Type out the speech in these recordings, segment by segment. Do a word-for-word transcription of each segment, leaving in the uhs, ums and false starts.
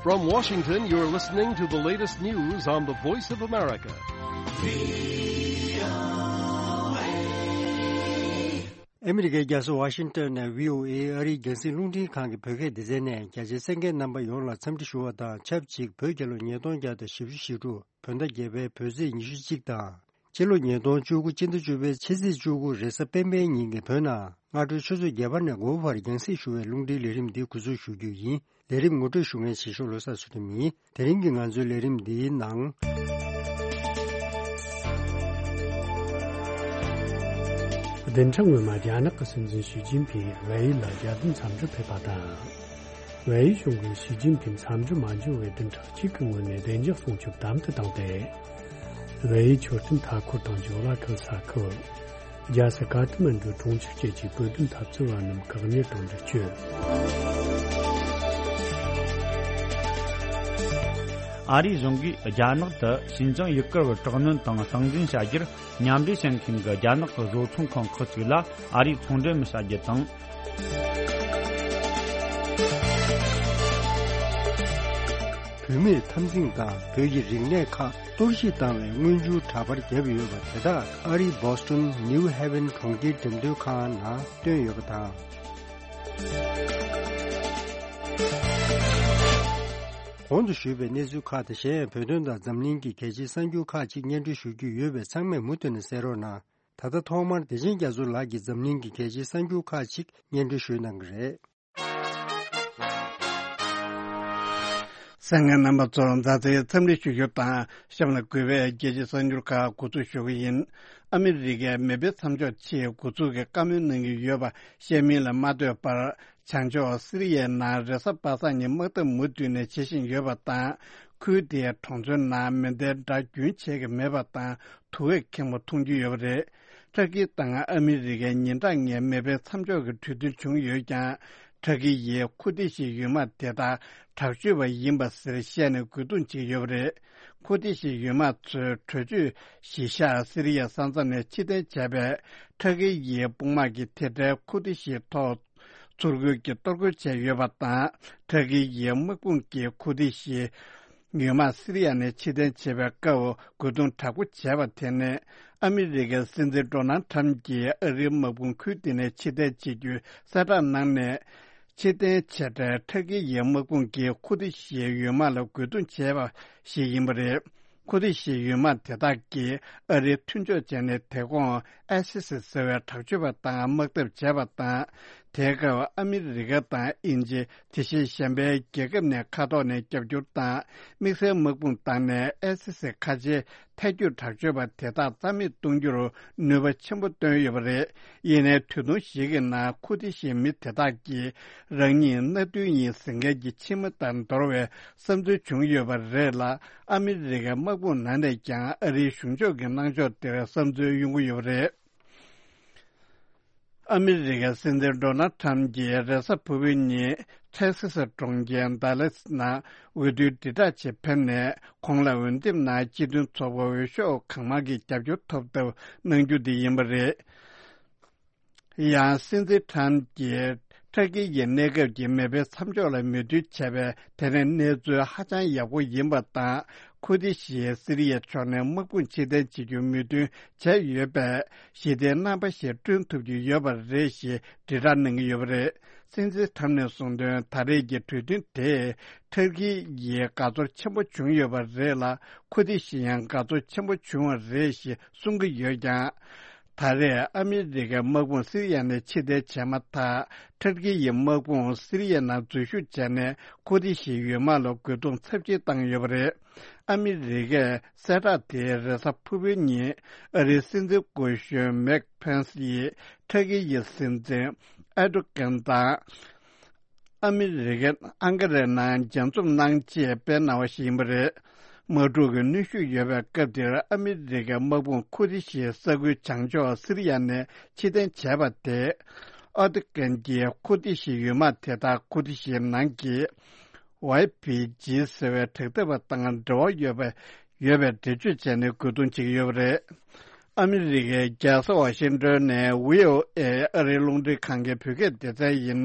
From Washington, you're listening to the latest news on the Voice of America. ཨ་མི་རི་ཀའི་རྒྱལ་ས་ཝ་ཤིང་ཏོན་ནས་བྷི་ཨོ་ཨེ་ཨ་རིའི་རྒྱང་སྲིང་རླུང་འཕྲིན་ཁང་གི་བོད་སྐད་སྡེ་ཚན་ནས་རྒྱ་ཆེའི་གསན་མཁན་རྣམ་པ་ཡོངས་ལ་འཚམས་འདྲི་ཞུ་བ་དང་ཆབས་ཅིག་བོད་རྒྱལ་ལོ་ཉིས་སྟོང་བརྒྱ་དང་བཞི་བཅུ་ཞེ་དྲུག་བོད་ཟླ་བརྒྱད་པའི་བོད་ཚེས་ཉི་ཤུ་གཅིག་དང་། སྤྱི་ལོ་ཉིས་སྟོང་བཅུ་དགུ་སྤྱི་ཟླ་བཅུ་པའི་ཕྱི་ཚེས་བཅུ་དགུ་རེས་གཟའ་སྤེན་པའི་ཉིན་གྱི་བོད་ནང་སྔ་དྲོའི་ཆུ་ཚོད་བརྒྱད་པ་ནས་དགུ་པ་བར་རྒྱང་སྲིང་ཞུ་བའི་རླུང་འཕྲིན་ལས་རིམ་འདི་འགོ་འཛུགས་ཞུ་རྒྱུ་ཡིན། ལས་རིམ་ངོ་སྤྲོད་ཞུ་མཁན་བྱེད་ཤོག་བློ་བཟང་ཚུལ་ཁྲིམས་ཡིན། དེ་རིང་གི་ང་ཚོའི་ལས་རིམ་འདིའི་ནང་། བདུན་ཕྲག་སྔོན་མ་རྒྱ་ནག་གི་སྲིད་འཛིན་ཞི་ཅིན་ཕིང་ཝེ་ཡི་ལ་རྒྱལ་དོན་འཚམས་འདྲིར་ཕེབས་པ་དང་། ཝེ་ཡི་གཞུང་གིས་ཞི་ཅིན་ཕིང་འཚམས་འདྲི་མ་འབྱོར་བའི་བདུན་ཕྲག་གཅིག་གི་སྔོན་ནས་བདེ་འཇགས་སྲུང་སྐྱོབ་དམ་དུ་བཏང་སྟེ། ཝེ་ཡི་མཆོད་རྟེན་མཐའ་འཁོར་དང་ཇོ་ལ་ཁུལ་ས་ཁུལ། རྒྱལ་ས་ཀ་ཐ་མན་གྲུའི་གྲོང་ཁྱེར་བཅས་ཀྱི་བོད་དོན་འཐབ་རྩོད་པ་རྣམས་བཀག་ཉར་དང་འདྲི་གཅོད། ཨ་རིའི་གཞུང་གིས་རྒྱ་ནག་ཏུ་ཞིན་ཅང་ཡུ་གུར་བར་དྲག་གནོན་དང་སྟངས་འཛིན་བྱ་རྒྱུར་མཉམ་འབྲེལ་བྱེད་མཁན་གྱི་རྒྱ་ནག་གི་བཟོ་ཚོང་ཁང་ཁག་ཅིག་ལ་ཨ་རིས་ཚོང་འབྲེལ་མི་བྱ་རྒྱུ་དང་། བུད་མེད་འཐབ་འཛིང་དང་བོད་ཀྱི་རིག་གནས་ཁག་གཏོར་བཤིག་བཏང་བའི་མངོན་ཆུང་འདྲ་པར་བརྒྱབ་ཡོད་པ་དེ་དག་ཨ་རིའི་བོ་སི་ཊོན་ནིའུ་ཧེ་ཝན་གྲོང་ཁྱེར་འགྲེམས་སྟོན་ཁང་ནང་བཏོན་ཡོད་པ་དང་། གོང་དུ་ཞུས་པའི་གནས་ཚུལ་ཁག་དང་གཞན་ཡང་བོད་དོན་དང་འཛམ་གླིང་གི་གལ་ཆེའི་གསར་འགྱུར་ཁག་ཅིག་སྙན་སྒྲོན་ཞུ་རྒྱུ་ཡོད་པས་ཚང་མས་མུ་མཐུད་ནས་གསན་རོགས་གནང་། ད་ལྟ་ཐོག་མར་བདེ་ཆེན་རྒྱ་མཚོ་ལགས་ཀྱིས་འཛམ་གླིང་གི་གལ་ཆེའི་གསར་འགྱུར་ཁག་ཅིག་སྙན་སྒྲོན་ཞུ་གནང་གི་རེད། གསན་མཁན་རྣམ་པ་ཚོར་མཛའ་བརྩེའི་འཚམས་འདྲི་ཞུ་རྒྱུ་དང་གཤམ་ལ་འགོད་པའི་རྒྱལ་སྤྱིའི་གསར་འགྱུར་ཁག་འགོ་འཛུགས་ཞུ་གི་ཡིན། ཨ་མི་རི་ཀའི་མེ་འཕེན་མཚམས་འཇོག་ཆེད་འགོ་འཛུགས་ཀྱི་བཀའ་མོལ་གནང་གི་ཡོད་པ་བཤད་མིན་ལ་མ་ལྟོས་པར། བྱང་ཕྱོགས་སི་རི་ཡའི་ནང་རེས་གཟའ་པ་སངས་ཉིན་དམག་འཐབ་མུ་མཐུད་ནས་བྱེད་བཞིན་ཡོད་པ་དང་། ཁུལ་དེའི་གྲོང་ཚོའི་ནང་མེ་མདའི་སྒྲ་རྒྱུན་ཆད་ཀྱི་མེད་པ་དང་དུ་བས་ཁེངས་པོ་མཐོང་རྒྱུ་ཡོད་པ་རེད། ཏུར་ཀི་དང་ཨ་མི་རི་ཀའི་ཉིན་གྲངས་ལྔའི་མེ་འཕེན་མཚམས་འཇོག་གི་གྲོས་མཐུན་བྱུང་ཡོད་ཀྱང་། ཏུར་ཀི་ཡིས་ཁུར་ཏི་ཤི་ཡུལ་དམག་དེ་དག་དྲག་སྤྱོད་པ་ཡིན་པ་ཟེར་བཤད་ནས་རྒོལ་རྡུང་བྱེད་ཀྱི་ཡོད་པ་རེད། ཁུར་ཏི་ཤི་ཡུལ་དམག་ཚོས་གྲོས་ཆོད་གཞི་བཞག་སི་རི་ཡའི་ས་མཚམས་ནས་ཕྱིར་འཐེན་བྱས་པའི་ཏུར་ཀི་ཡི་དཔུང་དམག་གིས་དེ་འཕྲལ་ཁུར་ཏི་ཤིའི་ཐོག་ཚུར་རྒོལ་གྱིས་གཏོར་རྒོལ་བྱས་ཡོད་པ་དང་། ཏུར་ཀི་ཡི་དམག་དཔུང་གིས་ཁུར་ཏི་ཤིའི་ཡུལ་དམག་སི་རི་ཡ་ནས་ཕྱིར་འཐེན་བྱེད་པའི་སྐབས་རྒོལ་རྡུང་དྲག་པོ་བྱས་པ་དེ་ནི། ཨ་མི་རི་ཀའི་སྲིད་འཛིན་ཌོ་ནལ་ཁྲམ་གྱིས་ཨ་རིའི་དམག་དཔུང་ཁུལ་དེ་ནས་ཕྱིར་འཐེན་བྱེད་རྒྱུའི་གསལ་བསྒྲགས་གནང་ནས། ཕྱིར་འཐེན་བྱས་འཕྲལ་ཏུར་ཀི་ཡི་དམག་དཔུང་གིས་ཁུར་ཏི་ཤིའི་ཡུལ་དམག་ལ་རྒོལ་རྡུང་བྱས་པ་ཞིག་ཡིན་པ་རེད། ཁུར་ཏི་ཤིའི་ཡུལ་དམག་དེ་དག་གིས་ཨ་རིའི་མཐུན་ཕྱོགས་བྱས་ནས་དེ་གོང་ཨའི་སི་སི་ཟེར་བའི་དྲག་སྤྱོད་པ་དང་དམག་འཐབ་བྱས་པ་དང་། དེའི་སྐབས་ཨ་མི་རི་ཀ་དང་དབྱིན་ཇི། དེ་བཞིན་གཞན་པའི་རྒྱལ་ཁབ་ནས་མཁའ་ཐོག་ནས་རྒྱབ་སྐྱོར་དང་། དམིགས་བསལ་དམག་དཔུང་བཏང་ནས་ཨའི་སི་སི་ཁ་ཆེའི་ཐལ་སྐྱོད་དྲག་སྤྱོད་པ་དེ་དག་རྩ་མེད་གཏོང་རྒྱུར་ནུས་པ་ཆེན་པོ་བཏོན་ཡོད་པ་རེད། ཡིན་ནའི་དུས་ཐུང་ཞིག་གི་ནང་ཁུར་ཏི་ཤིའི་མི་དེ་དག་གིས་རང་ཉིད་མནའ་མཐུན་ཡིན་ཟེར་མཁན་གྱི་ཕྱི་མི་ལྟར་འདོར་བའི་བསམ་ཚུལ་བྱུང་ཡོད་པ་རེད་ལ། ཨ་མི་རི་ཀའི་དམག་དཔུང་ནང་ནས་ཀྱང་ཨ་རིའི་གཞུང་ཕྱོགས་ཀྱི་གནང་ཕྱོགས་དེར་བསམ་ཚུལ་ཡོང་གི་ཡོད་པ་རེད། ཨ་མི་རི་ཀའི་སྲིད་འཛིན་ཌོ་ནལ་ཁྲམ་གྱིས་རེས་གཟའ་ཕུར་བུའི་ཉིན་ཊེག་སི་སི་གྲོང་ཁྱེར་ཌ་ལཱ་སི་ནང་འོས་བསྡུའི་དྲིལ་བསྒྲགས་ཆེད་ཕེབས་ནས། ཁོང་ལ་འོས་འདེམས་ནང་སྤྱི་མཐུན་ཚོགས་པ་འོས་ཤོག་གང་མང་གི་རྒྱབ་སྐྱོར་ཐོབ་ཐབས་གནང་རྒྱུ་དེ་ཡིན་པ་རེད། ཡང་སྲིད་འཛིན་ཁྲམ་གྱིས་ཏུར་ཀི་ཡི་གནས་སྐབས་ཀྱི་མེ་འཕེན་མཚམས་འཇོག་ལ་མོས་མཐུན་བྱས་པས། དེ་ནི་གནས་ཚུལ་ཧ་ཅང་ཡག་པོ་ཡིན་པ་དང་། ཁུར་ཏི་ཤིས་སི་རི་ཡའི་ཕྱོགས་ནས་དམག་དཔུང་ཕྱིར་འཐེན་བྱེད་རྒྱུར་མོས་མཐུན་བྱས་ཡོད་པས། ཞི་བདེའི་རྣམ་པ་ཞིག་བསྐྲུན་ཐུབ་ཀྱི་ཡོད་པ་རེད་ཞེས་དྲིལ་བསྒྲགས་གནང་གི་ཡོད་པ་རེད། སྲིད་འཛིན་ཁྲམ་ནས་གསུངས་དོན། ད་རེས་ཀྱི་གྲོས་མཐུན་དེས་ཏུར་ཀི་ཡིས་དགའ་ཚོར་ཆེན་པོ་བྱུང་ཡོད་པ་རེད་ལ། ཁུར་ཏི་ཤིས་ཡང་དགའ་ཚོར་ཆེན་པོ་བྱུང་བ་རེད་ཞེས་གསུང་གི་ཡོད་ཀྱང་། ད་རེས་ཨ་མི་རི་ཀའི་དམག་དཔུང་སི་རི་ཡ་ནས་ཕྱིར་འཐེན་བྱས་མ་ཐག་ཏུར་ཀི་ཡི་དམག་དཔུང་སི་རི་ཡའི་ནང་འཛུལ་ཞུགས་བྱས་ནས། ཁུར་ཏི་ཤིའི་ཡུལ་དམག་ལ་རྒོལ་རྡུང་ཚབས་ཆེན་བཏང་ཡོད་པ་རེད། ཨ་མི་རི་ཀས་གསལ་བསྒྲགས་དེ་རེས་གཟའ་ཕུར་བུའི་ཉིན་ཨ་རིའི་སྲིད་འཛིན་སྐུ་གཞོན་མེག་ཕེན་སི་ཡིས་ཏུར་ཀི་ཡི་སྲིད་འཛིན་ཨེར་ཏོ་གན་དང་། ཨ་མི་རི་ཀའི་ཨང་ཀ་རའི་ནང་མཇལ་འཛོམས་གནང་ཆེད་སྤེལ་གནང་བ་ཞིག་ཡིན་པ་རེད། དམག་འཁྲུག་གི་གནོན་ཤུགས་ཡོད་པའི་སྐབས་འདིར་ཨ་མི་རི་ཀའི་དམག་དཔུང་ཁུར་ཏི་ཤིའི་ས་ཁུལ་བྱང་ཕྱོགས་སི་རི་ཡ་ནས་ཕྱིར་འཐེན་བྱས་པ་དེས། ཨེར་ཏོ་གན་གྱིས་ཁུར་ཏི་ཤིའི་ཡུལ་དམག་དེ་དག་ཁུར་ཏི་ཤིའི་ནང་གི་ཝའེ་པི་ཇི་ཟེར་བའི་དྲག་འཐབ་པ་དང་འབྲེལ་བ་ཡོད་པའི་ཡོད་པའི་འགྲེལ་བརྗོད་བྱས་ནས་རྒོལ་རྡུང་བྱེད་ཀྱི་ཡོད་པ་རེད། ཨ་མི་རི་ཀའི་རྒྱལ་ས་ཝ་ཤིང་ཏོན་ནས་བྷི་ཨོ་ཨེ་ཨ་རིའི་རླུང་འཕྲིན་ཁང་གི་བོད་སྐད་སྡེ་ཚན་ཡིན།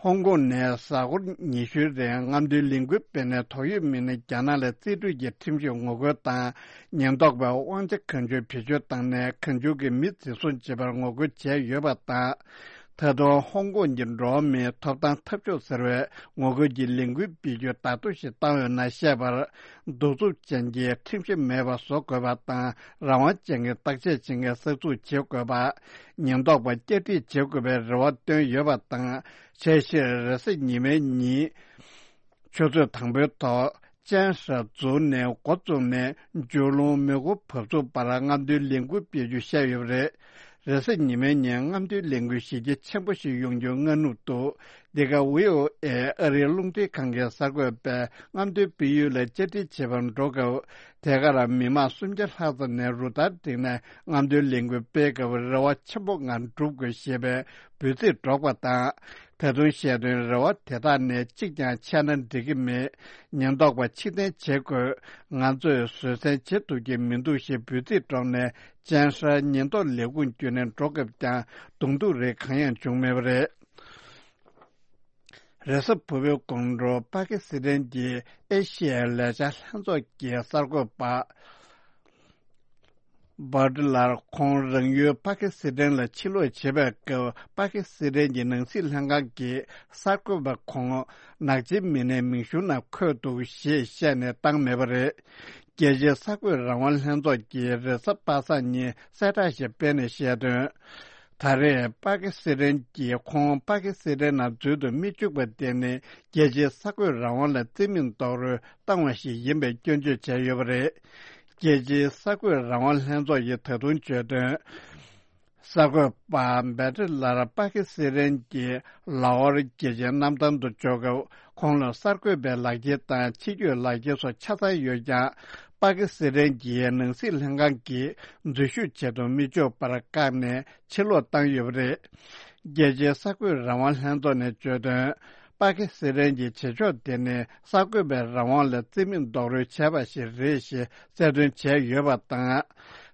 ཧོང་ཀོང་ནས་གཟའ་འཁོར་ཉི་ཤུའི་རིང་རྔམ་སྟོན་ལས་འགུལ་སྤེལ་ནས། ཐོག་ཡོད་མི་སྣ་རྒྱ་ནག་ལ་རྩིས་སྤྲོད་ཀྱི་ཁྲིམས་གཞི་ངོ་རྒོལ་དང་། ཉེན་རྟོག་པས་དབང་ཆ་གང་བྱུང་བེད་སྤྱོད་བཏང་ནས། གང་བྱུང་གི་མི་འཛིན་བཟུང་བྱེད་པར་ངོ་རྒོལ་བྱས་ཡོད་པ་དང་། ད་དུང་ཧོང་ཀོང་གི་འགྲོ་བ་མིའི་ཐོབ་ཐང་འཐབ་ཕྱོགས་ཟེར་བས་ངོ་རྒོལ་གྱི་ལས་འགུལ་སྤེལ་རྒྱུའི་བརྡ་ཐོ་ཞིག་བཏང་ཡོད་ན་བཤད་པར། གདུག་རྩུབ་ཅན་གྱི་ཁྲིམས་གཞི་མེད་པ་བཟོ་དགོས་པ་དང་། རང་དབང་ཅན་གྱི་བརྟག་དཔྱད་བྱེད་མཁན་གསར་འཛུགས་བྱེད་དགོས་པ། ཉེན་རྟོག་པ་བསྐྱར་སྒྲིག་བྱེད་དགོས་པའི་རེ་བ་བཏོན་ཡོད་པ་དང་། ཆ་ཤས་རེས་གཟའ་ཉི་མའི་ཉིན་ཆུ་ཚོད་དང་པོའི་ཐོག་ཅན་ཧྲ་རྫོང་ནས་འགོ་བཙུགས་ནས་ཇོ་ལུང་མེ་འཁོར་བབས་ཚུགས་བར་རྔམ་སྟོན་ལས་འགུལ་སྤེལ་རྒྱུ་བཤད་ཡོད་པ་རེད། རེས་གཟའ་ཉི་མའི་ཉིན་རྔམ་སྟོན་ལས་འགུལ་གཞི་རྒྱ་ཆེན་པོ་ཞིག་ཡོང་རྒྱུའི་སྔ་ནུབ་ཏུ། འདི་ག་ཝི་ཨོ་ཨེ་ཨ་རིའི་རླུང་འཕྲིན་ཁང་གི་གསར་འགོད་པས་རྔམ་སྟོན་སྤེལ་ཡུལ་ལ་བཅར་འདྲི་བྱེད་པར་འགྲོ་སྐབས། དེ་གར་མི་མང་སུམ་བརྒྱ་ལྷག་ཙམ་ནས་རུ་སྟར་བསྒྲིགས་ནས་རྔམ་སྟོན་ལས་འགུལ་སྤེལ་སྐབས་རེ་བ་ཆེན་པོ་ངང་འགྲུབ་དགོས་ཞེས་པའི་འབོད་ཚིག་སྒྲོག་པ་དང་། ད་དུང་བཤད་དོན་རེ་བ་དེ་དག་ནས་གཅིག་ཀྱང་ཆད་ན་འགྲིག་གི་མེད། ཉེན་རྟོག་པ་ཕྱིར་འཐེན་བྱེད་དགོས། ང་ཚོས་བཟོད་བསྲན་བྱེད་ཐུབ་ཀྱི་མི་འདུག་ཞེས་འབོད་ཚིག་སྒྲོག་ནས་ཅན་ཧྲ་ཉེན་རྟོག་ལས་ཁུངས་བརྒྱུད་ནས་འགྲོ་སྐབས་ཀྱང་གདོང་ཐུག་རིགས་གང་ཡང་བྱུང་མེད་པ་རེད། རེས་གཟའ་ཕུར་བུའི་དགོང་དྲོ་པ་ཀི་སི་ཐན་གྱི་ཨེ་ཤི་ཡའི་ལས་འཆར་ལྷན་ཚོགས་ཀྱི་གསར་འགོད་པ་བྷ་ཏི་ལར་ཁོང་རང་ཡུལ་པ་ཀི་སི་ཐན་ལ་ཕྱིར་ལོག་བྱེད་པའི་སྐབས། པ་ཀི་སི་ཐན་གྱི་ནང་སྲིད་ལྷན་ཁང་གི་གསར་འགོད་པ་ཁོང་ནག་ཆེན་མི་སྣའི་མིང་གཞུང་ནང་འཁོད་འདུག་ཞེས་བཤད་ནས་བཏང་མེད་པ་རེད། རྒྱལ་སྤྱིའི་གསར་འགོད་རང་དབང་ལྷན་ཚོགས་ཀྱིས་རེས་གཟའ་པ་སངས་ཉིན་གསལ་བསྒྲགས་ཤིག་སྤེལ་ནས་བཤད་དོན། ད་རེས་པ་ཀི་སི་ཐན་གྱིས་ཁོང་པ་ཀི་སི་ཐན་ནང་འཛུལ་དུ་མི་བཅུག་པ་དེ་ནི་རྒྱལ་སྤྱིའི་གསར་འགོད་རང་དབང་ལ་རྩིས་མེད་རྡོག་རོལ་བཏང་བ་ཞིག་ཡིན་པའི་སྐྱོན་བརྗོད་བྱས་ཡོད་པ་རེད། རྒྱལ་སྤྱིའི་གསར་འགོད་རང་དབང་ལྷན་ཚོགས་ཀྱིས་ད་དུང་བརྗོད་དོན། གསར་འགོད་པ་བྷ་ཏི་ལར་པ་ཀི་སི་ཐན་གྱི་ལ་ཧོར་རྒྱལ་ཆེན་གནམ་ཐང་དུ་འབྱོར་སྐབས། ཁོང་ལ་གསར་འགོད་པའི་ལག་འཁྱེར་དང་ཕྱི་སྐྱོད་ལག་འཁྱེར་སོགས་ཆ་ཚང་ཡོད་ཀྱང་། པ་ཀི་སི་ཐན་གྱི་ནང་སྲིད་ལྷན་ཁང་གིས་འཛུལ་ཞུགས་བྱེད་དུ་མི་ཆུག་པར་བཀག་ནས་ཕྱིར་ལོག་བཏང་ཡོད་པ་རེད། རྒྱལ་སྤྱིའི་གསར་འགོད་རང་དབང་ལྷན་ཚོགས་ནས་བརྗོད་དོན། པ་ཀི་སི་ཐན་གྱི་བྱེད་ཕྱོགས་དེ་ནི་གསར་འགོད་པའི་རང་དབང་ལ་རྩིས་མེད་རྡོག་རོལ་བྱས་པ་ཞིག་རེད་ཞེས་གསལ་སྟོན་བྱས་ཡོད་པ་དང་།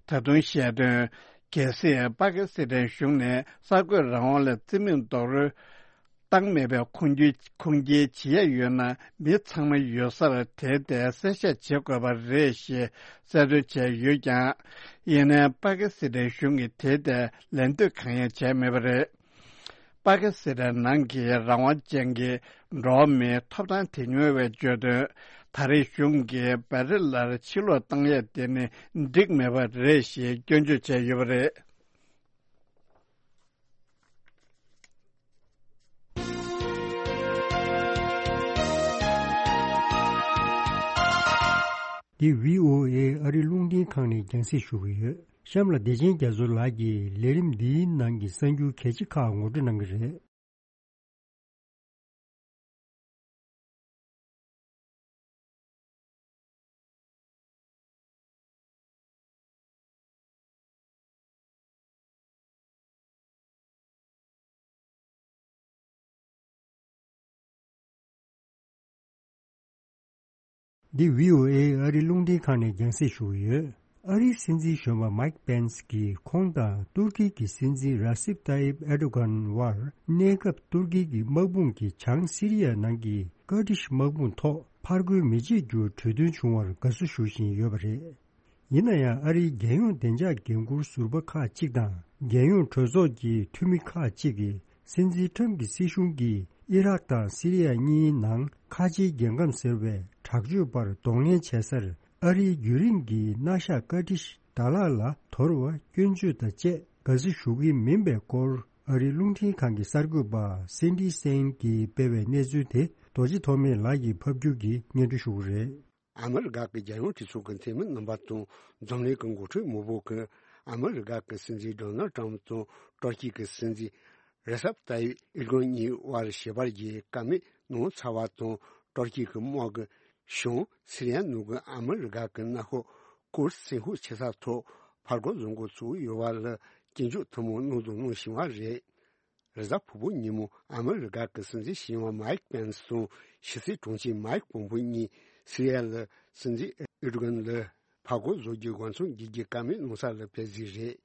ད་དུང་བཤད་དོན། གལ་སྲིད་པ་ཀི་སི་ཐན་གཞུང་ནས་གསར་འགོད་རང་དབང་ལ་རྩིས་མེད་རྡོག་རོལ་བཏང་མེད་པའི་ཁུངས་སྐྱེལ་ཁུངས་སྐྱེལ་བྱེད་ཡ་ཡོད་ན། མི་ཚང་མ་ཡོད་སར་དེ་ལྟའི་གསལ་བཤད་བྱེད་དགོས་པ་རེད་ཞེས་གསལ་སྟོན་བྱས་ཡོད་ཀྱང་། ཡིན་ནའི་པ་ཀི་སི་ཐན་གཞུང་གིས་དེ་ལྟའི་ལན་འདེབས་གང་ཡང་བྱས་མེད་པ་རེད། པ་ཀི་སི་ཐན་ནང་གི་རང་དབང་ཅན་གྱི་འགྲོ་བ་མིའི་ཐོབ་ཐང་དོན་གཉེར་བས་བརྗོད་དོན། ད་རེས་གཞུང་གིས་བྷ་ཏི་ལར་ཕྱིར་ལོག་བཏང་ཡས་དེ་ནི་འགྲིག་མེད་པ་རེད་ཞེས་སྐྱོན་བརྗོད་བྱས་ཡོད་པ་རེད། འདི་བྷི་ཨོ་ཨེ་ཨ་རི་རླུང་འཕྲིན་ཁང་ནས་རྒྱང་སྲིང་ཞུ་གི་ཡོད། གཤམ་ལ་བདེ་ཆེན་རྒྱ་མཚོ་ལགས་ཀྱིས་ལས་རིམ་འདིའི་ནང་གི་གསར་འགྱུར་གལ་ཆེ་ཁག་ངོ་སྤྲོད་གནང་གི་རེད། འདི་བྷི་ཨོ་ཨེ་ཨ་རི་རླུང་འཕྲིན་ཁང་ནས་རྒྱང་སྲིང་ཞུ་གི་ཡོད། ཨ་རིའི་སྲིད་འཛིན་གཞོན་པ་མཱིག་པེན་སི་གིས་ཁོང་དང་ཏུར་ཀི་གི་སྲིད་འཛིན་ར་སིབ་ཏཱ་ཡིབ་ཨེར་ཏོ་གྷན་དབར་གནས་སྐབས་ཏུར་ཀི་གི་དམག་དཔུང་གིས་བྱང་སི་རི་ཡ་ནང་གི་ཀར་ཏིཤ་དམག་དཔུང་ཐོག་ཕར་རྒོལ་མི་བྱེད་རྒྱུར་གྲོས་མཐུན་བྱུང་བར་དགའ་བསུ་ཞུ་བཞིན་ཡོད་པ་རེད། ཡིན་ན་ཡང་ཨ་རིའི་རྒྱལ་ཡོངས་བདེ་འཇགས་འགན་འཁུར་ཟུར་པ་ཁག་ཅིག་དང་རྒྱལ་ཡོངས་གྲོས་ཚོགས་ཀྱི་འཐུས་མི་ཁག་ཅིག་གིས་སྲིད་འཛིན་ཁྲམ་གྱི་སྲིད་གཞུང་གིས་ཨི་རག་དང་སི་རི་ཡ་གཉིས་ནང་ཁ་ཆེའི་རྒྱལ་ཁམས་ཟེར་བའི་དྲག་སྤྱོད་པར་གདོང་ལེན་བྱེད་སར་ཨ་རིའི་རྒྱུན་རིང་གི་མནའ་ཤག་ཀར་ཏིཤ་ཌ་ལག་ལ་དོར་བ་སྐྱོན་བརྗོད་དང་བཅས་དགའ་བསུ་ཞུ་གི་མིན་པའི་སྐོར་ཨ་རིའི་རླུང་འཕྲིན་ཁང་གི་གསར་འགོད་པ་སེན་ཌི་སེན་གྱིས་སྤེལ་བའི་གནས་ཚུལ་དེ་རྡོ་རྗེ་ཐོགས་མེད་ལགས་ཀྱིས་ཕབ་སྒྱུར་གྱིས་སྙན་སྒྲོན་ཞུ་གི་རེད། ཨ་མི་རི་ཀ་གི་རྒྱལ་ཡོངས་གྲོས་ཚོགས་ཀྱི་འཐུས་མི་རྣམ་པ་དང་འཛམ་གླིང་གི་འགོ་ཁྲིད་མང་པོ་གིས་ཨ་མི་རི་ཀ་གི་སྲིད་འཛིན་ཌོ་ནལ་ཊམ་དང་ཏུར་ཀི་གི་སྲིད་འཛིན་རེ་སབ་ཏཱ་ཡིབ་ཨེར་དོ་གྷན་གཉིས་དབར་ཞི་བར་གྱི་བཀའ་མོལ་གནང་ཚར་བ་དང་། ཏུར་ཀི་གི་དམག་གི་བྱང་སི་རི་ཡ་ནང་གི་ཨ་མི་རི་ཀ་གི་མནའ་ཤོག་ཀུར་སི་སེམས་ཤུགས་ཆེ་ས་ཐོག་ཕར་རྒོལ་བཟོ་འགོ་ཚུགས་ཡོད་པ་ལ་སྐྱོན་བརྗོད་ཐེངས་མང་གནང་དང་གནང་བཞིན་པ་རེད། རེས་གཟའ་ཕུར་བུ་ཉིན་མོ་ཨ་མི་རི་ཀ་གི་སྲིད་འཛིན་གཞོན་པ་མཱིག་པེན་སི་དང་ཕྱི་སྲིད་དྲུང་ཆེ་མཱིག་པོམ་པེ་གཉིས་སི་རི་ཡ་ལ་སྲིད་འཛིན་ཨེར་དོ་གྷན་ལ་ཕར་རྒོལ་བཟོ་རྒྱུའི་དབང་མཚམས་བརྒྱུད་རྒྱུའི་བཀའ་མོལ་གནང་ས་ལ་ཕེབས་རྩིས་རེད།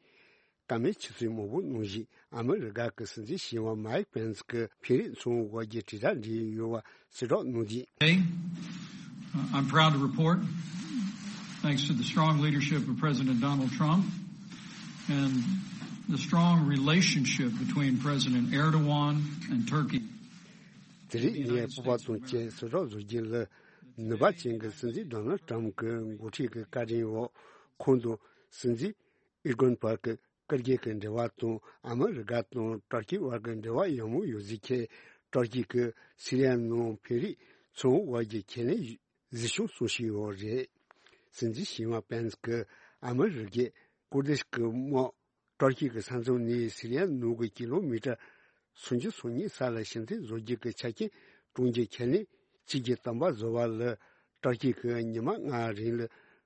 བཀའ་མོལ་ཆེད་གསོལ་མང་པོ་གནང་བཞིན། ཨ་མི་རི་ཀ་གི་སྲིད་འཛིན་གཞོན་པ་མའིག་པེན་སི་གི་འཕེན་རིས་ཚོང་དབར་གྱི་དྲིལ་བསྒྲགས་འབྲེལ་ཡོད་པ་གསལ་བསྒྲགས་གནང་དུས། Today, uh, I'm proud to report, thanks to the strong leadership of President Donald Trump and the strong relationship between President Erdogan and Turkey, དེ་རིང་ངས་སྤོབས་པ་དང་བཅས་གསལ་བསྒྲགས་བཟོ་རྒྱུ་ལ། ནུས་པ་ཅན་གྱི་སྲིད་འཛིན་ཌོ་ནལ་ཊམ་གྱི་འགོ་ཁྲིད་ཀྱི་བཀའ་དྲིན་འོག་ཁོང་དང་སྲིད་འཛིན་ཨེར་དོ་གྷན་བར་གྱི་སྐུ་སྒེར་གྱི་འབྲེལ་བ་དང་། ཨ་མི་རི་ཀ་དང་ཏུར་ཀི་བར་གྱི་འབྲེལ་བ་ཡང་མོ་ཡོད་ཟེར་མཁན་ཏུར་ཀི་གིས་སི་རི་ཡ་ནང་འཕེན་རིས་ཚོང་དབར་གྱི་ཁས་ལེན་གཟིགས་སྐྱོང་གསུང་བཤད་ཡོད་རེད། སྲིད་འཛིན་གཞོན་པ་པེན་སི་གིས་ཨ་མི་རི་ཀས་ཀུར་དིཤ་གི་དམག་ཏུར་ཀི་གི་ས་མཚམས་ནས་སི་རི་ཡ་ནང་གི་ཀི་ལོ་མི་ཊར་སུམ་ཅུ་སོ་གཉིས་ས་ལ་ཕྱིར་འཐེན་བཟོ་རྒྱུ་གི་ཆ་རྐྱེན་བསྐྲུན་རྒྱུའི་ཁས་ལེན་གཅིག་གྱུར་གཏན་འབེབས་བཟོ་བ་ལ། ཏུར་ཀི་གིས་ཉི་མ་ལྔ་རིང་ལ་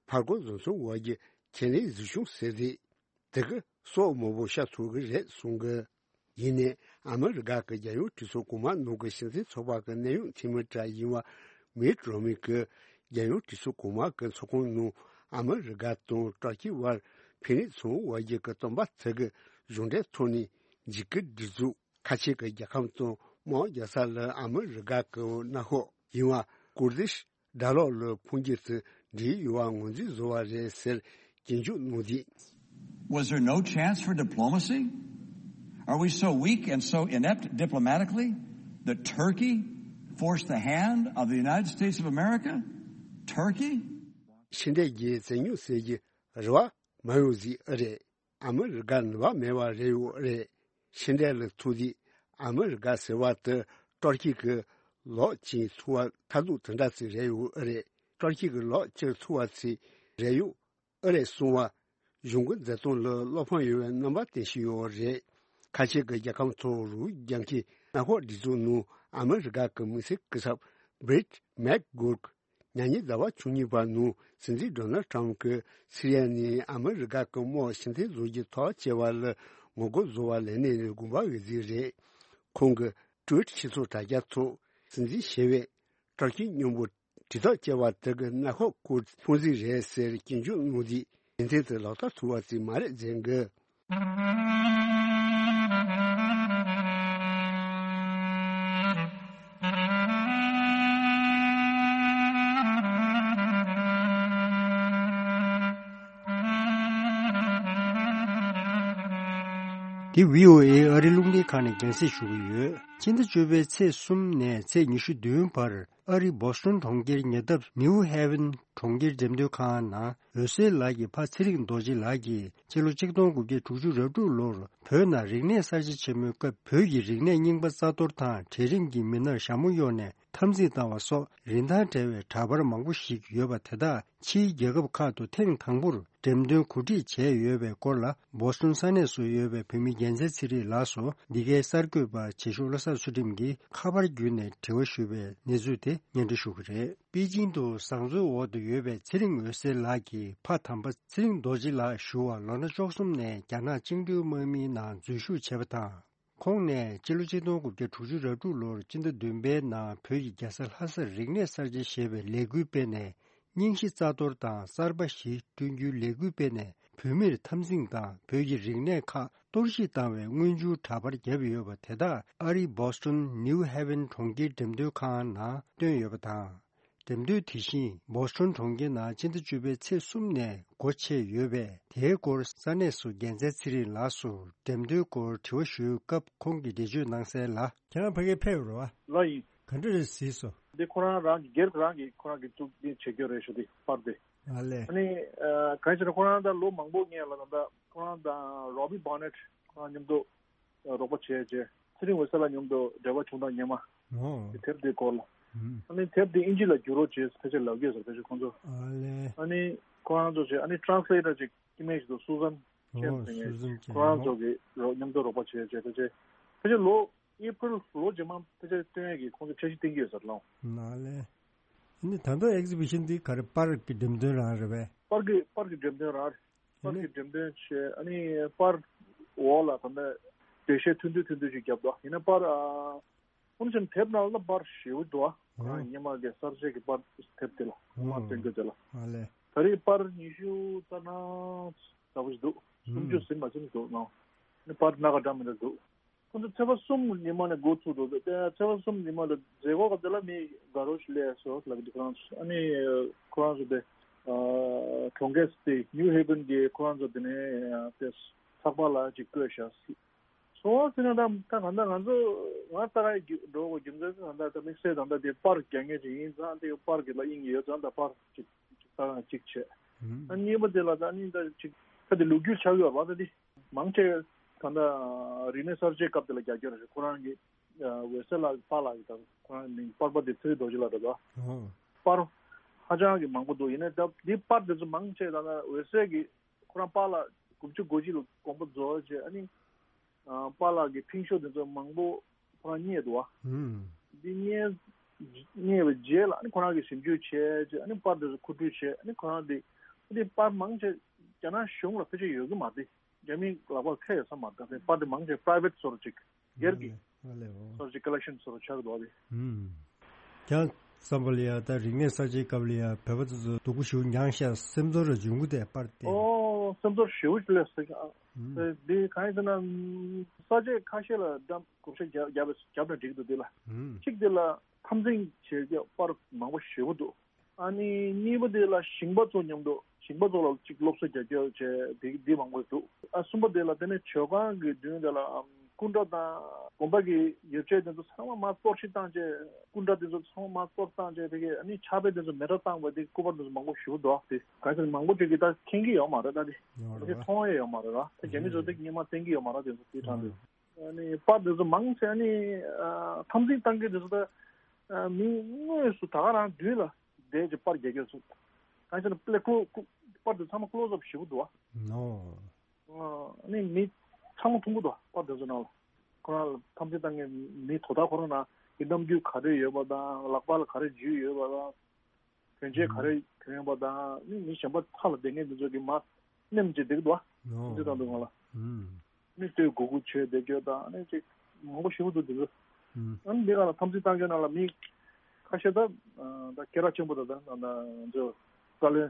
ཕར་རྒོལ་བཟོ་ཚུགས་པ་གི་ཁས་ལེན་གཟིགས་སྐྱོང་ཟེར་རེད། དེ་གི་སྲོག་མང་པོ་བཤད་ཐུབ་ཀྱི་རེད་གསུང་གི། ཡིན་ནའི་ཨ་མི་རི་ཀ་གི་རྒྱལ་ཡོངས་གྲོས་ཚོགས་གོང་མ་ནང་གི་སྤྱི་མཐུན་ཚོགས་པ་གི་གནད་ཡོད་འཐུས་མི་གྲས་ཡིན་པ་མིཊ་རོ་མི་གིས་རྒྱལ་ཡོངས་གྲོས་ཚོགས་གོང་མ་གི་ཚོགས་ཁང་ནང་ཨ་མི་རི་ཀ་དང་ཏུར་ཀི་བར་འཕེན་རིས་ཚོང་དབར་གྱི་གི་སྟོན་པ་དེ་གི་གཞུང་འབྲེལ་ཐོག་ནས་འཇིགས་སྐུལ་སྒྲིག་འཛུགས། ཁ་ཆེ་གི་རྒྱལ་ཁབ་དང་དམག་རྒྱག་ས་ལ་ཨ་མི་རི་ཀ་གི་མནའ་ཤོག་ཡིན་པ་ཀུར་དིཤ་དགྲ་ལོག་ལ་ཕུང་རྒྱུ་དང་འབྲེལ་ཡོད་པ་ངོས་འཛིན་བཟོ་བ་རེད་ཟེར་སྐྱོན་བརྗོད་གནང་དུས། Was there no chance for diplomacy? Are we so weak and so inept diplomatically that Turkey forced the hand of the United States of America? Turkey? ཕྱི་འབྲེལ་གྱི་བཙན་ཉུང་ཟེར་གྱི་རེ་བ་མ་ཡོང་ཟིག་ཨེ་རེད། ཨ་མི་རི་ཀ་ནུས་པ་མེད་པ་རེད་ཡོད་རེད། ཕྱི་འབྲེལ་ལ་ཐུག་དུས་ཨ་མི་རི་ཀ་ཟེར་བ་དེ་ཏུར་ཀི་གི་ལག་ཅིག་ཐུག་པ་ཐ་དུག་དེ་འདྲ་ཅིག་རེད་ཡོད་ཨེ་རེད། ཏུར་ཀི་གི་ལག་ཅིག་ཐུག་པ་ཅིག་རེད་ཡོད་ཨེ་རེད་གསུང་བ། གཞུང་གི་མཛད་སྟངས་ལ་བློ་ཕམ་ཡོད་པའི་རྣམ་པ་བསྟན་བཞིན་ཡོད་རེད། ཁ་ཆེ་གི་རྒྱལ་ཁབ་ཚོ་རུ་རྒྱང་ཁའི་མནའ་ཤོག་སྒྲིག་འཛུགས་ནང་ཨ་མི་རི་ཀ་གི་དམིགས་བསལ་སྐུ་ཚབ་བྷི་རིད་མེག་གྷོར་གྱིས། ཉ་ཉིན་ཟླ་བ་བཅུ་གཉིས་པ་ནང་སྲིད་འཛིན་ཌོ་ནལ་ཊམ་གྱིས་སི་རི་ཡ་ནས་ཨ་མི་རི་ཀ་གི་དམག་ཕྱིར་འཐེན་བཟོ་རྒྱུའི་ཐག་བཅད་པ་ལ་ངོ་རྒོལ་བཟོ་བ་ལས་གནས་ནས་དགོངས་པ་འོས་འཛིན་རེད། ཁོང་གི་ཊུ་ཝིཊ་ཕྱི་ཚོགས་དྲ་རྒྱ་ཐོག་སྲིད་འཛིན་ཞི་བས་ཏུར་ཀི་མཉམ་པོ་དྲིལ་ཐག་བཅད་པ་དེ་གི་མནའ་ཤོག་ཁུར་ཕུང་རྩིས་རེད་ཟེར་སྐྱོན་བརྗོད་གནང་དུས་ཡོན་ཏན་དེ་ལག་བསྟར་ཐུབ་པ་ཅིག་མ་རེད་ཟེར་གི། འདི་བྷི་ཨོ་ཨེ་ཨ་རི་རླུང་འཕྲིན་ཁང་ནས་རྒྱང་སྲིང་ཞུ་གི་ཡོད། སྤྱི་ཟླ་བཅུ་པའི་ཚེས་གསུམ་ནས་ཚེས་ཉི་ཤུ་བདུན་བར་ཨ་རི་བོ་སི་ཊོན་གྲོང་ཁྱེར་ཉེ་འདབས་ནིའུ་ཧེ་ཝན་གྲོང་ཁྱེར་འགྲེམས་སྟོན་ཁང་ནང་འོད་ཟེར་ལགས་ཀྱི་ཕ་ཚེ་རིང་རྡོ་རྗེ་ལགས་ཀྱིས་སྤྱི་ལོ་ཆིག་སྟོང་དགུ་བརྒྱ་དྲུག་ཅུ་རེ་དྲུག་ལོར་བོད་ནང་རིག་གནས་གསར་བརྗེ་ཆེན་མོའི་སྐབས་བོད་ཀྱི་རིག་གནས་རྙིང་པ་རྩ་གཏོར་དང་གྲལ་རིམ་གྱི་མི་སྣར་ཞྭ་མོ་གཡོགས་ནས་འཐབ་འཛིང་བཏང་བ་སོགས་རིན་ཐང་བྲལ་བའི་འདྲ་པར་མང་པོ་ཞིག་ཡོད་པ་དེ་དག་ཕྱིའི་རྒྱལ་ཁབ་ཁག་ཏུ་ཐེངས་དང་པོར་འགྲེམས་སྟོན་གོ་སྒྲིག་བྱས་ཡོད་པའི་སྐོར་ལ་བོ་སི་ཊོན་ས་གནས་སུ་ཡོད་པའི་བོད་མི་རྒྱལ་མཚན་ཚེ་རིང་ལགས་སུ་འདི་གའི་གསར་འགོད་པ་བྱེད་ཤོག་བློ་བཟང་ཚུལ་ཁྲིམས་ཀྱིས་ཁ་པར་བརྒྱུད་ནས་དྲི་བ་ཞུས་པའི་གནས་ཚུལ་དེ་སྙན་སྒྲོན་ཞུ་གི་རེད། པེ་ཅིང་དུ་བཟང་བཙོན་འོག་ཏུ་ཡོད་པའི་ཚེ་རིང་འོད་ཟེར་ལགས་ཀྱི་ཕ་དམ་པ་ཚེ་རིང་རྡོ་རྗེ་ལགས་ཞུ་བར་ལོ་ན་བཅུ་གསུམ་ནས་རྒྱ་ནག་བཅིངས་འགྲོལ་དམག་མིའི་ནང་འཛུལ་ཞུགས་བྱས་པ་དང་། ཁོང་ནས་སྤྱི་ལོ་ཆིག་སྟོང་དགུ་བརྒྱ་དྲུག་ཅུ་རེ་དྲུག་ལོར་སྤྱི་ཟླ་བདུན་པའི་ནང་བོད་ཀྱི་རྒྱལ་ས་ལྷ་སར་རིག་གནས་གསར་བརྗེ་ཞེས་པའི་ལས་འགུལ་སྤེལ་ནས་རྙིང་ཞེན་རྩ་གཏོར་དང་གསར་པ་བཞི་བསྐྲུན་རྒྱུའི་ལས་འགུལ་སྤེལ་ནས་བོད་མིར་འཐབ་འཛིང་དང་བོད་ཀྱི་རིག་གནས་ཁག་གཏོར་བཤིག་བཏང་བའི་དངོས་བྱུང་འདྲ་པར་བརྒྱབ་ཡོད་པ་དེ་དག་ཨ་རིའི་བོ་སི་ཊོན་ནིའུ་ཧེ་ཝན་གྲོང་ཁྱེར་འགྲེམས་སྟོན་ཁང་ནང་བཏོན་ཡོད་པ་དང་། འགྲེམས་སྟོན་དེ་བཞིན་བོ་སི་ཊོན་གྲོང་ཁྱེར་ནང་སྤྱི་ཟླ་བཅུ་པའི་ཚེས་གསུམ་ནས་སྒོ་ཕྱེ་ཡོད་པས། དེའི་སྐོར་ས་གནས་སུ་རྒྱལ་མཚན་ཚེ་རིང་ལགས་སུ་འགྲེམས་སྟོན་སྐོར་དྲི་བ་ཞུས་སྐབས་ཁོང་གིས་འགྲེལ་བརྗོད་གནང་གསལ་ལ། ཁྱེད་རང་ཕ་གིར་ཕེབས་ཡོད་རེད་བ། ལགས་ཡིན། ག་འདྲ་རེད་གཟིགས་སོང་། འདི་ཁོ་རང་རང་གི་སྒེར་རང་གི་ཁོ་རང་གི་བཙུགས་འདི་བྱེད་རྒྱུ་རེད་ཞུ། འདི་པར་འདི། ཨ་ལས། ཨ་ནི་ཨ་གང་ཡིན་ཟེར་ན་ཁོ་རང་ད་ལོ་མང་པོ་སྔོན་ལ་ད་ལྟ་ཁོ་རང་དང་རོ་བི་བྷོ་ནེཊ་ཁོ་རང་མཉམ་དུ་རོགས་པ་བྱས་རྗེས་ཚེ་རིང་འོད་ཟེར་ལགས་མཉམ་དུ་འབྲེལ་བ་བྱུང་དང་སྔོན་མ། ཨོ། དེབ་དེའི་སྐོར་ལ། ཨ་ནི་དེབ་དེ་ཨིན་ཇི་ལ་བསྒྱུར་རོགས་བྱས་ཕལ་ཆེར་ལབ་ཀྱི་ཡོད་ཟེར། ཕལ་ཆེར་ཁོང་ཚོ། ཨ་ལས། ཨ་ནི་ཁོ་རང་ཚོ་བྱས་ཨ་ནི་ཊེ་རན་སི་ལེ་ཊར་ཅིག་ཀི་མེ་ཞིག་འདུག་སུ་ཟན་ཨོ་ཅན་ཟེར་སུ་ཟན་མཁན་ཁོ་རང་ཚོ་གི་རོགས་མཉམ་དུ་རོགས་པ་བྱས་བྱས་ཕལ་ཆེར་ཕལ་ཆེར་ལོ་ཨེ་པྲིལ་ལོ་རྗེས་མ་ཕལ་ཆེར་སྟོན་ཡས་ཀྱི་ཁོང་ཚོ་འཆར་གཞི་བཏིང་གི་ཡོད་ཟེར་ལོ། ཨ་ལས། ཨ་ནི་ད་ལྟ་ཨེག་ཛི་བི་ཤན་འདི་ག་རེ་པར་གྱི་འགྲེམས་སྟོན་རང་རེད་པས། པར་གྱི་པར་གྱི་འགྲེམས་སྟོན་རང་རེད། པར་གྱི་འགྲེམས་སྟོན་བྱས་ཨ་ནི་པར་འོག་ལ་ད་ལྟ་འགྲེལ་བཤད་ཐུང་ཐུང་ཐུང་ཐུང་ཞིག་བརྒྱབ་འདུག་ཡིན་ན་པར་ཨ་ཁོང་ཚོའི་དེབ་ནང་ལ་པར་ཞེ་པོ་འདུག་ཨ་ཁོ་རང་སྔོན་མ་གི་གསར་བརྗེ་གི་པར་དེབ་དེ་ལ་ཁོ་རང་སྟོན་རྒྱུ་དེ་ལ། ཨ་ལས། ད་རེས་པར་ཉི་ཤུ་རྩ་ལྔ་ལྟ་བུ་ཞིག་འདུག་སུམ་ཅུ་ཟིན་མ་ཟིན་འདུག་ནོ། ཨ་ནི་པར་སྣ་ཁ་འདྲ་མི་འདྲ་འདུག་ཁོ་ཚོ་ཚེས་པ་གསུམ་ཉི་མ་ནས་འགོ་ཚུགས་འདུག་དེ་ཚེས་པ་གསུམ་ཉི་མ་ལ་མཛད་སྒོ་སྐབས་དེ་ལ་མི་དགའ་རོགས་ཤིག་སླེབས་སོང་ལབ་འདུག་ཁོ་རང་ཚོ། ཨ་ནི་ཁོ་རང་ཚོ་དེ་གྲོང་ཁྱེར་དེ་ནིའུ་ཧེ་བན་གྱི་ཁོ་རང་ཚོ་དེ་ནས་དེ་ཚགས་པར་ལ་ཅིག་བཀོད་བཞག་སྲིད། སོང་ཟེར་ན་ད་ད་གང་ལྟར་ང་ཚོ་ང་ལྟ་ག་འགྲོ་དགོས་རྒྱུ་མཚན་ཟེར་ན་ད་ད་དམིགས་བསལ་ད་ད་དེ་པར་རྒྱག་མཁན་ཅིག་ཡིན་ཙང་དེ་པར་གྱི་ལ་དབྱིངས་ཡོད་ཙང་ད་པར་ཅིག་ཅིག་ལྟ་ག་ཅིག་བྱས། ཨ་གཉིས་པ་དེ་ལ་ད་ནི་ད་ཅིག་ད་དེ་ལོ་རྒྱུས་ཆགས་ཡོད་པ་ད་དེ་མང་ཆེ་ད་ད་རིག་གནས་གསར་བརྗེའི་སྐབས་དེ་ལ་རྒྱག་རྒྱུ་རེད། ཁོ་རང་གི་འོད་ཟེར་ལགས་པཱ་ལགས་ཀྱི་ད་ཁོ་རང་མིང་པར་པ་དེ་ཚེ་རིང་རྡོ་རྗེ་ལགས་རེད་པ། པར་ཧ་ཅང་གི་མང་པོ་འདུག་ཡིན་ནའི་ད་འདི་པར་དེ་ཚོ་མང་ཆེ་ད་ད་འོད་ཟེར་གྱི་ཁོ་རང་པཱ་ལགས་དགུ་བཅུ་གོ་གཅིག་ལ་དགོངས་པ་རྫོགས་རྗེས་ཨ་ནི་པཱ་ལགས་ཀྱི་ཕིང་ཤོ་དེ་ཚོ་མང་པོ་ཁོ་རང་རྙེད་འདུག་བ། འདི་རྙེད་རྙེད་པའི་རྗེས་ལ་ཨ་ནི་ཁོ་རང་གིས་ཞིབ་འཇུག་བྱས་རྗེས་ཨ་ནི་པར་དེ་ཚོ་མཁོ་སྤྲོད་བྱས། ཨ་ནི་ཁོ་རང་དེ་དེ་པར་མང་ཆེ་རྒྱ་ནག་གཞུང་ལ་ཕལ་ཆེར་ཡོད་ཀྱི་མ་རེད། རྒྱ་མིའི་ལག་པར་ཁེལ་ཡོད་ས་མ་རེད། ད་པར་དེ་མང་ཆེ་པ་རའི་ཝེ་ཊི་སོ་ར་ཅིག་སྒེར་གྱི་ཨ་ལས་ཨ་ལས་ཨོ། སོ་ར་ཅིག་ཀ་ལེག་ཤན་སོ་ར་ཆགས་འདུག་བ་དེ། ཀྱང་བསམ་པ་ལ་ཡ་ད་རིག་གནས་གསར་བརྗེའི་སྐབས་ལ་ཡ་བོད་པ་ཚོ་ཚོ་སྡུག་པོ་ཞེ་པོ་མྱངས་ཤག་སེམས་ཚོར་ར་འབྱུང་གི་དེ་པར་དེ། ཨོ་སེམས་ཚོར་ཞེ་པོ་ཞིག་སླེབས་སོང་། ཨ་དེ་གང་ཡིན་ཟེར་ན་ས་ཆ་ཁ་ཤས་ལ་འགྲམ་བགོ་བཤའ་རྒྱབ་རྒྱབ་རྒྱབ་ན་འགྲིག་འདུག་དེ་ལ་གཅིག་དེ་ལ་འཐབ་འཛིང་བྱེད་རྒྱུ་པར་མང་པོ་ཞེ་པོ་འདུག་ཨ་ནི་གཉིས་པ་དེ་ལ་ཞིང་པ་ཚོ་མཉམ་དུ་ཞིང་པ་ཚོ་ལ་གཅིག་སློབ་གསོ་རྒྱག་རྒྱུ་བྱས་དེ་འདི་མང་པོ་འདུག་ཨ་གསུམ་པ་དེ་ལ་དེ་ནས་ཇོ་ཁང་གི་མདུན་དེ་ལ་སྐུ་འདྲ་དང་དགོན་པ་གི་ཡོ་བྱད་དེ་ཚོ་ཚང་མ་མར་གཏོར་བཤིག་བཏང་བྱས། སྐུ་འདྲ་དེ་ཚོ་ཚང་མ་མར་གཏོར་བཏང་བྱས་དེ་གས་ཨ་ནི་ཕྱག་དཔེ་དེ་ཚོ་མེ་དྲ་བཏང་བ་དེ་སྐུ་པར་དེ་ཚོ་མང་པོ་ཞེ་པོ་འདུག་དེ་གང་ཟེར་མང་པོ་ཅིག་གིས་ད་མཁྱེན་གྱི་ཡོད་མ་རེད། ད་དེ་ཡོད་རེད་དེ་པ། མཐོང་ཡས་ཡོད་མ་རེད་ར། དེ་རྒྱ་མི་ཚོ་དེ་སྔོན་མ་བསྟན་གྱི་ཡོད་མ་རེད། དེ་ཚོ་དེ་དྲང་དེ། ཨ་ནི་པར་དེ་ཚོ་མང་ཆེ་ཨ་ནི་ཨ་འཐབ་འཛིང་བཏང་མཁན་དེ་ཚོ་ད་ཨ་མི་དངོས་སུ་ད་ག་རང་མདུན་ལ་བསྡད་ཀྱི་པར་རྒྱག་མཁན་ཚོ། གང་ཟེར་ན་པར་ཀློ་ཀློ་པར་དེ་ཚང་མ་ཀློ་སབ་ཞེ་པོ་འདུག་བ། ནོ། ཨ་ནི་མི་ཚང་མ་མཐོང་གི་འདུག་བ། པར་དེ་ཚོ་ནང་ལ་ཁོ་རང་ལ་འཐབ་འཛིང་བཏང་མཁན་མི་དོ་བདག་ཁོ་རང་ནང་གི་རྣམ་འགྱུར་ག་རེ་ཡོད་པ་དང་། ལག་པ་ལ་ག་རེ་འཇུས་ཡོད་པ་དང་། གྱོན་ཆས་ག་རེ་གྱོན་པ་དང་། ནི་མི་གཞན་པ་ཐ་ལ་བསྡད་མཁན་དེ་ཚོ་གི་མ་ནེམ་ཅིག་བསྡད་ཀྱི་འདུག་ཨ། ཨོ། དེ་དང་དུ་ང་ལ་ཨུམ། ནི་ལྟོས་གུ་གུ་བྱས་བསྡད་རྒྱུ་དང་ནི་ཅིག་མང་པོ་ཞེ་པོ་འདུག་དེ་ཚོ། ཨུམ། ཨ་ནི་འདི་ག་ལ་འཐབ་འཛིང་བཏང་རྒྱུ་ནང་ལ་མི་ཁ་ཤས་ད་ད་སྐད་གྲགས་ཆེན་པོ་དང་ད་ད་ང་ཚོ་བཀའ་བློན།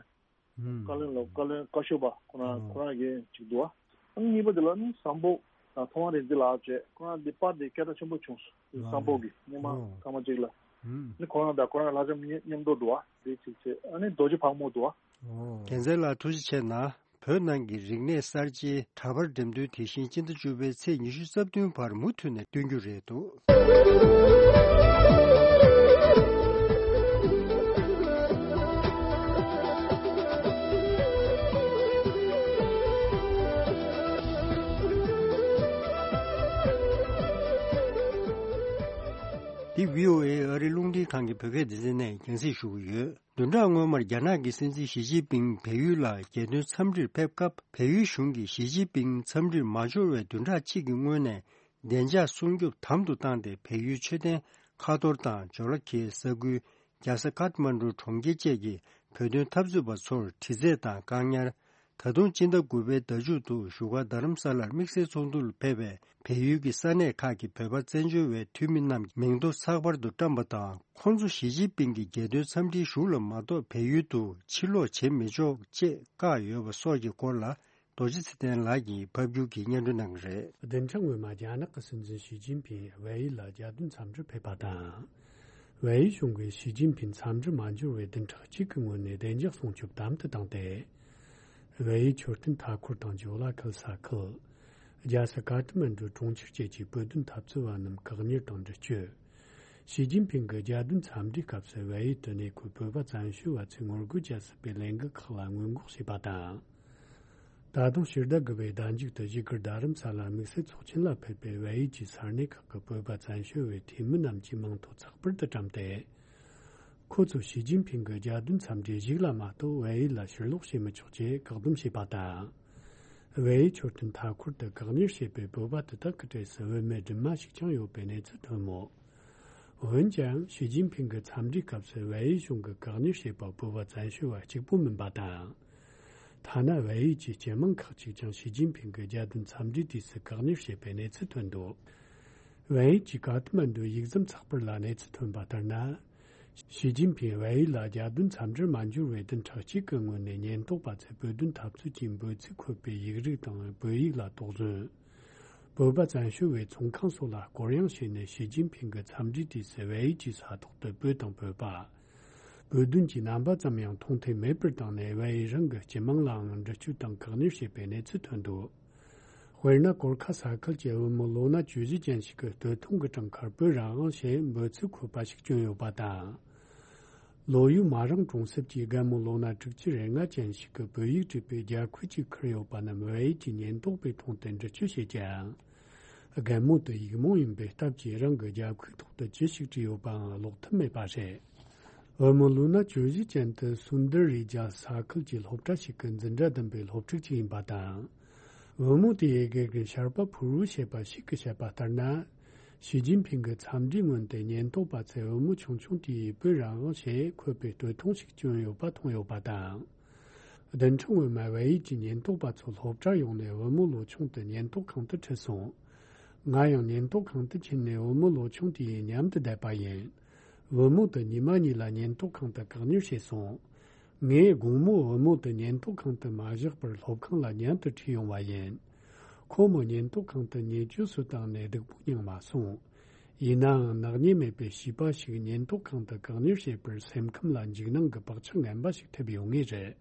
ཨུམ། བཀའ་བློན་ལ་བཀའ་བློན་བཀའ་ཤོག་པ་ཁོ་རང་ཨོ། ཁོ་རང་གི་ཅིག་འདུག་ཨ། གཉིས་པ་དེ་ལ་ནི་བཟང་པོ་དང་ཐོག་དབང་རིག་འཛིན་ལགས་བཅས་ཁོ་རང་འདི་པར་འདི་སྐད་གྲགས་ཆེན་པོ་བྱུང་སོང་། ཨོ། བཟང་པོ་གི་སྔོན་མ་ཨོ། སྐར་མ་གཅིག་ལ་ཨུམ། ནི་ཁོ་རང་དང་ཁོ་རང་ལྷ་ལྕམ་མཉམ་དུ་འདུག་ཨ། འདི་གཅིག་བྱས་ཨ་ནི་རྡོ་རྗེ་ཕག་མོ་འདུག་ཨ། ཨོ། རྒྱལ་མཚན་ལགས་ཐུགས་རྗེ་ཆེ་གནང་། བོད་ནང་གི་རིག་གནས་གསར་བརྗེའི་གྲྭ་པར་འགྲེམས་སྟོན་དེ་བཞིན་སྤྱི་ཟླ་བཅུ་པའི་ཚེས་ཉི་ཤུ་རྩ་བདུན་བར་མུ་མཐུད་ནས་སྟོན་རྒྱུ་རེད་འདུག་འདི་བྷི་ཨོ་ཨེ་ཨ་རི་རླུང་འཕྲིན་ཁང་གི་བོད་སྐད་སྡེ་ཚན་ནས་རྒྱང་སྲིང་ཞུ་གི་ཡོད། བདུན་ཕྲག་སྔོན་མར་རྒྱ་ནག་གི་སྲིད་འཛིན་ཞི་ཅིན་ཕིང་བལ་ཡུལ་ལ་རྒྱལ་དོན་འཚམས་འདྲིར་ཕེབས་སྐབས། བལ་ཡུལ་གཞུང་གིས་ཞི་ཅིན་ཕིང་འཚམས་འདྲིར་མ་འབྱོར་བའི་བདུན་ཕྲག་གཅིག་གི་སྔོན་ནས། བདེ་འཇགས་སྲུང་སྐྱོབ་དམ་དུ་བཏང་སྟེ། བལ་ཡུལ་མཆོད་རྟེན་ཁ་ཐོར་དང་ཇོ་ལ་ཁའི་ས་ཁུལ། རྒྱལ་ས་ཀཏ་མན་ཌུ་གྲོང་ཁྱེར་བཅས་ཀྱི་བོད་དོན་འཐབ་རྩོད་པ་ཚོར་དྲི་རྩད་དང་བཀག་ཉར། ད་དུང་སྤྱི་ཟླ་དགུ་པའི་ཟླ་མཇུག་ཏུ་བཞུགས་སྒར་རྡ་རམ་ས་ལར་དམིགས་བསལ་ཚོགས་འདུར་ཕེབས་པའི་བལ་ཡུལ་གྱི་ས་གནས་ཁག་གི་བོད་པ་བཙན་བྱོལ་བའི་འཐུས་མི་རྣམས་མིང་ཐོ་ཚགས་པར་དུ་བཀྲམ་པ་དང་། ཁོང་ཚོ་ཞི་ཅིན་ཕིང་གི་རྒྱལ་དོན་འཚམས་འདྲིའི་གཞུག་ལ་མ་གཏོགས་བལ་ཡུལ་དུ་ཕྱིར་ལོག་བྱེད་མི་ཆོག་ཅེས་བཀག་ཡོད་པ་སོགས་ཀྱི་སྐོར་ལ། རྡོ་རྗེ་ཚེ་བརྟན་ལགས་ཀྱིས་ཕབ་སྒྱུར་གྱིས་སྙན་སྒྲོན་གནང་གི་རེད། བདུན་ཕྲག་སྔོན་མ་རྒྱ་ནག་གི་སྲིད་འཛིན་ཞི་ཅིན་ཕིང་བལ་ཡུལ་ལ་རྒྱལ་དོན་འཚམས་འདྲིར་ཕེབས་པ་དང་། བལ་ཡུལ་གཞུང་གིས་ཞི་ཅིན་ཕིང་འཚམས་འདྲིར་མ་འབྱོར་བའི་བདུན་ཕྲག་གཅིག་གི་སྔོན་ནས་བདེ་འཇགས་སྲུང་སྐྱོབ་དམ་དུ་བཏང་སྟེ། བལ་ཡུལ་མཆོད་རྟེན་མཐའ་འཁོར་དང་ཇོ་ལ་ཁལ་ས་ཁུལ། རྒྱལ་ས་ཀ་ཐ་མན་ཌུ་གྲོང་ཁྱེར་བཅས་ཀྱི་བོད་དོན་འཐབ་རྩོད་པ་རྣམས་བཀག་ཉར་དང་འདྲི་གཅོད། ཞི་ཅིན་ཕིང་གི་རྒྱལ་དོན་འཚམས་འདྲིའི་སྐབས་སུ་བལ་ཡུལ་དུ་གནས་འཁོད་བོད་པ་བཙན་བྱོལ་བ་ཚོས་ངོ་རྒོལ་བྱ་སྲིད་པའི་ལས་འགུལ་ཁག་ལ་སྔོན་འགོག་བྱས་པ་དང་། ད་དུང་ཕྱི་ཟླ་དགུ་པའི་ཟླ་མཇུག་ཏུ་བཞུགས་སྒར་རྡ་རམ་ས་ལར་དམིགས་བསལ་ཚོགས་ཆེན་ལ་ཕེབས་པའི་བལ་ཡུལ་གྱི་ས་གནས་ཁག་གི་བོད་པ་བཙན་བྱོལ་བའི་འཐུས་མི་རྣམས་ཀྱིས་མིང་ཐོ་ཚགས་པར་དུ་བཀྲམ་སྟེ། ཁོ་ཚོས་ཞི་ཅིན་ཕིང་གི་རྒྱལ་དོན་འཚམས་འདྲིའི་གཞུག་ལ་མ་གཏོགས་བལ་ཡུལ་ལ་ཕྱིར་ལོག་བྱེད་མི་ཆོག་ཅེས་བཀག་སྡོམ་བྱས་པ་དང་། བལ་ཡུལ་མཆོད་རྟེན་མཐའ་འཁོར་དུ་བཀག་ཉར་བྱས་པའི་བོད་པ་དེ་དག་གི་གྲས་སུ་བུད་མེད་སྒྲོལ་མ་ཞིག་ཀྱང་ཡོད་པའི་གནས་ཚུལ་ཐོན་མོད། འོན་ཀྱང་། ཞི་ཅིན་ཕིང་གི་འཚམས་འདྲིའི་སྐབས་སུ་བལ་ཡུལ་གཞུང་གིས་བཀག་ཉར་བྱས་པ་བོད་པ་བཙན་བྱོལ་བ་གཅིག་པུ་མིན་པ་དང་། ཐ་ན་བལ་ཡུལ་གྱི་སྤྱི་དམངས་ཁག་ཅིག་ཀྱང་ཞི་ཅིན་ཕིང་གི་རྒྱལ་དོན་འཚམས་འདྲིའི་དུས་སུ་བཀག་ཉར་བྱས་པའི་གནས་ཚུལ་ཐོན་འདུག་བལ་ཡུལ་གྱི་ཀ་ཐ་མན་ཌུའི་ཡིག་ཟམ་ཚགས་པར་ལ་གནས་ཚུལ་ཐོན་པ་ལྟར་ན། ཞི་ཅིན་ཕིང་བལ་ཡུལ་ལ་རྒྱལ་དོན་འཚམས་འདྲིར་མ་འབྱོར་བའི་བདུན་ཕྲག་གཅིག་གི་སྔོན་ནས་ཉེན་རྟོག་པ་ཚོས་བོད་དོན་འཐབ་རྩོད་ཀྱི་འབོད་ཚིག་འཁོད་པའི་ཡིག་རིགས་དང་བོད་ཡིག་ལ་དོགས་ཟོན། བོད་པ་བཙན་བྱོལ་བའི་ཚོང་ཁང་སོགས་ལ་སྐོར་གཡེང་བྱས་ནས་ཞི་ཅིན་ཕིང་གི་འཚམས་འདྲིའི་དུས་སུ་བལ་ཡུལ་གྱི་ས་ཐོག་ཏུ་བོད་དང་བོད་པ། བོད་དོན་གྱི་རྣམ་པ་ཙམ་ཡང་མཐོང་ཐོས་མེད་པར་བཏང་ནས་བལ་ཡུལ་རང་གི་སྤྱི་དམངས་ལའང་འདྲི་གཅོད་དང་བཀག་ཉར་བྱས་པའི་གནས་ཚུལ་ཐོན་འདུག་དཔེར་ན། གོར་ཁ་ས་ཁུལ་གྱི་བུ་མོ་ལོ་ན་བཅུ་བཞི་ཅན་ཞིག་གི་སྟོད་ཐུང་གི་བྲང་ཁར་བོད་རང་དབང་ཞེས་འབོད་ཚིག་འཁོད་པ་ཞིག་བསྐྱོན་ཡོད་པ་དང་། ལོ་ཡུལ་མ་རང་གྲོང་གསེབ་ཀྱི་རྒན་མོ་ལོ་ན་དྲུག་ཅུ་རེ་ལྔ་ཅན་ཞིག་གིས་བོད་ཡིག་བྲིས་པའི་རྒྱབ་ཁུག་ཅིག་ཁུར་ཡོད་པ་རྣམས་བལ་ཡུལ་གྱི་ཉེན་རྟོག་པས་མཐོང་སྟེ་འདྲི་གཅོད་བྱེད་ཀྱང་། རྒན་མོ་དེ་ཡིག་རྨོངས་ཡིན་པའི་སྟབས་ཀྱིས་རང་གི་རྒྱབ་ཁུག་ཐོག་ཏུ་ཅི་ཞིག་བྲིས་ཡོད་པའང་ཀློག་ཐུབ་མེད་པ་རེད། བུ་མོ་ལོ་ན་བཅུ་བཞི་ཅན་དེ་སུན་དར་རི་ཇཱ་ས་ཁུལ་གྱི་སློབ་གྲྭ་ཞིག་གི་འཛིན་གྲྭ་བདུན་པའི་སློབ་ཕྲུག་ཅིག་ཡིན་པ་དང་། བུ་མོ་དེའི་དགེ་རྒན་ཤར་པ་ཕུར་བུ་ཞེས་པ་ཞིག་གིས་བཤད་པ་ལྟར་ན། ཞི་ཅིན་ཕིང་གི་འཚམས་འདྲིའི་སྔོན་དུ་ཉེན་རྟོག་པ་ཚོས་བུ་མོ་ཆུང་ཆུང་དེས་བོད་རང་དབང་ཞེས་འཁོད་པའི་སྟོད་ཐུང་ཞིག་བསྐྱོན་ཡོད་པ་མཐོང་ཡོད་པ་དང་། བདུན་ཕྲག་སྔོན་མ་བལ་ཡུལ་གྱི་ཉེན་རྟོག་པ་ཚོ་སློབ་གྲྭར་ཡོང་ནས་བུ་མོ་ལོ་ཆུང་དེ་ཉེན་རྟོག་ཁང་དུ་ཁྲིད་སོང་། ང་ཡང་ཉེན་རྟོག་ཁང་དུ་ཕྱིན་ནས་བུ་མོ་ལོ་ཆུང་དེ་ཡི་མཉམ་དུ་བསྡད་པ་ཡིན། བུ་མོ་དེ་ཉི་མ་གཉིས་ལ་ཉེན་རྟོག་ཁང་དུ་བཀག་ཉར་བྱས་སོང་། ངས་དགོང་མོ་བུ་མོ་དེ་ཉེན་རྟོག་ཁང་དུ་མ་བཞག་པར་སློབ་ཁང་ལ་མཉམ་དུ་ཁྲིད་ཡོང་བ་ཡིན། ཁོ་མོ་ཉེན་རྟོག་ཁང་དུ་ཉེས་སྤྱོད་སུ་བཏང་ནས་སྡུག་པོ་མྱངས་མ་སོང་། ཡིན་ནའང་ནག་ཉེས་མེད་པའི་བྱིས་པ་ཞིག་ཉེན་རྟོག་ཁང་དུ་བཀག་ཉར་བྱས་པར་སེམས་ཁམས་ལ་འཇིགས་སྣང་གི་བག་ཆགས་ངན་པ་ཞིག་ཐེབས་ཡོད་ངེས་རེད།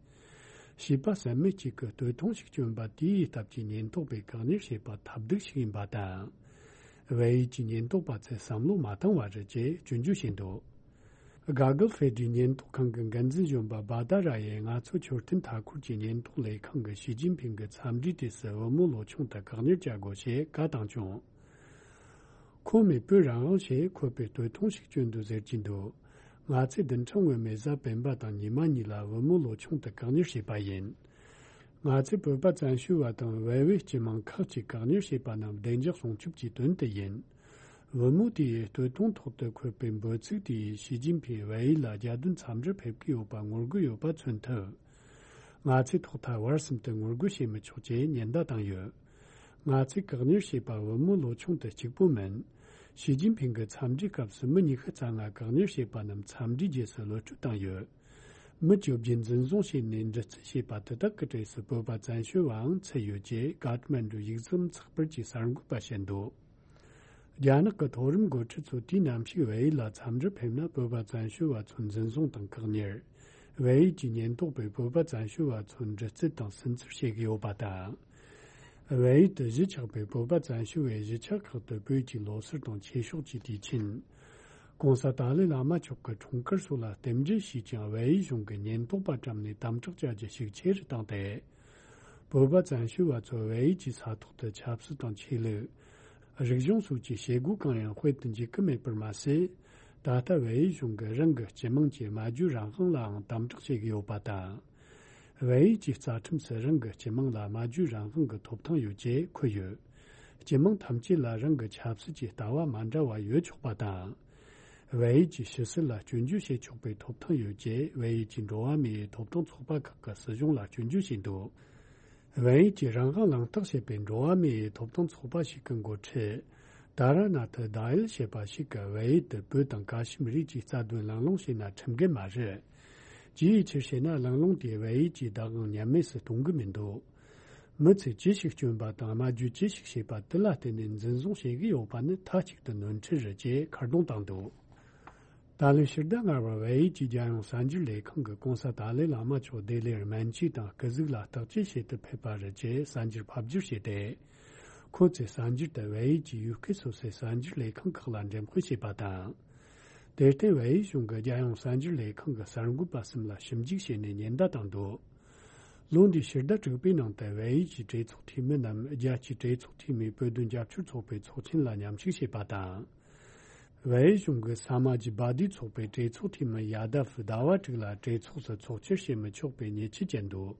བྱིས་པ་བསམ་མེད་ཅིག་གིས་སྟོད་ཐུང་ཞིག་བསྐྱོན་པ་དེའི་སྟབས་ཀྱིས་ཉེན་རྟོག་པས་བཀག་ཉར་བྱས་པ་ཐབས་སྡུག་ཞིག་ཡིན་པ་དང་། བལ་ཡུལ་གྱི་ཉེན་རྟོག་པ་ཚོས་བསམ་བློ་མ་བཏང་བ་རེད་ཅེས་སྐྱོན་བརྗོད་བྱས་འདུག་ག་གལ་ཧྥེ་ཌི་ཉེན་རྟོག་ཁང་གི་འགན་འཛིན་གཞོན་པ་བ་ད་ར་ཡིས་ང་ཚོ་མཆོད་རྟེན་མཐའ་འཁོར་གྱི་ཉེན་རྟོག་ལས་ཁང་གིས་ཞི་ཅིན་ཕིང་གི་འཚམས་འདྲིའི་དུས་སུ་བུ་མོ་ལོ་ཆུང་དེ་བཀག་ཉར་བྱ་དགོས་ཞེས་བཀའ་བཏང་བྱུང་། ཁོ་མོས་བོད་རང་དབང་ཞེས་འཁོད་པའི་སྟོད་ཐུང་ཞིག་བསྐྱོན་འདུག་ཟེར་གྱི་འདུག་ང་ཚོས་བདུན་ཕྲག་སྔོན་མའི་གཟའ་སྤེན་པ་དང་ཉི་མ་གཉིས་ལ་བུ་མོ་ལོ་ཆུང་དེ་བཀག་ཉར་བྱས་པ་ཡིན། ང་ཚོས་བོད་པ་བཙན་བྱོལ་བ་དང་བལ་བོའི་སྤྱི་དམངས་ཁག་ཅིག་བཀག་ཉར་བྱས་པ་རྣམས་བདེ་འཇགས་སྲུང་སྐྱོབ་ཀྱི་དོན་དུ་ཡིན། བུ་མོ་དེའི་སྟོད་ཐུང་ཐོག་ཏུ་འཁོད་པའི་འབོད་ཚིག་དེས་ཞི་ཅིན་ཕིང་བལ་ཡུལ་ལ་རྒྱལ་དོན་འཚམས་འདྲིར་ཕེབས་ཀྱི་ཡོད་པ་ངོ་རྒོལ་ཡོད་པ་མཚོན་ཐུབ། ང་ཚོས་ཐོག་མཐའ་བར་གསུམ་དུ་ངོ་རྒོལ་བྱེད་མི་ཆོག་ཅེས་ཉེན་བརྡ་བཏང་ཡོད། ང་ཚོས་བཀག་ཉར་བྱས་པ་བུ་མོ་ལོ་ཆུང་དེ་གཅིག་པུ་མིན། ཞི་ཅིན་ཕིང་གི་འཚམས་འདྲིའི་སྐབས་སུ་མི་ཉི་ཤུ་རྩ་ལྔ་བཀག་ཉར་བྱས་པ་རྣམས་འཚམས་འདྲིའི་རྗེས་སུ་གློད་གྲོལ་བཏང་ཡོད། མི་བཅོ་བརྒྱད་འཛིན་བཟུང་བྱས་ནས་འདྲི་རྩད་བྱས་པ་དེ་དག་གི་གྲས་སུ་བོད་པ་བཙན་བྱོལ་བའང་ཚུད་ཡོད་ཅེས་ཀཱ་ཐ་མན་ཌུ་ཡིག་ཚང་ཚགས་པར་གྱིས་གསར་འགོད་པར་བཤད་འདུག་རྒྱ་ནག་གི་མཐོ་རིམ་འགོ་ཁྲིད་ཚོ་དུས་ནམ་ཞིག་བལ་ཡུལ་ལ་འཚམས་འདྲིར་ཕེབས་ན་བོད་པ་བཙན་བྱོལ་བ་ཚོ་འཛིན་བཟུང་དང་བཀག་ཉར། བལ་ཡུལ་གྱི་ཉེན་རྟོག་པས་བོད་པ་བཙན་བྱོལ་བ་ཚོ་འདྲི་རྩད་དང་སུན་གཙེར་བྱེད་ཀྱི་ཡོད་པ་དང་། བལ་ཡུལ་དུ་གཞིས་ཆགས་པའི་བོད་པ་བཙན་བྱོལ་བའི་གཞིས་ཆགས་ཁག་ཏུ་བོད་ཀྱི་ལོ་སར་དང་ཆོས་ཕྱོགས་ཀྱི་དུས་ཆེན། ྋགོང་ས་ཏཱ་ལའི་བླ་མ་མཆོག་གི་འཁྲུངས་སྐར་སོགས་ལ་རྟེན་འབྲེལ་ཞུས་ཀྱང་བལ་ཡུལ་གཞུང་གིས་ཉེན་རྟོག་པ་བཀྲམ་ནས་དམ་དྲག་བྱ་རྒྱུ་ཤུགས་ཆེ་རུ་བཏང་སྟེ། བོད་པ་བཙན་བྱོལ་བ་ཚོ་བལ་ཡུལ་གྱི་ས་ཐོག་ཏུ་ཆབ་སྲིད་དང་ཆོས་ལུགས། རིག་གཞུང་སོགས་ཀྱི་བྱེད་སྒོ་གང་ཡང་སྤེལ་དུ་འཇུག་གི་མེད་པར་མ་ཟད། ད་ལྟ་བལ་ཡུལ་གཞུང་གིས་རང་གི་སྤྱི་དམངས་ཀྱི་སྨྲ་བརྗོད་རང་དབང་ལའང་དམ་དྲག་བྱེད་ཀྱི་ཡོད་པ་དང་། བལ་ཡུལ་གྱི་རྩ་ཁྲིམས་སུ་རང་གི་སྤྱི་དམངས་ལ་སྨྲ་བརྗོད་རང་དབང་གི་ཐོབ་ཐང་ཡོད་ཅེས་འཁོད་ཡོད། སྤྱི་དམངས་ཐམས་ཅད་ལ་རང་གི་ཆབ་སྲིད་ཀྱི་ལྟ་བ་མ་འདྲ་བ་ཡོད་ཆོག་པ་དང་། བལ་ཡུལ་གྱི་ཕྱི་སྲིད་ལ་སྐྱོན་བརྗོད་བྱེད་ཆོག་པའི་ཐོབ་ཐང་ཡོད་ཅེས་བལ་ཡུལ་གྱི་འགྲོ་བ་མིའི་ཐོབ་ཐང་ཚོགས་པ་ཁག་གིས་སྲིད་གཞུང་ལ་སྐྱོན་བརྗོད་བྱས་འདུག་བལ་ཡུལ་གྱི་རང་དབང་གླེང་སྟེགས་ཞེས་པའི་འགྲོ་བ་མིའི་ཐོབ་ཐང་ཚོགས་པ་ཞིག་གི་འགོ་ཁྲིད། དཱ་ར་ནཱ་ཐི་དཱ་ཡལ་ཞེས་པ་ཞིག་གིས་བལ་ཡུལ་དུ་བོད་དང་ཀ་ཤི་མིར་ཡུལ་གྱི་རྩ་དོན་གླེང་སློང་བྱས་ན་ཁྲིམས་འགལ་མ་རེད། ཅི་ཡི་ཕྱིར་ཞེ་ན། གླེང་སློང་དེས་བལ་ཡུལ་གྱི་བདག་དབང་ཉམས་དམས་སུ་གཏོང་གི་མི་འདུག་མི་ཚོས་ཅི་ཞིག་སྐྱོན་པ་དང་སྨྲ་བརྗོད་ཅི་ཞིག་བྱས་པ་དེ་ལ་བརྟེན་ནས་འཛིན་བཟུང་བྱེད་ཀྱི་ཡོད་པ་ནི་མཐའ་གཅིག་ཏུ་ནོར་འཁྲུལ་རེད་ཅེས་ཁ་རྡུང་བཏང་འདུག་ད་ལོའི་ཕྱི་ཟླ་ལྔ་པར་བལ་ཡུལ་གྱི་རྒྱལ་ཡོངས་གསར་འགྱུར་ལས་ཁང་གིས་ྋགོང་ས་ཏཱ་ལའི་བླ་མ་མཆོག་ལྡི་ལིར་སྨན་བཅོས་དང་སྐུ་གཟུགས་ལ་བརྟག་དཔྱད་བྱེད་དུ་ཕེབས་པ་རེད་ཅེས་གསར་འགྱུར་ཕབ་བསྒྱུར་བྱས་ཏེ། ཁོ་ཚོས་གསར་འགྱུར་དེ་བལ་ཡུལ་གྱི་ཡུལ་སྐད་སོ་སོའི་གསར་འགྱུར་ལས་ཁང་ཁག་ལ་འགྲེམས་སྤེལ་བྱས་པ་དང་། དེར་བརྟེན་བལ་ཡུལ་གཞུང་གིས་རྒྱལ་ཡོངས་གསར་འགྱུར་ལས་ཁང་གི་གསར་འགོད་པ་གསུམ་ལ་ཞིབ་འཇུག་བྱས་ནས་ཉེན་བརྡ་བཏང་འདུག་ལོ་འདིའི་ཕྱི་ཟླ་དྲུག་པའི་ནང་དུ་བལ་ཡུལ་གྱི་གྲོས་ཚོགས་འཐུས་མི་རྣམས་རྒྱལ་སྤྱིའི་གྲོས་ཚོགས་འཐུས་མིའི་བོད་དོན་རྒྱབ་སྐྱོར་ཚོགས་པའི་ཚོགས་ཆེན་ལ་མཉམ་ཞུགས་བྱས་པ་དང་། བལ་ཡུལ་གཞུང་གིས་ས་མ་ཇི་བ་དིའི་ཚོགས་པའི་གྲོས་ཚོགས་འཐུས་མི་ཡ་དཱབ་ཟླ་བ་དྲུག་ལ་གྲོས་ཚོགས་སུ་ཚོགས་བཅར་བྱེད་མི་ཆོག་པའི་ཉེས་ཆད་བཅད་འདུག་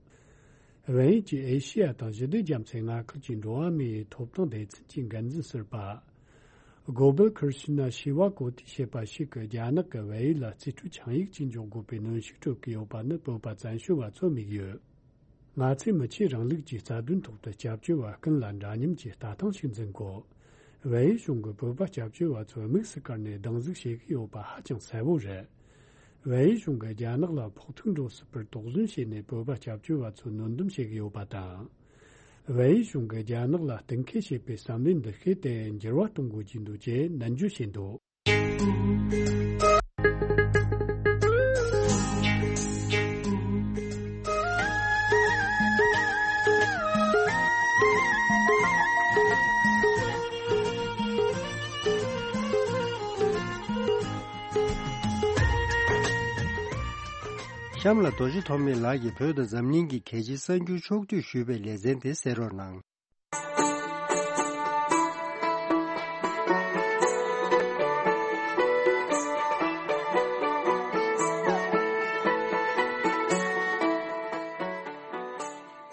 བལ་ཡུལ་གྱི་ཨེ་ཤི་ཡ་དང་ཞི་བདེ་རྒྱ་མཚོའི་མངའ་ཁུལ་གྱི་འགྲོ་བ་མིའི་ཐོབ་ཐང་སྡེ་ཚན་གྱི་འགན་འཛིན་ཟུར་པ། གོ་བལ་ཁིར་ཤི་ན་ཤི་ཝ་ཀོ་ཏི་ཞེས་པ་ཞིག་གིས་རྒྱ་ནག་གིས་བལ་ཡུལ་ལ་རྩིས་སྤྲོད་ཆིངས་ཡིག་ཅིག་འཇོག་དགོས་པའི་གནོན་ཤུགས་སྤྲོད་ཀྱི་ཡོད་པ་ནི་བོད་པ་བཙན་བྱོལ་བ་ཚོར་དམིགས་ཡོད། ང་ཚོས་མི་ཆོས་རིང་ལུགས་ཀྱི་རྩ་དོན་ཐོག་ཏུ་སྐྱབས་བཅོལ་བ་ཀུན་ལ་འདྲ་མཉམ་གྱི་ལྟ་སྟངས་ཤིག་འཛིན་དགོས། བལ་ཡུལ་གཞུང་གིས་བོད་པ་སྐྱབས་བཅོལ་བ་ཚོར་དམིགས་སུ་བཀར་ནས་སྡང་ཟུག་བྱེད་ཀྱི་ཡོད་པ་ཧ་ཅང་གསལ་པོ་རེད། བལ་ཡུལ་གཞུང་གིས་རྒྱ་ནག་ལ་ཕོག་ཐུག་འགྲོ་སྲིད་པར་དོགས་ཟོན་བྱས་ནས། བོད་པ་སྐྱབས་བཅོལ་བ་ཚོར་གནོན་སྡོམ་བྱེད་ཀྱི་ཡོད་པ་དང་། བལ་ཡུལ་གཞུང་གིས་རྒྱ་ནག་ལ་གཏན་འཁེལ་བྱས་པའི་བསམ་བློའི་འདུ་ཤེས་དེ་འགྱུར་བ་གཏོང་དགོས་ཀྱི་འདུག་ཅེས་ནན་བརྗོད་བྱས་འདུག། གཤམ་ལ་རྡོ་རྗེ་ཐོགས་མེད་ལགས་ཀྱིས་བོད་དང་འཛམ་གླིང་གི་གལ་ཆེའི་གསར་འགྱུར་ཕྱོགས་བསྡུས་ཞུས་པའི་ལེ་ཚན་དེ་གསན་རོགས་གནང་།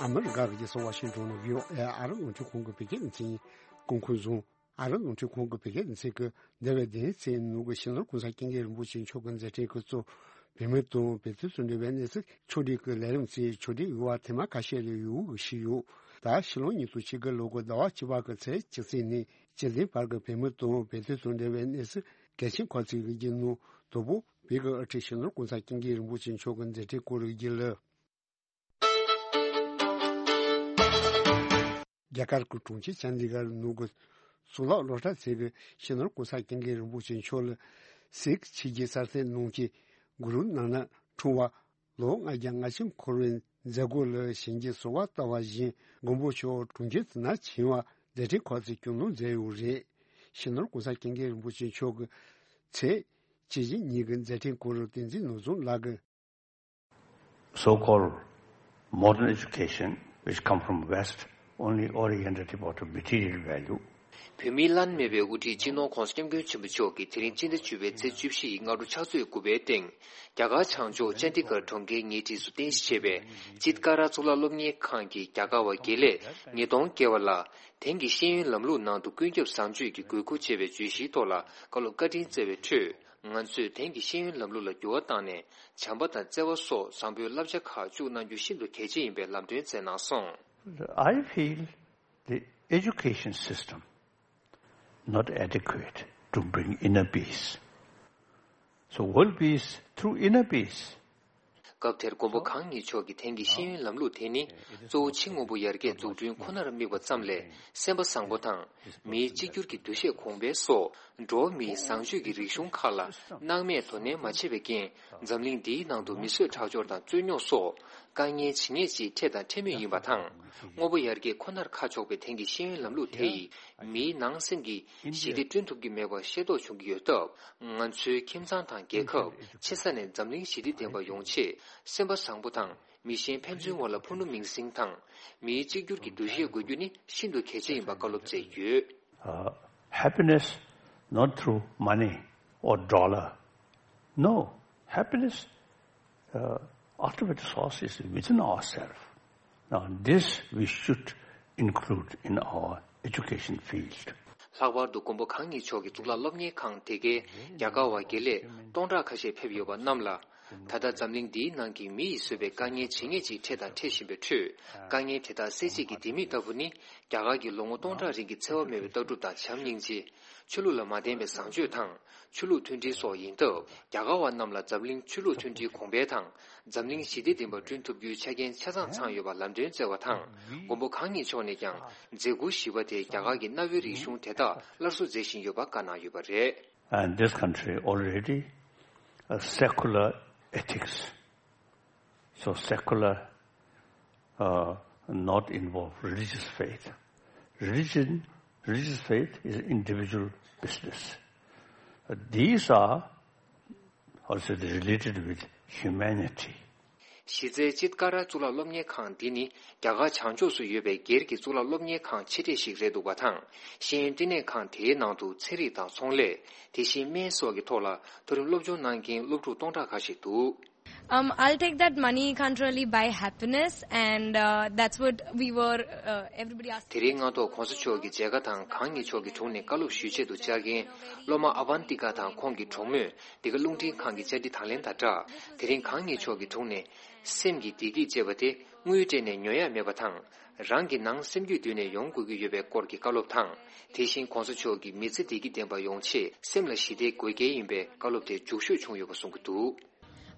ཨ་མི་རི་ཀ་གི་རྒྱལ་ས་ཝ་ཤིང་ཏོན་ནས་བྷི་ཨོ་ཨེ་ཨ་རི་རླུང་འཕྲིན་ཁང་གི་བོད་སྐད་སྡེ་ཚན་གྱིས་སྐུ་འཁོན་བཟུང་། ཨ་རི་རླུང་འཕྲིན་ཁང་གི་བོད་སྐད་སྡེ་ཚན་གྱིས་འདས་པའི་བདུན་ཕྲག་ནང་གི་སྤྱི་ནོར་གོང་ས་སྐྱབས་མགོན་རིན་པོ་ཆེ་མཆོག་གི་མཛད་འཕྲིན་གྱི་གཙོ་བོད་མི་དང་བོད་དོན་དང་འབྲེལ་བའི་གནས་ཚུལ་ཕྱོགས་སྒྲིག་གི་ལས་རིམ་གྱི་ཕྱོགས་སྒྲིག་ཡོད་པ་ཐེངས་མ་ཁ་ཤས་ལས་ཡོད་ཞུས་ཡོད། ད་ཕྱི་ལོ་ཉིས་སྟོང་ཉི་ཤུ་རྩ་དགུ་ལོ་གི་ཟླ་བ་བཅུ་པ་གི་ཚེས་བཅུ་གཅིག་ནས་བཅུ་བདུན་བར་གྱི་བོད་མི་དང་བོད་དོན་དང་འབྲེལ་བའི་གནས་ཚུལ་གལ་ཆེན་ཁག་ཅིག་གི་རྒྱུན་ནང་དང་པོ་བོད་ཀྱི་དབུ་ཁྲིད་སྤྱི་ནོར་གོང་ས་སྐྱབས་མགོན་རིན་པོ་ཆེ་མཆོག་གི་མཛད་འཕྲིན་སྐོར་བརྗོད་ལ། རྒྱ་གར་གྱི་གྲོང་ཁྱེར་ཅན་དི་གྷར་ནང་གི་གཙུག་ལག་སློབ་གྲྭ་ཚད་ཀྱི་སྤྱི་ནོར་གོང་ས་སྐྱབས་མགོན་རིན་པོ་ཆེ་མཆོག་ལ་སིག་ཆོས་བརྒྱུད་གསར་གཏོད་གནང་མཁན་གུ་རུ་ནཱ་ནག་འཁྲུངས་པ་ལོ་ལྔ་བརྒྱ་ལྔ་བཅུ་འཁོར་བའི་མཛད་སྒོ་ལ་ཞལ་གྱིས་གསོལ་བ་བཏབ་པ་བཞིན་མགོན་པོ་མཆོག་གྲོང་ཁྱེར་དེ་ན་བྱོན་པ་མཛད་འཕྲིན་ཁག་ཅིག་སྐྱོང་གནང་མཛད་ཡོད་རེད། སྤྱི་ནོར་གོང་ས་སྐྱབས་མགོན་རིན་པོ་ཆེ་མཆོག་གི་ཚེས་བཅུ་བཞི་ཉིན་གྱི་མཛད་འཕྲིན་སྐོར་བསྟན་འཛིན་ནོར་བཟང་ལགས་ཀྱིས། So-called modern education, which come from West, only oriented about material value. བོད་མིའི་བླ་ན་མེད་པའི་དབུ་ཁྲིད་སྤྱི་ནོར་༧གོང་ས་༧སྐྱབས་མགོན་ཆེན་པོ་མཆོག་གིས་དེ་རིང་སྤྱི་ཟླ་བཅུ་པའི་ཚེས་བཅུ་བཞི་ཡི་སྔ་དྲོ་ཕྱག་ཚོད་དགུ་པའི་སྟེང་། རྒྱ་གར་བྱང་ཕྱོགས་ཅན་ཌི་གྷར་གྲོང་ཁྱེར་ཉེ་འཁྲིས་སུ་རྟེན་གཞི་བྱས་པའི་ཅིད་ཀ་ར་གཙུག་ལག་སློབ་གཉེར་ཁང་གི་རྒྱ་གར་བ་དགེ་ལས་ཉིས་སྟོང་བརྒལ་བ་ལ། དེང་གི་ཤེས་ཡོན་ལམ་ལུགས་ནང་དུ་ཀུན་ཁྱབ་བཟང་སྤྱོད་ཀྱི་དགོས་མཁོ་ཅེས་པའི་བརྗོད་གཞིའི་ཐོག་ལ་བཀའ་སློབ་བཀའ་དྲིན་སྩལ་བའི་ཁྲོད། ང་ཚོས་དེང་གི་ཤེས་ཡོན་ལམ་ལུགས་ལ་འགྱུར་བ་བཏང་ནས། བྱམས་པ་དང་བརྩེ་བ་སོགས་བཟང་པོའི་བསླབ་བྱ་ཁག་བཅུག་གནང་རྒྱུ་ཤིན་ཏུ་གལ་ཆེ་ཡིན་པའི་ལམ་སྟོན་མཛད་གནང་སོང་། I feel the education system not adequate to bring inner peace. So world peace through inner peace. སྐབས་དེར་མགོན་པོ་གང་ཉིད་མཆོག་གིས་དེང་གི་ཤེས་ཡོན་ལམ་ལུགས་དེ་ནི་གཙོ་བོ་ཕྱི་དངོས་པོ་ཡར་རྒྱས་འཛུགས་སྐྲུན་ཁོ་ནར་དམིགས་པ་ཙམ་ལས། སེམས་པ་བཟང་པོ་དང་། མིའི་གཅིག་གྱུར་གྱི་འདུ་ཤེས་གོང་འཕེལ་སོགས་འགྲོ་བ་མིའི་བཟང་སྤྱོད་ཀྱི་རིག་གཞུང་ཁག་ལ་སྣང་མེད་དོ་ནན་མ་བྱས་པའི་རྐྱེན། འཛམ་གླིང་འདིའི་ནང་དུ་མི་གསོད་ཁྲག་སྦྱོར་དང་རྩོད་རྙོག་སོགས་དཀའ་ངལ་ཇི་སྙེད་ཅིག་འཕྲད་དང་འཕྲད་མུས་ཡིན་པ་དང་། དངོས་པོ་ཡར་རྒྱས་ཁོ་ནར་ཁ་ཕྱོགས་པའི་དེང་གི་ཤེས་ཡོན་ལམ་ལུགས་དེ་ཡིས་མིའི་ནང་སེམས་ཀྱི་ཞི་བདེ་བསྐྲུན་ཐུབ་ཀྱི་མེད་པ་ཤེས་རྟོགས་བྱུང་གི་ཡོད་སྟབས། ང་ཚོའི་ཁྱིམ་ཚང་དང་རྒྱལ་ཁབ། ཆེ་ས་ནས་འཛམ་གླིང་ཞི་བདེ་ལྡན་པ་ཡོང་ཆེད། སེམས་པ་བཟང་པོ་དང་། མི་གཞན་ཕན་ཚུན་བར་ལ་ཕུ་ནུ་མིང་སྲིང་དང་། མིའི་གཅིག་གྱུར་གྱི་འདུ་ཤེས་དགོས་རྒྱུ་ནི་ཤིན་ཏུ་གལ་ཆེ་ཡིན་པ་བཀའ་སློབ་སྩལ་ཡོད། Uh, happiness not through money or dollar. No, happiness, uh, ultimate source is within ourselves. Now, this we should include in our education field. ལྷག་པར་དུ་མགོན་པོ་གང་ཉིད་མཆོག་གིས་གཙུག་ལག་སློབ་གཉེར་ཁང་དེ་གའི་རྒྱ་གར་བ་དགེ་ལས་སྟོང་ཕྲག་ཁ་ཤས་ཕེབས་ཡོད་པ་རྣམས་ལ། ད་ལྟ་འཛམ་གླིང་འདིའི་ནང་གི་མི་ཡིས་བཟོས་པའི་དཀའ་ངལ་ཇི་སྙེད་ཅིག་འཕྲད་དང་འཕྲད་བཞིན་པའི་ཁྲོད། དཀའ་ངལ་དེ་དག་སེལ་བྱེད་ཀྱི་ལྡེ་མིག་ལྟ་བུ་ནི། རྒྱ་གར་གྱི་ལོ་ངོ་སྟོང་ཕྲག་རིང་གི་འཚེ་བ་མེད་པའི་ལྟ་གྲུབ་དང་བྱམས་སྙིང་རྗེ། ཆོས་ལུགས་ལ་མ་བརྟེན་པའི་བཟང་སྤྱོད་དང་། ཆོས་ལུགས་མཐུན་སྒྲིལ་སོགས་ཡིན་སྟབས། རྒྱ་གར་བ་རྣམས་ལ་འཛམ་གླིང་ཆོས་ལུགས་མཐུན་སྒྲིལ་གོང་འཕེལ་དང་། འཛམ་གླིང་ཞི་བདེ་ལྡན་པ་བསྐྲུན་ཐུབ་རྒྱུའི་ཆ་རྐྱེན་ཆ་ཚང་ཚང་ཡོད་པ་ལམ་སྟོན་སྩལ་བ་དང་། མགོན་པོ་གང་ཉིད་མཆོག་ནས་ཀྱང་། མཛད་ཁུར་བཞི་པ་དེ་རྒྱ་གར་གྱི་གནའ་བོའི་རིག་གཞུང་དེ་དག་སླར་གསོ་མཛད་བཞིན་ཡོད་པ་བཀའ་གནང་ཡོད་པ་རེད། And this country already a secular ethics. So secular, uh, not involve religious faith. Religion, religious faith is individual business. Uh, these are also related with humanity. གཞི་རྩའི་ཅིད་ཀ་ར་གཙུག་ལག་སློབ་གཉེར་ཁང་འདི་ནི་རྒྱ་གར་བྱང་ཕྱོགས་སུ་ཡོད་པའི་སྒེར་གྱི་གཙུག་ལག་སློབ་གཉེར་ཁང་ཆེ་གྲས་ཤིག་རེད་འདུག་པ་དང་། ཤེས་ཡོན་བསྟི་གནས་ཁང་དེའི་ནང་དུ་ཚན་རིག་དང་ཚོང་ལས། དེ་བཞིན་སྨན་སོགས་ཀྱི་ཐོག་ལ་མཐོ་རིམ་སློབ་སྦྱོང་གནང་མཁན་སློབ་ཕྲུག་སྟོང་ཕྲག་ཁ་ཤས་འདུག། Um, I'll take that money can't really buy happiness, and uh, that's what we were, uh, everybody asked. དེ་རིང་སྔ་ཐོག་གོང་ས་མཆོག་གི་མཇལ་ཁ་དང་གང་ཉིད་མཆོག་གི་དྲུང་ནས་བཀའ་སློབ་ཞུ་ཆེད་དུ་བཅར་མཁན་སློབ་མ་ཨ་བན་ཏི་ཀ་དང་ཁོང་གི་གྲོགས་མོས་འདི་ག་རླུང་འཕྲིན་ཁང་གི་བཅར་འདྲི་དང་ལེན་དང་སྦྲགས། དེ་རིང་གང་ཉིད་མཆོག་གི་དྲུང་ནས་སེམས་ཀྱི་བདེ་སྐྱིད་ཅེས་པ་དེ་དངུལ་སྤྲད་ནས་ཉོ་ཡ་མེད་པ་དང་། རང་གི་ནང་སེམས་རྒྱུད་བསྡུས་ནས་ཡོང་དགོས་ཀྱི་ཡོད་པའི་སྐོར་གྱི་བཀའ་སློབ་དང་། དེ་བཞིན་གོང་ས་མཆོག་གིས་མི་ཚེ་བདེ་སྐྱིད་ལྡན་པ་ཡོང་ཆེད་སེམས་ལ་ཞི་བདེ་དགོས་གལ་ཡིན་པའི་བཀའ་སློབ་དེ་མཇུག་ཤོས་བྱུང་ཡོད་པ་གསུང་གི་འདུག།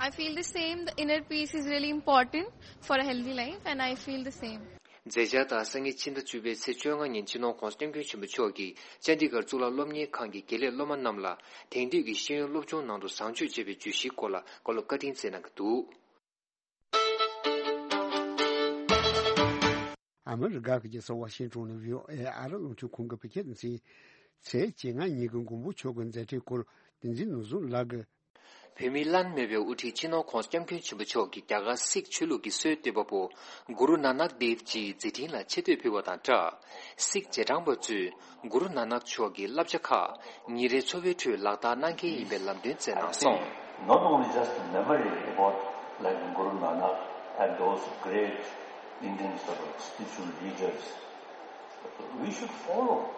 I feel the same. The inner peace is really important for a healthy life, and I feel the same. མཛད་འཆར་ལྟར། སང་ཉིན་ཕྱི་ཟླ་བཅུ་པའི་ཚེས་བཅོ་ལྔ་ཉིན་སྤྱི་ནོར་༧གོང་ས་༧སྐྱབས་མགོན་ཆེན་པོ་མཆོག་གིས་ཅན་ཌི་གྷར་གཙུག་ལག་སློབ་གཉེར་ཁང་གི་དགེ་ལས་སློབ་མ་རྣམས་ལ་དེང་དུས་ཀྱི་ཤེས་ཡོན་སློབ་སྦྱོང་ནང་དུ་བཟང་སྤྱོད་ཅེས་པའི་བརྗོད་གཞིའི་སྐོར་ལ་བཀའ་སློབ་བཀའ་དྲིན་སྩལ་གནང་གི་འདུག་ཨ་མི་རི་ཀ་གི་རྒྱལ་ས་ཝ་ཤིང་ཊོན་ནས་བྷི་ཨོ་ཨེ་ཨ་རི་རླུང་འཕྲིན་ཁང་གིས་བོད་སྐད་སྡེ་ཚན། ཚེས་བཅོ་ལྔ་ཉིན་གྱི་མགོན་པོ་མཆོག་གི་མཛད་འཕྲིན་སྐོར་བསྟན་འཛིན་ནོར་བཟང་ལགས་ཀྱིས། བོད་མིའི་བླ་ན་མེད་པའི་དབུ་ཁྲིད་སྤྱི་ནོར་༧གོང་ས་༧སྐྱབས་མགོན་ཆེན་པོ་མཆོག་གིས་རྒྱ་གར་སིག་ཆོས་ལུགས་ཀྱི་སྲོལ་གཏོད་པ་པོ་གུ་རུ་ནཱ་ནག་དེབ་ཇིའི་མཛད་འཕྲིན་ལ་ཆེ་བསྟོད་ཕུལ་བ་དང་སྦྲགས། སིག་རྗེས་འབྲང་པ་ཚོས་གུ་རུ་ནཱ་ནག་མཆོག་གི་བསླབ་བྱ་ཁག་ཉིན་རེའི་འཚོ་བའི་ཁྲོད་ལག་བསྟར་གནང་གལ་ཡིན་པའི་ལམ་སྟོན་སྩལ་གནང་སོང་། Not only just memory about, like, Guru Nanak and those great Indian sort of spiritual leaders, we should follow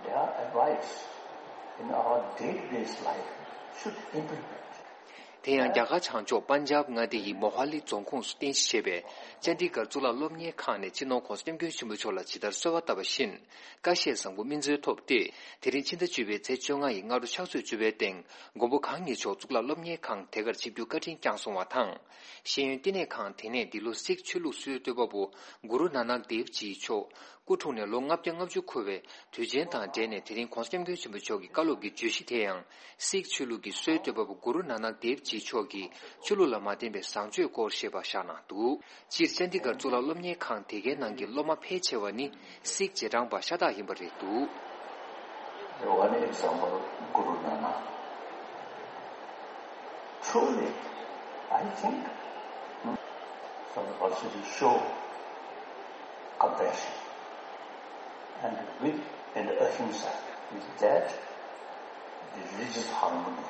their advice in our day-to-day life, should implement. དེ་ཡང་རྒྱ་གར་བྱང་ཕྱོགས་པན་ཇབ་མངའ་སྡེ་ཡི་མོ་ཧ་ལི་རྫོང་ཁོངས་སུ་རྟེན་གཞི་བྱས་པའི་ཅན་ཌི་གྷར་གཙུག་ལག་སློབ་གཉེར་ཁང་ནས་སྤྱི་ནོར་༧གོང་ས་༧སྐྱབས་མགོན་ཆེན་པོ་མཆོག་ལ་ཇི་ལྟར་གསོལ་བ་བཏབ་པ་བཞིན། བཀའ་བཞེས་བཟང་པོ་སྨིན་སྩལ་ཐོབ་སྟེ། དེ་རིང་ཕྱི་ཟླ་བཅུ་པའི་ཚེས་བཅོ་ལྔ་ཡི་སྔ་དྲོ་ཕྱག་ཚོད་བཅུ་པའི་སྟེང་མགོན་པོ་གང་ཉིད་མཆོག་གཙུག་ལག་སློབ་གཉེར་ཁང་དེ་གར་ཆིབས་བསྒྱུར་བཀའ་དྲིན་བསྐྱངས་སོང་བ་དང་། ཤེས་ཡོན་བསྟི་གནས་ཁང་དེ་ནས་འདི་ལོ་སིག་ཆོས་ལུགས་སྲོལ་གཏོད་པ་པོ་གུ་རུ་ནཱ་ནག་དེབ་ཇི་མཆོག་སྐུ་འཁྲུངས་ནས་ལོ་ལྔ་བརྒྱ་ལྔ་བཅུ་འཁོར་བའི་དུས་ཆེན་དང་འབྲེལ་ནས། དེ་རིང་༧གོང་ས་༧སྐྱབས་མགོན་ཆེན་པོ་མཆོག་གི་བཀའ་སློབ་ཀྱི་བརྗོད་གཞི་དེ་ཡང་སིག་ཆོས་ལུགས་ཀྱི་སྲོལ་གཏོད་པ་པོ་གུ་རུ་ནཱ་ནག་དེབ་ཇི་མཆོག་གི་ཆོས་ལུགས་ལ་མ་བརྟེན་པའི་བཟང་སྤྱོད་སྐོར་ཞེས་པ་བཞག་གནང་འདུག་སྤྱིར་ཅན་ཌི་གྷར་གཙུག་ལག་སློབ་གཉེར་ཁང་དེ་གའི་ནང་གི་སློབ་མ་ཕལ་ཆེ་བ་ནི་སིག་རྗེས་འབྲང་པ་ཤ་སྟག་ཡིན་པ་རེད་འདུག One example, Guru Nanak. Truly, I think, hmm, some also to show compassion and with and ahimsa, with that, the religious harmony.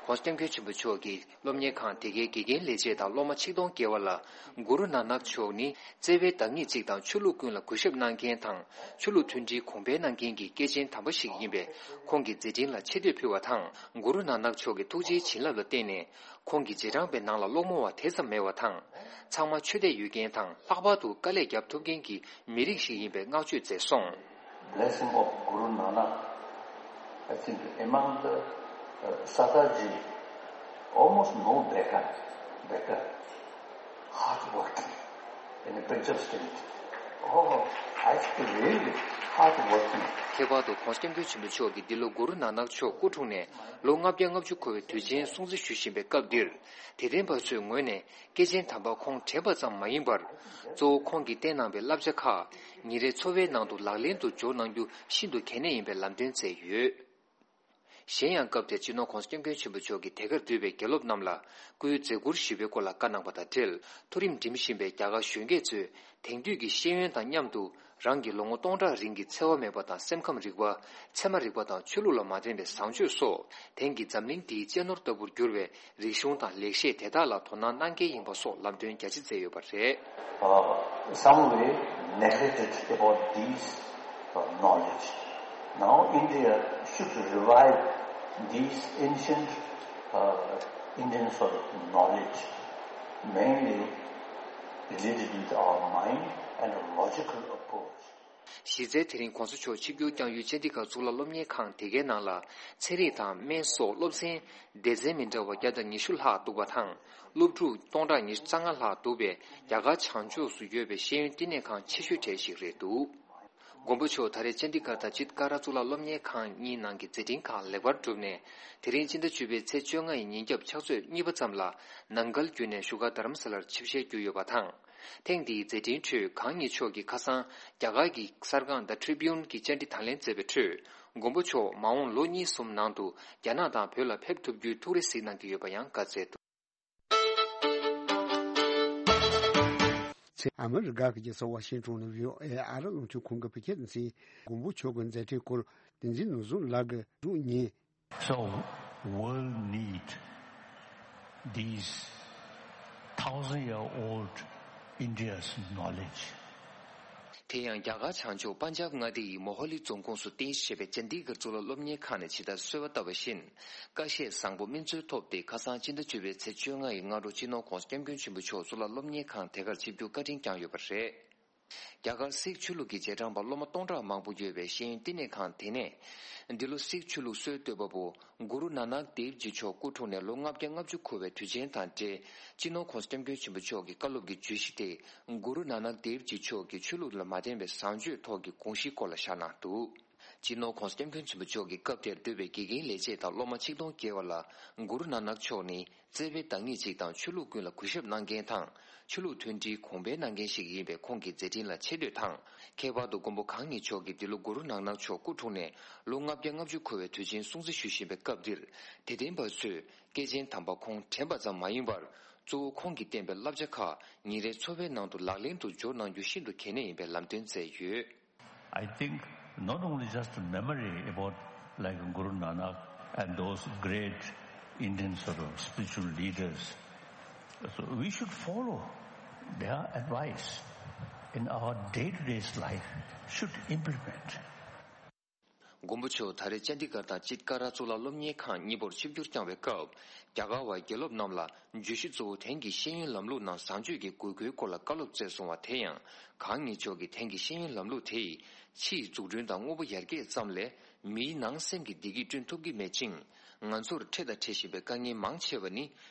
༧གོང་ས་༧སྐྱབས་མགོན་ཆེན་པོ་མཆོག་གིས་སློབ་གཉེར་ཁང་དེ་གའི་དགེ་རྒན་ལས་བྱེད་དང་སློབ་མ་ཆིག་སྟོང་བརྒལ་བ་ལ་གུ་རུ་ནཱ་ནག་མཆོག་ནི་བརྩེ་བའི་བདག་ཉིད་ཅིག་དང་ཆོས་ལུགས་ཀུན་ལ་གུས་ཞབས་གནང་མཁན་དང་ཆོས་ལུགས་མཐུན་སྒྲིལ་གོང་འཕེལ་གནང་མཁན་གྱི་སྐྱེས་ཆེན་དམ་པ་ཞིག་ཡིན་པས། ཁོང་གི་མཛད་འཕྲིན་ལ་ཆེ་བསྟོད་ཕུལ་བ་དང་། གུ་རུ་ནཱ་ནག་མཆོག་གི་ཐུགས་རྗེའི་བྱིན་རླབས་ལ་བརྟེན་ནས་ཁོང་གི་རྗེས་འབྲང་པའི་ནང་ལ་སློང་མོ་བ་དེ་ཙམ་མེད་པ་དང་། ཚང་མ་ཆོས་དད་ཡོད་མཁན་དང་ལྷག་པར་དུ་དཀའ་ལས་རྒྱབ་ཐུབ་མཁན་གྱི་མི་རིགས་ཤིག་ཡིན་པའི་བསྔགས་བརྗོད་མཛད་སོང་། Blessing of Guru Nanak, I think among the, uh, Sataji, almost no beggar, beggar, hardworking, in a Punjab state. Oh, I think really hardworking. ཁྱད་པར་དུ་༧གོང་ས་༧སྐྱབས་མགོན་ཆེན་པོ་མཆོག་གིས་འདི་ལོ་གུ་རུ་ནཱ་ནག་མཆོག་སྐུ་འཁྲུངས་ནས་ལོ་ལྔ་བརྒྱ་ལྔ་བཅུ་འཁོར་བའི་དུས་ཆེན་སྲུང་བརྩི་ཞུ་བཞིན་པའི་སྐབས་འདིར། དད་ལྡན་པ་ཚོའི་ངོས་ནས་སྐྱེས་ཆེན་དམ་པ་ཁོང་དྲན་པ་ཙམ་མ་ཡིན་པར། གཙོ་བོ་ཁོང་གིས་བསྟན་གནང་བའི་བསླབ་བྱ་ཁག་ཉིན་རེའི་འཚོ་བའི་ནང་དུ་ལག་ལེན་དུ་འཇོག་གནང་རྒྱུ་ཤིན་ཏུ་གལ་གནད་ཡིན་པའི་ལམ་སྟོན་མཛད་ཡོད། གཞན་ཡང་སྐབས་དེར་སྤྱི་ནོར་༧གོང་ས་༧སྐྱབས་མགོན་ཆེན་པོ་མཆོག་གིས་དེ་གར་འདུས་པའི་དགེ་སློབ་རྣམས་ལ་སྐུའི་མཛད་ཁུར་ཞུས་པའི་སྐོར་ལ་བཀའ་གནང་བ་དང་འབྲེལ། མཐོ་རིམ་འགྲིམ་བཞིན་པའི་རྒྱ་གར་གཞོན་སྐྱེས་ཚོས་དེང་དུས་ཀྱི་ཤེས་ཡོན་དང་མཉམ་དུ་རང་གི་ལོ་ངོ་སྟོང་ཕྲག་རིང་གི་འཚེ་བ་མེད་པ་དང་སེམས་ཁམས་རིག་པ། ཚད་མ་རིག་པ་དང་ཆོས་ལུགས་ལ་མ་བརྟེན་པའི་བཟང་སྤྱོད་སོགས་དེང་གི་འཛམ་གླིང་འདིའི་གཅེས་ནོར་ལྟ་བུར་གྱུར་བའི་རིག་གཞུང་དང་ལེགས་བཤད་དེ་དག་ལ་དོ་སྣང་གནང་གལ་ཡིན་པ་སོགས་ལམ་སྟོན་རྒྱ་ཆེ་མཛད་ཡོད་པ་རེད། Uh, some way neglected about these, uh, knowledge. Now India should revive these ancient, uh, Indian sort of knowledge, mainly related with our mind and a logical approach. གཞི་རྩའི་དེ་རིང་༧གོང་ས་མཆོག་ཆིབས་བསྒྱུར་བསྐྱངས་ཡུལ་ཅན་ཌི་གྷར་གཙུག་ལག་སློབ་གཉེར་ཁང་དེ་གའི་ནང་ལ་ཚན་རིག་དང་སྨན་སོགས་སློབ་ཚན་སྡེ་ཚན་མི་འདྲ་བ་བརྒྱ་དང་ཉི་ཤུ་ལྷག་འདུག་པ་དང་། སློབ་ཕྲུག་སྟོང་ཕྲག་ཉི་ཤུ་རྩ་ལྔ་ལྷག་འདུག་པས། རྒྱ་གར་བྱང་ཕྱོགས་སུ་ཡོད་པའི་ཤེས་ཡོན་བསྟི་གནས་ཁང་ཆེ་ཤོས་གྲས་ཤིག་རེད་འདུག་མགོན་པོ་མཆོག་ད་རེས་ཅན་ཌི་གྷར་དང་ཅིད་ཀ་ར་གཙུག་ལག་སློབ་གཉེར་ཁང་གཉིས་ནང་གི་མཛད་འཕྲིན་ཁག་ལེགས་པར་གྲུབ་ནས། དེ་རིང་ཕྱི་ཟླ་བཅུ་པའི་ཚེས་བཅོ་ལྔ་ཡི་ཉིན་རྒྱབ་ཕྱག་ཚོད་གཉིས་པ་ཙམ་ལ་ནང་འགལ་བརྒྱུད་ནས་བཞུགས་སྒར་རྡ་རམ་ས་ལར་ཆིབས་ཞལ་བསྒྱུར་ཡོད་པ་དང་། ཐེངས་འདིའི་མཛད་འཕྲིན་ཁྲོད་གང་ཉིད་མཆོག་གིས་ཁ་སང་རྒྱ་གར་གྱི་གསར་ཁང་The Tribune གྱིས་བཅར་འདྲི་དང་ལེན་མཛད་པའི་ཁྲོད། མགོན་པོ་མཆོག་མ་འོངས་ལོ་གཉིས་གསུམ་ནང་དུ་རྒྱ་ནག་དང་བོད་ལ་ཕེབས་ཐུབ་རྒྱུའི་ཐུགས་རེ་གཟིགས་གནང་གི་ཡོད་པ་ཡང་བཀའ་སྩལ་འདུག་ཚེ་ཨ་མི་རི་ཀ་གི་རྒྱལ་ས་ཝ་ཤིང་ཊོན་ནས་བྷི་ཨོ་ཨེ་ཨ་རི་རླུང་འཕྲིན་ཁང་གི་བོད་སྐད་སྡེ་ཚན། མགོན་པོ་མཆོག་གི་མཛད་འཕྲིན་སྐོར་བསྟན་འཛིན་ནོར་བཟང་ལགས་ཀྱིས་བསྒྲུབས་ཉིན། So, world need these thousand year old India's knowledge. དེ་ཡང་རྒྱ་གར་བྱང་ཕྱོགས་པན་ཇབ་མངའ་སྡེ་ཡི་མོ་ཧོ་ལི་རྫོང་ཁོངས་སུ་རྟེན་གཞི་བྱས་པའི་ཅན་ཌི་གྷར་གཙུག་ལག་སློབ་གཉེར་ཁང་ནས་ཇི་ལྟར་གསོལ་བ་བཏབ་པ་བཞིན། བཀའ་བཞེས་བཟང་པོ་སྨིན་སྩལ་ཐོབ་སྟེ། ཁ་སང་སྤྱི་ཟླ་བཅུ་པའི་ཚེས་བཅོ་ལྔ་ཡི་སྔ་དྲོ་སྤྱི་ནོར་༧གོང་ས་༧སྐྱབས་མགོན་ཆེན་པོ་མཆོག་གཙུག་ལག་སློབ་གཉེར་ཁང་དེ་གར་ཆིབས་བསྒྱུར་བཀའ་དྲིན་བསྐྱངས་ཡོད་པ་རེད། རྒྱ་གར་སིག་ཆོས་ལུགས་ཀྱི་རྗེས་འབྲང་པ་སློབ་མ་སྟོང་ཕྲག་མང་པོ་ཡོད་པའི་ཤེས་ཡོན་བསྟི་གནས་ཁང་དེ་ནས། འདི་ལོ་སིག་ཆོས་ལུགས་སྲོལ་གཏོད་པ་པོ་གུ་རུ་ནཱ་ནག་དེབ་ཇི་མཆོག་སྐུ་འཁྲུངས་ནས་ལོ་ལྔ་བརྒྱ་ལྔ་བཅུ་འཁོར་བའི་དུས་ཆེན་དང་འབྲེལ། སྤྱི་ནོར་༸གོང་ས་༸སྐྱབས་མགོན་ཆེན་པོ་མཆོག་གི་བཀའ་སློབ་ཀྱི་བརྗོད་གཞི་དེ། གུ་རུ་ནཱ་ནག་དེབ་ཇི་མཆོག་གི་ཆོས་ལུགས་ལ་མ་བརྟེན་པའི་བཟང་སྤྱོད་ཐོག་གི་དགོངས་གཞིའི་སྐོར་ལ་བཞག་གནང་འདུག་སྤྱི་ནོར་༸གོང་ས་༸སྐྱབས་མགོན་ཆེན་པོ་མཆོག་གིས་སྐབས་དེར་འདུས་པའི་དགེ་རྒན་ལས་བྱེད་དང་སློབ་མ་ཆིག་སྟོང་བརྒལ་བ་ལ་གུ་རུ་ནཱ་ནག་མཆོག་ནི། བརྩེ་བའི་བདག་ཉིད་ཅིག་དང་ཆོས་ལུགས་ཀུན་ལ་གུས་ཞབས་གནང་མཁན་དང་། ཆོས་ལུགས་མཐུན་སྒྲིལ་གོང་འཕེལ་གནང་མཁན་ཞིག་ཡིན་པའི་ཁོང་གི་མཛད་འཕྲིན་ལ་ཆེ་བསྟོད་དང་། ཁྱད་པར་དུ་མགོན་པོ་གང་ཉིད་མཆོག་གིས་འདི་ལོ་གུ་རུ་ནང་ནག་མཆོག་སྐུ་འཁྲུངས་ནས་ལོ་ལྔ་བརྒྱ་ལྔ་བཅུ་འཁོར་བའི་དུས་ཆེན་སྲུང་བརྩི་ཞུ་བཞིན་པའི་སྐབས་འདིར། དད་ལྡན་པ་ཚོས་སྐྱེས་ཆེན་དམ་པ་ཁོང་དྲན་པ་ཙམ་མ་ཡིན་པར། གཙོ་བོ་ཁོང་གིས་བསྟན་པའི་བསླབ་བྱ་ཁག་ཉིན་རེའི་འཚོ་བའི་ནང་དུ་ལག་ལེན་དུ་འབྱོར་གནང་རྒྱུ་ཤིན་ཏུ་གལ་གནད་ཡིན་པའི་ལམ་སྟོན་མཛད་ཡོད། I think not only just a memory about like Guru Nanak and those great Indian sort of spiritual leaders, so we should follow their advice in our day-to-day life, should implement. མགོན་པོ་མཆོག་ད་རེས་ཅན་ཌི་གར་དང་ཅིད་ཀ་ར་གཙུག་ལག་སློབ་གཉེར་ཁང་གཉིས་པོར་ཆིབས་བསྒྱུར་བསྐྱངས་པའི་སྐབས། རྒྱ་གར་བ་དགེ་སློབ་རྣམས་ལ་བརྗོད་གཞི་གཙོ་བོ་དེང་གི་ཤེས་ཡོན་ལམ་ལུགས་ནང་བཟང་སྤྱོད་ཀྱི་དགོས་མཁོའི་སྐོར་ལ་བཀའ་སློབ་སྩལ་སོང་བ་དེ་ཡང་། གང་ཉིད་མཆོག་གིས་དེང་གི་ཤེས་ཡོན་ལམ་ལུགས་དེ་ཡིས་ཕྱིའི་འཛུགས་སྐྲུན་དང་དངོས་པོ་ཡར་རྒྱས་ཙམ་ལས། མིའི་ནང་སེམས་ཀྱི་བདེ་སྐྱིད་བསྐྲུན་ཐུབ་ཀྱི་མེད་ཅིང་། ང་ཚོར་འཕྲད་དང་འཕྲད་བཞིན་པའི་དཀའ་ངལ་མང་ཆེ་བ་ནི།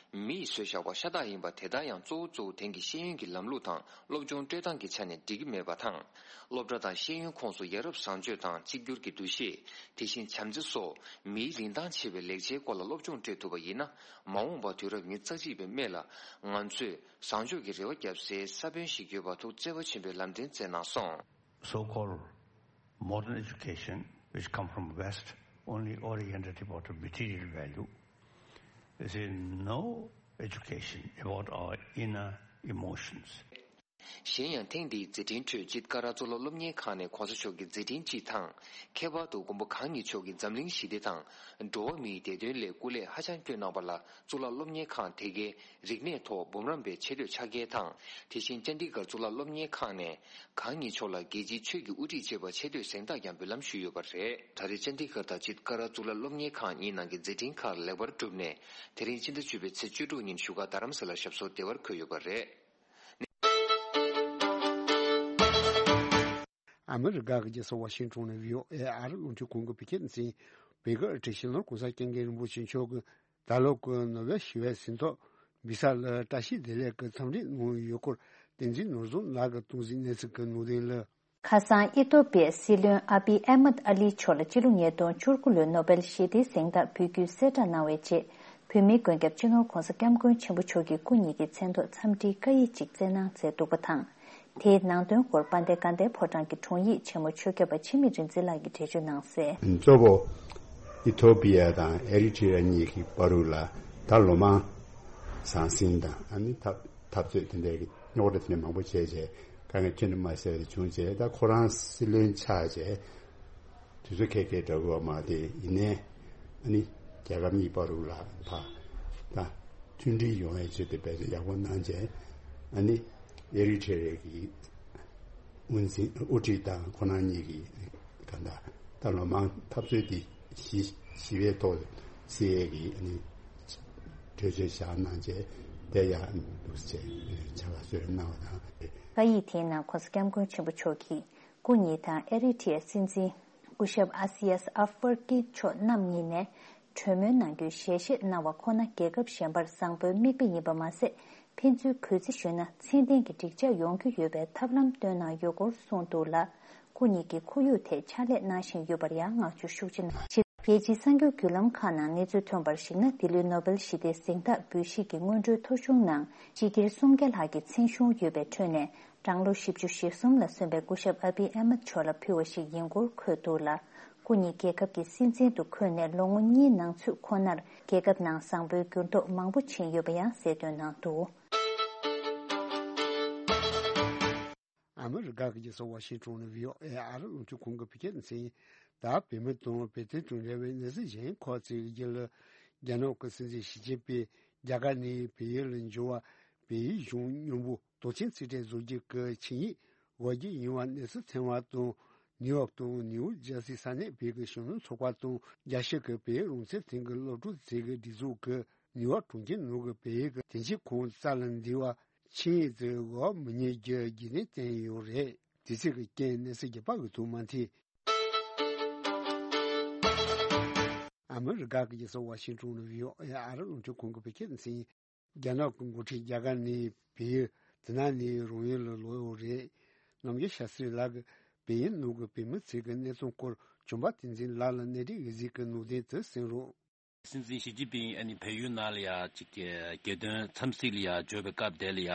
མི་ཡིས་བཟོས་བཞག་པ་ཤ་སྟག་ཡིན་པ་དེ་ལྟར་ཡང་གཙོ་བོ་གཙོ་བོ་དེང་གི་ཤེས་ཡོན་གྱི་ལམ་ལུགས་དང་སློབ་སྦྱོང་སྤྲོད་སྟངས་ཀྱི་ཆ་ནས་འགྲིག་གི་མེད་པ་དང་། སློབ་གྲྭ་དང་ཤེས་ཡོན་ཁོངས་སུ་ཡ་རབས་བཟང་སྤྱོད་དང་གཅིག་གྱུར་གྱི་འདུ་ཤེས། དེ་བཞིན་བྱམས་བརྩེ་སོགས་མིའི་རིན་ཐང་ཆེ་བའི་ལེགས་ཆའི་སྐོར་ལ་སློབ་སྦྱོང་སྤྲོད་ཐུབ་པ་ཡིན་ན། མ་འོངས་པ་དུས་རབས་ཉེར་གཅིག་པའི་སྨད་ལ་ང་ཚོས་བཟང་སྤྱོད་ཀྱི་རེ་བ་བརྒྱབ་སའི་ས་བོན་ཞིག་ཡོད་པ་ཐུགས་བརྩེ་བ་ཆེན་པོས་ལམ་སྟོན་མཛད་གནང་སོང་། So-called modern education, which come from West, only oriented about material value, there is no education about our inner emotions. གཞན་ཡང་ཐེངས་འདིའི་མཛད་འཕྲིན་ཁྲོད་ཅིད་ཀ་ར་གཙུག་ལག་སློབ་གཉེར་ཁང་ནས་གོང་ས་མཆོག་གི་མཛད་འཕྲིན་སྤྱི་དང་། ཁྱད་པར་དུ་མགོན་པོ་གང་ཉིད་མཆོག་གིས་འཛམ་གླིང་ཞི་བདེ་དང་། འགྲོ་བ་མིའི་བདེ་དོན་སླད་སྐུ་ལས་ཧ་ཅང་བསྐྱོན་གནང་བ་ལ་གཙུག་ལག་སློབ་གཉེར་ཁང་དེ་གའི་རིག་གནས་ཐོག་འབུམ་རམས་པའི་ཆེ་བསྟོད་ཕྱག་འཁྱེར་དང་། དེ་བཞིན་ཅན་ཌི་གར་གཙུག་ལག་སློབ་གཉེར་ཁང་ནས་གང་ཉིད་མཆོག་ལ་རྒྱལ་སྤྱིའི་ཆོས་ཀྱི་དབུ་ཁྲིད་ཅེས་པ་ཆེ་བསྟོད་གཟེངས་རྟགས་ཀྱང་འབུལ་ལམ་ཞུས་ཡོད་པ་རེད། ད་རེས་ཅན་ཌི་གར་དང་ཅིད་ཀ་ར་གཙུག་ལག་སློབ་གཉེར་ཁང་གཉིས་ནང་གི་མཛད་འཕྲིན་ཁག་ལེགས་པར་གྲུབ་ནས། དེ་རིང་ཕྱི་ཟླ་བཅུ་པའི་ཚེས་བཅུ་དྲུག་ཉིན་བཞུགས་སྒར་རྡ་རམ་ས་ལར་ཞབས་སོར་བདེ་བར་འཁོད་ཡོད་པ་རེད། ཨ་མི་རི་ཀ་གི་རྒྱལ་ས་ཝ་ཤིང་ཊོན་ནས་ཝི་ཨོ་ཨེ་ཨ་རི་རླུང་འཕྲིན་ཁང་གི་བོད་སྐད་སྡེ་ཚན། བོད་ཀྱི་ཨ་ཁྲིད་སྤྱི་ནོར་༸གོང་ས་༸སྐྱབས་མགོན་རིན་པོ་ཆེ་མཆོག་གིས་ད་ལོ་གི་ནོ་བེལ་ཞི་བའི་གཟེངས་རྟགས་འབུལ་ས་ལ་བཀྲ་ཤིས་བདེ་ལེགས་ཀྱི་འཚམས་འདྲི་གནང་ཡོད་སྐོར། བསྟན་འཛིན་ནོར་བཟང་ལགས་ཀྱིས་གཏོང་གཟིགས་གནས་ཚུལ་གྱི་ནང་དོན་ལ། ཁ་སང་ཨི་ཐོ་པི་ཡའི་སྲིད་བློན་ཨ་བི་ཨེ་མད་ཨ་ལི་མཆོག་ལ་སྤྱི་ལོ་ཉིས་སྟོང་བཅུ་དགུ་ལོའི་ནོ་བེལ་ཞི་བདེའི་གཟེངས་རྟགས་འབུལ་རྒྱུའི་གསལ་བསྒྲགས་གནང་བའི་རྗེས། བོད་མིའི་མགོན་སྐྱབས་སྤྱི་ནོར་༸གོང་ས་༸སྐྱབས་མགོན་ཆེན་པོ་མཆོག་གིས་སྐུ་ཉིད་ཀྱི་མཚན་ཐོག་འཚམས་འདྲིའི་བཀའ་ཡིག་ཅིག་བསྩལ་གནང་མཛད་འདུག་པ་དང་། དེའི་ནང་དོན་སྐོར་དཔལ་ལྡན་དགའ་ལྡན་ཕོ་བྲང་གི་དྲུང་ཡིག་ཆེན་མོ་ཆོས་སྐྱབས་པ་འཆི་མེད་རིག་འཛིན་ལགས་ཀྱིས་འགྲེལ་བརྗོད་གནང་གསལ། གཙོ་བོ་ཨི་ཐོ་པི་ཡ་དང་ཨེ་རི་ཊི་ར་གཉིས་ཀྱི་བར་དུ་ལ་ད་ལོ་མང་ཟང་ཟིང་དང་ཨ་ནི་འཐབ་འཐབ་རྩོད་དེ་འདྲའི་རྙོག་དྲ་དེ་འདྲ་མང་པོ་བྱས་རྗེས་དཀའ་ངལ་ཁྱོན་ནས་མ་སེལ་བ་བྱུང་རྗེས། ད་ཁོ་རང་སྲིད་བློན་ཆགས་རྗེས་དུས་ཚོད་ཁེལ་ཁེལ་འདྲ་བོ་མ་དེ་ཡིན་ནའི་ཨ་ནི་རྒྱལ་ཁབ་གཉིས་བར་དུ་ལ་ཕ་ད་མཐུན་སྒྲིལ་ཡོང་བའི་ཆེད་དུ་དཔེ་ཡག་པོ་གནང་རྗེས་ཨ་ནི་ཨེ་རི་ཊི་ར་གི་དབུ་འཛིན་དབུ་ཁྲིད་དང་ཁོ་རང་གཉིས་ཀྱིས་ག་འདྲ་ད་ལོ་མང་འཐབ་རྩོད་འདི་ཞི་ཞི་བའི་ཐོག་སེལ་ཡས་ཀྱི་ཨ་ནི་གྲོས་ཆོད་བཞག་གནང་རྗེས་དེ་ཡང་འདུག་སེ་བྱ་དགའ་གསོལ་རས་གནང་བ་དང་། བཀའ་ཡིག་དེའི་ནང་༸གོང་ས་༸སྐྱབས་མགོན་ཆེན་པོ་མཆོག་གིས་སྐུ་ཉིད་དང་ཨེ་རི་ཊི་ཡའི་སྲིད་འཛིན་སྐུ་ཞབས་ཨ་སི་ཡས་ཨ་ཧྥར་ཀི་མཆོག་རྣམ་གཉིས་ནས་གྲོས་མོལ་གནང་རྒྱུའི་ཞལ་བཞེས་གནང་བ་ཁོ་ན་རྒྱལ་ཁབ་གཞན་པར་བཟང་པོའི་མིག་དཔེ་ཡིན་པ་མ་ཟད། ཕན་ཚུན་གུས་བརྩི་ཞུས་ན་ཚད་ལྡན་གྱི་འགྲིག་འཇགས་ཡོང་རྒྱུ་ཡོད་པའི་ཐབས་ལམ་བཏོན་གནང་ཡོད་སྐོར་གསུངས་འདུག་ལ། སྐུ་ཉིད་ཀྱིས་ཁོར་ཡུག་ཐད་ཕྱག་ལས་གནང་བཞིན་ཡོད་པར་ཡང་བསྔགས་བརྗོད་ཤུགས་ཆེ་གནང་། རྒྱལ་སྤྱིའི་གསར་འགྱུར་བརྒྱུད་ལམ་ཁག་ནང་གནས་ཚུལ་ཐོན་པར་གཞིགས་ན། འདི་ལོའི་ནོ་བེལ་ཞི་བདེའི་གཟེངས་རྟགས་འབུལ་བཞེས་ཀྱི་སྔོན་འགྲོའི་ཐོ་གཞུང་ནང་། སྤྱི་སྒེར་སུམ་བརྒྱ་ལྷག་གི་མཚན་གཞུང་ཡོད་པའི་ཁྲོད་ནས། གྲངས་ལོ་བཞི་བཅུ་ཞེ་གསུམ་ལ་སོན་པའི་སྐུ་ཞབས་ཨ་བི་ཨེ་མད་མཆོག་ལ་ཕུལ་བ་ཞིག་ཡིན་སྐོར་འཁོད་འདུག་ལ། སྐུ་ཉིད་རྒྱལ་ཁབ་ཀྱི་སྲིད་འཛིན་དུ་འཁོད་ནས་ལོ་ངོ་གཉིས་ནང་ཚུད་ཁོ་ནར་རྒྱལ་ཁབ་ནང་བཟང་པོའི་འགྱུར་ལྡོག་མང་པོ་ཕྱིན་ཡོད་པ་ཡང་གསལ་སྟོན་གནང་འདུག། ཨ་མི་རི་ཀ་གི་རྒྱལ་ས་ཝ་ཤིང་ཊོན་ནས་ཝི་ཨོ་ཨེ་ཨ་རི་རླུང་འཕྲིན་ཁང་གི་བོད་སྐད་སྡེ་ཚན། ད་བོད་མི་དང་བོད་དོན་དང་འབྲེལ་བའི་གནས་ཚུལ་གཞན་ཁག་ཅིག་གི་རྒྱུད་ལ། རྒྱ་ནག་གི་སྲིད་འཛིན་ཞི་ཅིན་ཕིང་རྒྱ་གར་ནས་བལ་ཡུལ་ལ་འབྱོར་བ། བལ་ཡུལ་གཞུང་མཉམ་པོ་དོག་ཅན་རྩིས་སྤྲད་བཟོ་རྒྱུ་གི་ཆིངས་ཡིག་འོག་འགྱུར་ཡོང་བ་གནས་ཚུལ་ཐོན་པ་དང་། ནིའུ་ཡོག་དང་ནིའུ་ཇར་སི་ས་གནས་བོད་ཀྱི་གཞོན་ནུ་ཚོགས་པ་དང་རྒྱལ་སྤྱི་གི་བོད་རང་བཙན་ཐིང་གི་སློབ་ཕྲུག་ཚོགས་པའི་སྒྲིག་འཛུགས་ཀྱིས་ནིའུ་ཡོག་གྲོང་ཁྱེར་ནང་གི་བོད་ཀྱི་དོན་གཅོད་ཁང་རྩ་ལ་འདུས་པ་ཆིངས་ཡིག་དེ་འོག་མི་ཉན་རྒྱུ་རྒྱུན་ལྡན་བསྟན་ཡོད་རེད། དུས་ཚོད་ཀྱི་རྐྱེན་གནས་ཚུལ་རྒྱག་པ་འོས་ཐུབ་མ་ཐེ། ཨ་མི་རི་ཀ་གི་རྒྱལ་ས་ཝ་ཤིང་ཏོན་ནས་བྷི་ཨོ་ཨེ་ཨ་རི་རླུང་འཕྲིན་ཁང་གི་བོད་སྐད་སྡེ་ཚན། རྒྱ་ནག་གི་འགོ་ཁྲིད་རྒྱ་གར་ནས་བལ་ཡུལ་དེ་ན་ནས་རང་ཡུལ་ལ་ལོག་ཡོད་རེད། རྣམ་རྒྱལ་ཤཱ་སྟྲི་ལགས་ཀྱིས་བལ་ཡུལ་ནང་གི་བོད་མི་ཚོའི་གནས་སྟངས་སྐོར་བྱམས་པ་བསྟན་འཛིན་ལགས་ལ་གནད་དོན་འོས་གཟིགས་ཀྱི་ནང་དོན་དེ་གསན་རོགས། སྲིད་འཛིན་ཞི་ཅིན་ཕིང་ཨ་ནི་བལ་ཡུལ་ནང་ལ་ཡ་ཅིག་རྒྱལ་དོན་འཚམས་གཟིགས་ལ་ཡ་འབྱོར་བའི་སྐབས་དེ་ལ་ཡ་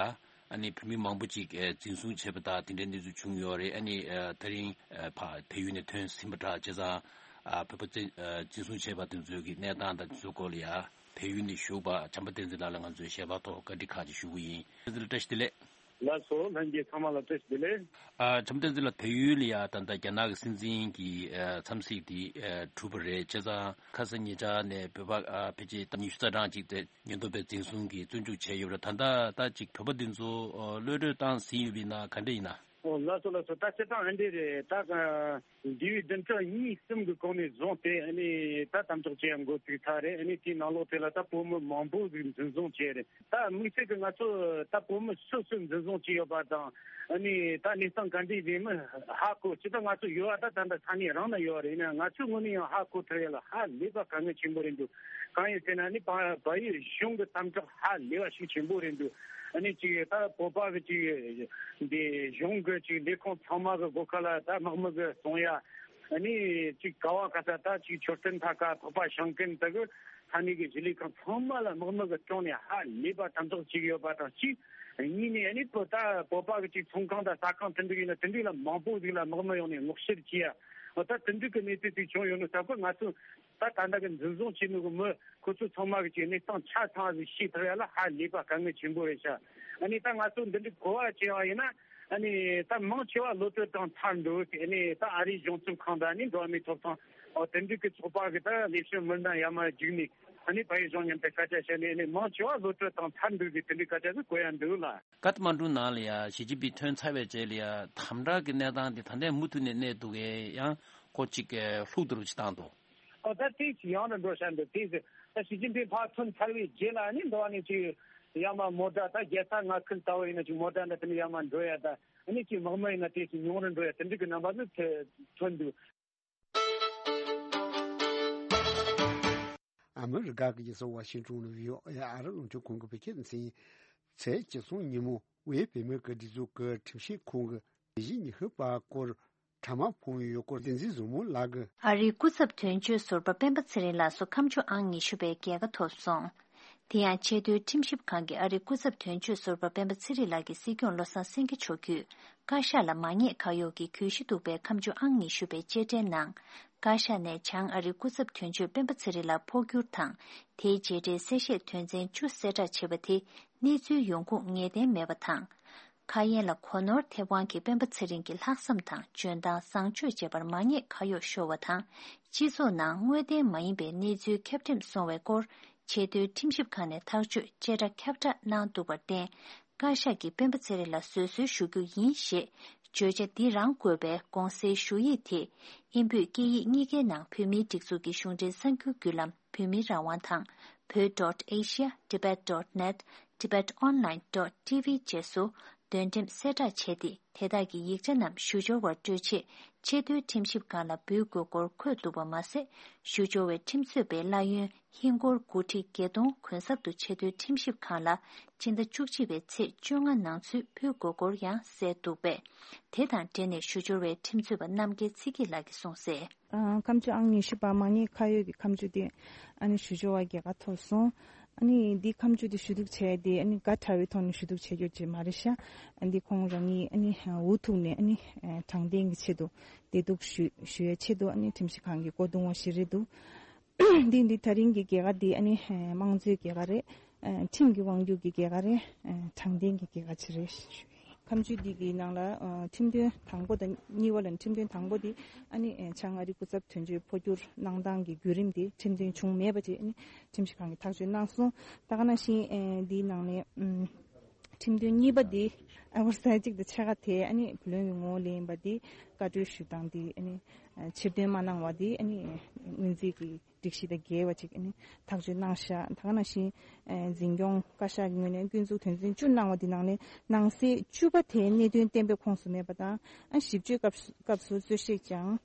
ཨ་ནི་བོད་མི་མང་པོ་ཅིག་འཛིན་བཟུང་བྱས་པ་དང་དེ་འདྲའི་གནས་ཚུལ་བྱུང་ཡོད་རེད། ཨ་ནི་དེ་རིང་ཕ་བལ་ཡུལ་ནས་ཐོན་ཟིན་པ་འདྲ། བྱས་ཙང་བོད་པ་འཛིན་བཟུང་བྱས་པ་དེ་ཚོའི་གི་གནས་སྟངས་དང་དེ་ཚོའི་སྐོར་ལ་ཡ་བལ་ཡུལ་ནས་བཞུགས་པ་བྱམས་པ་བསྟན་འཛིན་ལགས་ལ་ང་ཚོས་ཞལ་པར་ཐོག་བཀའ་འདྲི་ཁག་ཅིག་ཞུ་གི་ཡིན། བསྟན་འཛིན་ལགས་བཀྲ་ཤིས་བདེ་ལེགས། ལགས་སོ། ལྷན་རྒྱས་ཚང་མ་ལ་བཀྲ་ཤིས་བདེ་ལེགས། ཨ་བྱམས་བསྟན་འཛིན་ལགས། བལ་ཡུལ་ལ་ཡ་ད་ལྟ་རྒྱ་ནག་གི་སྲིད་འཛིན་གྱི་ཨ་འཚམས་གཟིགས་དེ་ཨ་གྲུབ་པ་རེད། བྱས་ཙང་ཁ་སང་ཉེ་ཆར་ནས་བོད་པ་ཨ་ཕལ་ཆེར་ཉི་ཤུ་རྩ་གྲངས་ཅིག་དེ་ཉེན་རྟོག་པས་འཛིན་བཟུང་གིས་བཙོན་འཇུག་བྱས་ཡོད་རེད། ད་ལྟ་ད་ཅིག་བོད་པ་འདི་ཚོ་ཨ་གློད་གྲོལ་བཏང་ཟིན་ཡོད་པ་ཡིན་ན་ག་འདྲ་ཡིན་ན། ཨོ་ལགས་སོ་ལགས་སོ། ད་སྤྱིར་བཏང་ཨ་འདྲ་རེད། ད་འདས་པའི་བདུན་ཕྲག་གཉིས་གསུམ་གྱི་གོང་ནས་བཟུང་སྟེ་ཨ་ནི་ད་དམ་དྲག་བྱེད་ཡ་འགོ་བཙུགས་ཚར་རེད། ཨ་ནི་དེའི་ནང་ལོགས་དེ་ལ་ད་བོད་མི་མང་པོ་ཟིག་འཛིན་བཟུང་བྱས་རེད། ད་དམིགས་བསལ་གྱི་ང་ཚོ་ད་བོད་མི་སོ་སོས་འཛིན་བཟུང་བྱས་ཡོད་པ་དང་། ཨ་ནི་ད་གནས་སྟངས་ག་འདྲ་ཡིན་མིན་ཧ་གོ། སྤྱིར་བཏང་ང་ཚོ་ཡོད་པ་ད་ད་ལྟ་ས་གནས་རང་ན་ཡོད་རེད། ཡིན་ན་ང་ཚོའི་ངོས་ནས་ཡང་ཧ་གོ་ཐུབ་ཡ་ལ་ཧ་ལས་པ་དཀའ་ངལ་ཆེན་པོ་རེད་འདུག་གང་ཡིན་ཟེར་ན་ནི་བལ་བལ་ཡུལ་གཞུང་གི་དམ་དྲག་ཧ་ལས་པ་ཤུགས་ཆེན་པོ་རེད་འདུག་ཨ་ནི་ཅིག་ད་བོད་པ་གི་ཅིག་འདི་གཞུང་གི་ཅིག་ལས་ཁུངས་ཚང་མ་གི་སྒོ་ཁ་ལ་ད་དམག་མི་གི་སྲུང་ཡ། ཨ་ནི་ཅིག་ག་བ་ག་ས་ད་ཅིག་མཆོད་རྟེན་མཐའ་ཁག་འཕགས་པ་ཤིང་ཀུན་དེ་གི་ས་གནས་ཀྱི་གཞིས་ལས་ཁང་ཚང་མ་ལ་དམག་མི་གི་བཅོམ་ནས་ཧ་ལས་པ་དམ་དྲག་བྱེད་ཀྱི་ཡོད་པ་དང་གཅིག་གཉིས་ནས་ཨ་ནི་བོད་ད་བོད་པ་གི་ཅིག་ཚོང་ཁང་དང་ཟ་ཁང་དེ་འདྲ་ཡིན་ན་དེ་འདྲ་ལ་མང་པོ་ཟིག་ལ་དམག་མི་ཡོང་ནས་སྔོག་བཤེར་བྱེད་ཡ། འོ་ད་དེ་འདྲ་གི་གནས་ཚུལ་ཅིག་བྱུང་ཡོད་ནོ་ཟེར་གོ། ང་ཚོ་ད་ད་ལྟ་གི་འཛིན་བཟུང་བྱས་ནོ་གི་མི་ཁོ་ཚོ་ཚང་མ་གི་ཅིག་གནས་སྟངས་ཆ་ཚང་ཟིག་ཤེས་ཐུབ་ཡ་ལ་ཧ་ལས་པ་དཀའ་ངལ་ཆེན་པོ་རེད་ཤག་ཨ་ནི་ད་ང་ཚོ་འདི་འདྲའི་གོ་བ་བྱས་པ་ཡིན་ན། ཨ་ནི་ད་མང་ཆེ་བ་གློད་གྲོལ་བཏང་ཚར་འདུག་ཨ་ནི་ད་ཨ་རིའི་གཞུང་ཚབ་ཁང་དང་ཨ་ནི་འགྲོ་བ་མིའི་ཐོབ་ཐང་འོ་དེ་འདྲ་གི་ཚོགས་པ་གི་ད་ལས་བྱེད་མི་སྣ་ཡར་མར་བརྒྱུགས་ནས་ཨ་ནི་བལ་ཡུལ་གཞུང་མཉམ་དུ་སྐད་ཆ་བཤད་ནས་ཨ་ནི་མང་ཆེ་བ་གློད་གྲོལ་བཏང་ཚར་འདུག་ཟེར་དེ་འདྲའི་སྐད་ཆ་ཟིག་གོ་ཡ་འདུག་ལ། ཀཏ་མན་ཌུ་ནང་ལ་ཡ་ཞི་ཅིན་ཕིང་ཐོན་ཚར་བའི་རྗེས་ལ་ཡ་དམ་དྲག་གི་གནས་སྟངས་དེ་ད་ལྟའི་མུ་མཐུད་ནས་གནས་འདུག་གས། ཡང་ཁོ་གཅིག་གི་ལྷུག་ཏུ་རུ་ཅིག་བཏང་འདུག་ཨོ་ད་དེ་ཞིག་ཡང་ན་འགྲོ་བྱ་འདུག་དེ་ཟེར་ད་ཞི་ཅིན་ཕིང་ཕར་ཐོན་ཚར་བའི་རྗེས་ལ་ནི་འགྲོ་བ་ནི་ཅིག་ཡང་མ་མོ་ཊ་ད་རྒྱལ་ས་མངའ་ཁུལ་ལྟ་བུ་ཡིན་ན་ཅིག་མོ་ཊ་འདྲ་དེ་ནི་ཡང་མ་འགྲོ་ཡ་ད་ཨ་ནི་ཅིག་དམག་མི་ཡིན་ན་དེ་ཞིག་ཉུང་རུ་འགྲོ་ཡ་དེ་འདྲ་གི་རྣམ་པ་ནི་ཐོན་འདུག་ཨ་མི་རི་ཀ་གི་རྒྱལ་ས་ཝ་ཤིང་ཏོན་ནས་བྷི་ཨོ་ཨེ་ཨ་རི་རླུང་འཕྲིན་ཁང་གི་བོད་སྐད་སྡེ་ཚན། ཚེས་བཅུ་གསུམ་ཉིན་མོ་དབུས་བོད་མིའི་སྒྲིག་འཛུགས་ཀྱི་ཁྲིམས་ཞིབ་ཁང་གི་ལས་གཞི་ཉི་ཤུ་པ་སྐོར་དྲ་མ་ཕོངས་ཡོད་སྐོར་བསྟན་འཛིན་བཟང་མོ་ལགས་ཀྱིས། ཨ་རིའི་སྐུ་ཚབ་དོན་གཅོད་ཟུར་པ་སྤེན་པ་ཚེ་རིང་ལགས་སུ་ཁ་མཆུ་ཨང་ཉི་ཤུ་པའི་རྒྱལ་ཁ་ཐོབ་སོང་། དེ་ཡང་ཆེས་མཐོའི་ཁྲིམས་ཞིབ་ཁང་གིས་ཨ་རིའི་སྐུ་ཚབ་དོན་གཅོད་ཟུར་པ་སྤེན་པ་ཚེ་རིང་ལགས་ཀྱི་སྲིད་སྐྱོང་བློ་བཟང་སེང་གེ་མཆོག་བརྒྱུད་བཀའ་ཤག་ལ་མ་ཉེས་ཁ་གཡོགས་ཀྱི་གྱོད་གཞི་འདུག་པའི་ཁ་མཆུ་ཨང་ཉི་ཤུ་པའི་བཅད་ཁྲའི་ནང་། བཀའ་ཤག་ནས་བྱང་ཨ་རིའི་སྐུ་ཚབ་དོན་གཅོད་སྤེན་པ་ཚེ་རིང་ལགས་ཕོ་བསྒྱུར་དང་། དེའི་རྗེས་འབྲེལ་གསལ་བཤད་དོན་ཚན་བཅུ་གསལ་བསྒྲགས་བྱས་པ་དེ་གནས་ཚུལ་ཡོང་ཁུངས་ངེས་གཏན་མེད་པ་དང་། ཁ་ཡན་ལ་གོ་ནོར་ཐེབས་དབང་གིས་སྤེན་པ་ཚེ་རིང་གི་ལྷག་བསམ་དང་འཇོན་ཐང་བཟང་སྤྱོད་བཅས་པར་མ་ཉེས་ཁ་གཡོགས་ཤོར་བ་དང་། སྤྱི་ཚོགས་ནང་དངོས་བདེན་མ་ཡིན་པའི་གནས་ཚུལ་ཁྱབ་འགྲེམས་སོང་བའི་སྐོར་ཆེས་མཐོའི་ཁྲིམས་ཞིབ་ཁང་ནས་ཐག་གཅོད་བཅད་ཁྲ་ཁྱབ་བསྒྲགས་གནང་འདུག་པར་བརྟེན། བཀའ་ཤག་གིས་སྤེན་པ་ཚེ་རིང་ལ་བཟོད་གསོལ་ཞུ་རྒྱུ་ཡིན་ཞེས་བརྗོད་བྱ་འདི་རང་བཀོད་པའི་དགོངས་སེལ་ཞུ་ཡིག་དེ་དབྱིན་བོད་སྐད་ཡིག་གཉིས་ཀའི་ནང་བོད་མིའི་སྒྲིག་འཛུགས་ཀྱི་གཞུང་འབྲེལ་གསར་འགྱུར་བརྒྱུད་ལམ་བོད་མིའི་རང་དབང་དང་བོད་ཌོཊ་ཨེ་ཤི་ཡ་ཊི་བེཊ་ཌོཊ་ནེཊ། Tibet Online dot T V བཅས་སུ་འདོན་འགྲེམས་གསལ་བསྒྲགས་བྱས་ཏེ། དེ་དག་གི་ཡིག་ཆ་རྣམས་ཞུ་སྦྱོར་བར་སྤྲོད་ཆེད་ཆེས་མཐོའི་ཁྲིམས་ཞིབ་ཁང་ལ་འབུལ་དགོས་སྐོར་འཁོད་འདུག་པ་མ་ཟད། ཞུ་སྦྱོར་བའི་ཁྲིམས་རྩོད་པའི་གླ་ཡོན་ཧིན་སྒོར་དགུ་ཁྲི་བརྒྱད་སྟོང་གུན་གསབ་ཏུ་ཆེས་མཐོའི་ཁྲིམས་ཞིབ་ཁང་ལ་སྤྱི་ཟླ་བཅུ་གཅིག་པའི་ཚེས་བཅོ་ལྔ་ནང་ཚུད་ཕུལ་དགོས་སྐོར་ཡང་གསལ་འདུག་པས། དེ་དང་འབྲེལ་ནས་ཞུ་སྦྱོར་བའི་ཁྲིམས་རྩོད་པ་རྣམ་རྒྱལ་ཚེ་སྐྱིད་ལགས་ཀྱིས་གསུངས་གསལ། ཨ་ཁ་མཆུ་ཨང་ཉི་ཤུ་པ་མ་ཉེས་ཁ་གཡོགས་ཀྱི་ཁ་མཆུ་དེ་ཨ་ནི་ཞུ་སྦྱོར་བ་རྒྱལ་ཁ་ཐོབ་སོང་། ཨ་ནི་འདི་ཁ་མཆུ་དེ་ཞུ་གཏུག་བྱས་ཏེ་ཨ་ནི་དགའ་དྲགས་པའི་ཐོག་ནས་ཞུ་གཏུག་བྱས་ཡོད་ཅེས་མ་རེད་ཤག་ཨ་འདི་ཁོང་རང་ཉིད་ཨ་ནི་འུ་ཐུག་ནས་ཨ་ནི་དྲང་བདེན་གྱི་ཆེད་དུ་བདེ་སྡུག་ཞུ་ཞུ་ཡའི་ཆེད་དུ་ཨ་ནི་ཁྲིམས་ཞིབ་ཁང་གི་སྒོ་རྡུང་བ་ཞིག་རེད་འདུག་འདི་འདི་ད་རིང་གི་རྒྱལ་ཁ་འདི་ཨ་ནི་དམངས་གཙོའི་རྒྱལ་ཁ་རེད། ཁྲིམས་ཀྱི་དབང་སྒྱུར་གྱི་རྒྱལ་ཁ་རེད། དྲང་བདེན་གྱི་རྒྱལ་ཁ་ཅིག་རེད་ཞུ་ཡིན། ཁ་མཆུ་འདི་གི་ནང་ལ་ཨ་ཁྲིམས་དོན་དང་པོ་དང་གཉིས་པ་ལ་ནི་ཁྲིམས་དོན་དང་པོ་འདི་ཨ་ནི་ཨ་བྱང་ཨ་རི་སྐུ་ཚབ་དོན་གཅོད་འཕོ་འགྱུར་གནང་སྟངས་ཀྱི་བརྒྱུད་རིམ་འདི་ཁྲིམས་དོན་བྱུང་མེད་པ་ཅིག་ཨ་ནི་ཁྲིམས་ཞིབ་ཁང་གིས་ཐག་གཅོད་གནང་སོང་། ད་ག་ནང་བཞིན་ཨ་འདིའི་ནང་ནས་ཨམ་ཁྲིམས་དོན་གཉིས་པ་འདི་ཨ་བར་ས་གཅིག་དང་ཕྱེད་ཀ་དེ་ཨ་ནི་བུ་ལོན་གྱི་ངོ་བོ་ལེན་པ་འདི་བཀའ་འཁྲོལ་ཞུ་སྟངས་འདི་ཨ་ནི་ཨ་ཕྱིར་འདོན་མ་གནང་བ་འདི་ཨ་ནི་སྔོན་རྩིས་ཀྱི་ སྒྲིག་གཞི་དང་འགལ་བ་ཅིག་ཨ་ནི་ཐག་གཅོད་གནང་བཞག་ད་ག་ནང་བཞིན་ཨ་འཛིན་སྐྱོང་བཀའ་ཤག་གི་ངོས་ནས་སྐྱོན་འཛུགས་དོན་ཚན་བཅུ་གནང་བ་འདི་ནང་ནས་ནང་གསེས་བཅུ་པ་དེའི་གནད་དོན་གཏན་འབེབས་ཁོངས་སུ་མེད་པ་དང་ཨ་ཞིབ་དཔྱོད་སྐབས་སུ་སྐབས་སུ་རྩོད་བཤེར་ཀྱང་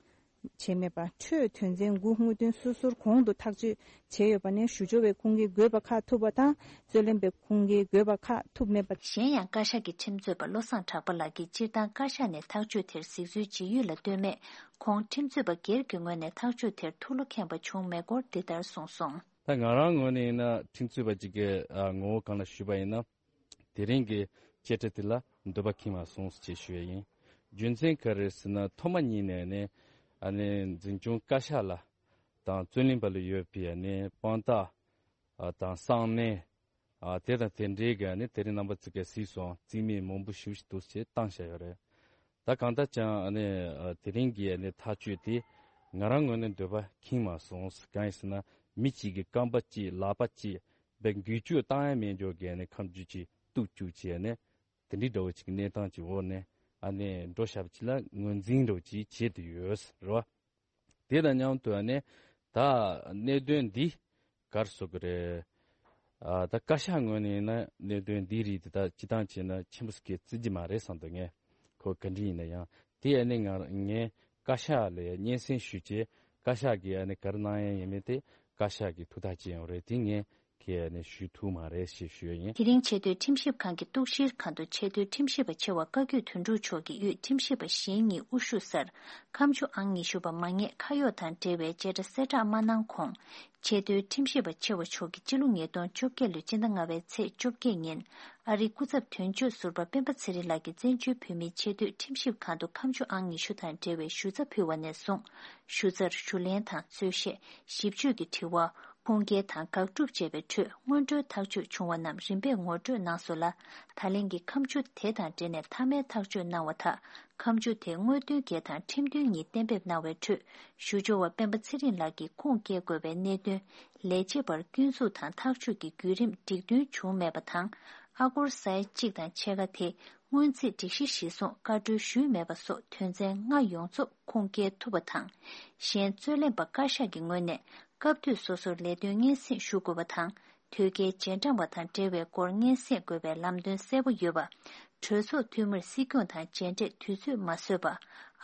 བྱས་མེད་པ། འཕྲོས་དོན་ཚན་དགུ་དངོས་དོན་སོ་སོར་གོང་དུ་ཐག་གཅོད་བྱས་ཡོད་པ་ནས་ཞུ་སྦྱོར་བའི་ཁུངས་སྐྱེལ་དགོས་པ་ཁག་ཐུག་པ་དང་རྩོད་ལེན་པའི་ཁུངས་སྐྱེལ་དགོས་པ་ཁག་ཐུག་མེད་པ། གཞན་ཡང་བཀའ་ཤག་གི་ཁྲིམས་རྩོད་པ་བློ་བཟང་གྲགས་པ་ལགས་ཀྱིས་སྤྱིར་བཏང་བཀའ་ཤག་ནས་ཐག་གཅོད་དེར་གཟིགས་ཚུལ་ཇི་ཡོད་ལ་ལྟོས་མེད། ཁོང་ཁྲིམས་རྩོད་པ་སྒེར་གྱི་ངོས་ནས་ཐག་གཅོད་དེར་ཐུགས་བློ་ཁེངས་པ་བྱུང་མེད་སྐོར་འདི་ལྟར་གསུངས་སོང་། ད་ང་རང་ངོས་ནས་ཡིན་ན་ཁྲིམས་རྩོད་པ་གཅིག་གི་ཨ་ངོ་བོ་སྒང་ལ་ཞུས་པ་ཡིན་ན། དེ་རིང་གི་བཅད་ཁྲ་དེ་ལ་འདོད་པ་ཁེངས་མ་སོང་ཞེས་ཞུ་ཡ་ཡིན། རྒྱུ་མཚན་ག་རེ་ཟེར་ན་ཐོག་མ་ཉིད་ནས་ནི་ཨ་ནི་འཛིན་སྐྱོང་བཀའ་ཤག་ལ་དང་རྩོད་ལེན་པ་ལ་ཡོད་པའི་ཨ་ནི་དཔང་རྟགས་ཨ་དང་གསང་གནས་ཨ་དེ་དང་དེ་འདྲའི་གི་ཨ་ནི་དེ་རིང་རྣམ་པ་ཚོ་གིས་གཟིགས་སོང་རྩིས་མེད་མང་པོ་ཞེ་པོ་ཞིག་འདུག་ཅེས་བཏང་བཞག་ཡོད་རེད། ད་གང་ལྟར་ཀྱང་ཨ་ནི་ཨ་དེ་རིང་གི་ཨ་ནི་ཐག་གཅོད་དེ་ང་རང་ངོས་ནས་འདོད་པ་ཁེངས་མ་སོང་། གང་ཡིན་ཟེར་ན་མི་གཅིག་གི་རྐང་པ་གཅིག་ལག་པ་གཅིག་བའི་འགུལ་སྐྱོད་བཏང་ཡ་མེད་འཇོག་གི་ཨ་ནི་ཁ་མཆུ་གཅིག་གཏུབ་བཅུག་བྱས་ནས་དེ་འདྲའི་འདྲ་བོ་ཅིག་གི་གནས་སྟངས་ཀྱི་འོག་ནས་ཨ་ནི་འགྲོ་བཞག་པ་ཅིག་ལ་ངོས་འཛིན་འདྲ་བོ་ཅིག་བྱེད་དུ་ཡོད་རེད་བ། དེ་དང་མཉམ་དུ་ཨ་ནི་ད་གནད་དོན་འདི་ག་རེ་ཟེར་དགོས་རེད། ཨ་ད་བཀའ་ཤག་ངོས་ནས་ཡིན་ན་གནད་དོན་འདིའི་རིགས་དེ་ད་སྤྱིར་བཏང་བྱས་ན་ཆེན་པོ་ཟེར་གི་བརྩི་གི་མ་རེད་བསམ་འདུག་ངས་ཁོ་ག་འདྲ་ཡིན་ན་ཡང་དེ་ཨ་ནི་ང་ངས་བཀའ་ཤག་ལ་སྙན་སེང་ཞུས་རྗེས་བཀའ་ཤག་གིས་ཨ་ནི་ག་རེ་གནང་ཡ་ཡིན་མིན་དེ་བཀའ་ཤག་གིས་ཐུགས་ཐག་བཅད་ཡོང་རེད། དེ་ངས་ཁྱེད་ཨ་ནི་ཞུ་ཐུབ་མ་རེད་ཞེས་ཞུ་ཡ་ཡིན། དེ་རིང་ཆེས་མཐོའི་ཁྲིམས་ཞིབ་ཁང་གི་གཏུག་བཤེར་ཁང་དུ་ཆེས་མཐོའི་ཁྲིམས་ཞིབ་པ་ཆེ་བ་བཀའ་བརྒྱུད་དོན་གྲུབ་མཆོག་གིས་དབུས་ཁྲིམས་ཞིབ་པ་གཞན་གཉིས་དབུ་བཞུགས་སར་ཁ་མཆུ་ཨང་ཉི་ཤུ་པ་མ་ངེས་ཁ་གཡོག་དང་འབྲེལ་བའི་བཅད་ཁྲ་གསལ་བསྒྲགས་མ་གནང་གོང་། ཆེས་མཐོའི་ཁྲིམས་ཞིབ་པ་ཆེ་བ་མཆོག་གིས་སྤྱི་ལོ་ཉིས་སྟོང་བཅོ་བརྒྱད་ལོའི་སྤྱི་ཟླ་ལྔ་པའི་ཚེས་བཅོ་བརྒྱད་ཉིན་ཨ་རིའི་སྐུ་ཚབ་དོན་གཅོད་ཟུར་པ་སྤེན་པ་ཚེ་རིང་ལགས་ཀྱིས་བཙན་བྱོལ་བོད་མིའི་ཆེས་མཐོའི་ཁྲིམས་ཞིབ་ཁང་དུ་ཁ་མཆུ་ཨང་ཉི་ཤུ་དང་འབྲེལ་བའི་ཞུ་ཚབ་ཕུལ་བ་ནས་བཟུང་ཞུ་ཚར་ཞུ་ལེན་དང་རྩོད་བཤེར་ཞིབ་དཔྱོད་ཀྱི་དྲི་བ། ཁུངས་སྐྱེལ་དང་དགག་སྒྲུབ་བཅས་པའི་ཁྲོད་སྔོན་འགྲོའི་ཐག་གཅོད་བྱུང་བ་རྣམས་རིམ་པས་ངོ་སྤྲོད་གནང་སོང་ལ། ད་ལན་གྱི་ཁ་མཆུ་དེ་དང་འབྲེལ་ནས་མཐའ་མའི་ཐག་གཅོད་གནང་བ་དག་ཁ་མཆུ་དེ་དངོས་དོན་གྱི་དང་ཁྲིམས་དོན་གཉིས་གཏན་འབེབས་གནང་བའི་ཁྲོད་ཞུ་སྦྱོར་བ་སྤེན་པ་ཚེ་རིང་ལགས་ཀྱིས་ཁུངས་སྐྱེལ་དགོས་པའི་གནད་དོན་ལས་བྱེད་པར་སྐྱོན་འཛུགས་དང་ཐག་གཅོད་ཀྱི་བརྒྱུད་རིམ་འགྲིག་མཐུན་བྱུང་མེད་པ་དང་། ཨ་སྒོར་ས་ཡ་གཅིག་དང་ཕྱེད་ཀ་དེ་སྔོན་རྩིས་སྒྲིག་གཞི་གཞིར་བཟུང་བཀའ་འཁྲོལ་ཞུས་མེད་པ་སོགས་དོན་ཚན་ལྔ་ཡོངས་རྫོགས་ཁུངས་སྐྱེལ་ཐུབ་པ་དང་། གཞན་རྩོད་ལེན་པ་བཀའ་ཤག་གི་ངོས་ནས་སྐབས་དུས་སོ་སོར་ལས་དོན་སྙན་སེང་ཞུ་དགོས་པ་དང་། དོལ་རྒྱལ་རྗེས་འབྲང་བ་དང་འབྲེལ་བའི་སྐོར་སྙན་སེང་དགོས་པའི་ལམ་སྟོན་གསལ་པོ་ཡོད་པ། གྲོས་ཚོགས་འཐུས་མིར་སྲིད་སྐྱོང་དང་མཇལ་འཕྲད་དུས་ཚོད་མ་བཟོས་པ།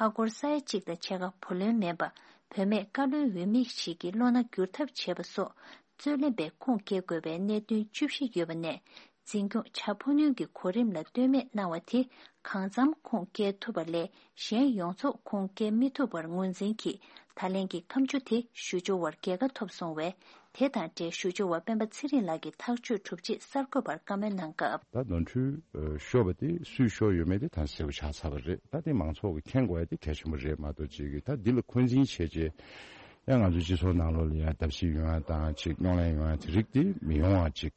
ཨ་སྒོར་ས་ཡ་གཅིག་དང་ཕྱེད་ཀ་བུ་ལོན་མིན་པ། བུད་མེད་བཀའ་བློན་འོས་མི་ཞིག་གི་བློ་སྣ་བསྒྱུར་ཐབས་བྱས་པ་སོགས་རྩོད་ལེན་པས་ཁུངས་སྐྱེལ་དགོས་པའི་གནད་དོན་བཅུ་བཞི་ཡོད་པ་ནས། འཛིན་སྐྱོང་བྱ་ཕོ་ཉུང་གི་གོ་རིམ་ལ་ལྟོས་མེད་གནང་བ་དེ་གང་འཚམ་ཁུངས་སྐྱེལ་ཐུབ་པ་ལས་གཞན་ཡོངས་རྫོགས་ཁུངས་སྐྱེལ་མི་ཐུབ་པར་ངོས་འཛིན་གྱིས་ད་ལན་གྱི་ཁ་མཆུ་དེ་ཞུ་སྦྱོར་བར་རྒྱལ་ཁ་ཐོབ་སོང་བས། དེ་དང་འབྲེལ་ཞུ་སྦྱོར་བ་སྤེན་པ་ཚེ་རིང་ལགས་ཀྱིས་ཐག་གཅོད་གྲུབ་རྗེས་གསར་འགོད་པར་བཀའ་མོལ་གནང་སྐབས། ད་ནོར་འཁྲུལ་ཤོར་བ་དེ་སུས་ཤོར་ཡོད་མེད་དེ་ད་གསལ་པོ་ཆགས་ཚར་བ་རེད། ད་དེ་མང་ཚོགས་ཀྱིས་མཁྱེན་དགོས་ཡ་དེ་གལ་ཆེན་པོ་རེད་མ་གཏོགས་ཅིག་གིས་ད་འདི་ལ་འཁོན་འཛིན་བྱས་རྗེས་ཡང་ང་ཚོའི་སྤྱི་ཚོགས་ནང་ལོགས་ལ་ཡང་བརྡབ་གསིག་ཡོང་ཡ་དང་ཅིག་རྙོག་གླེང་ཡོང་ཡ་དེ་རིགས་དེ་མི་ཡོང་བ་ཅིག་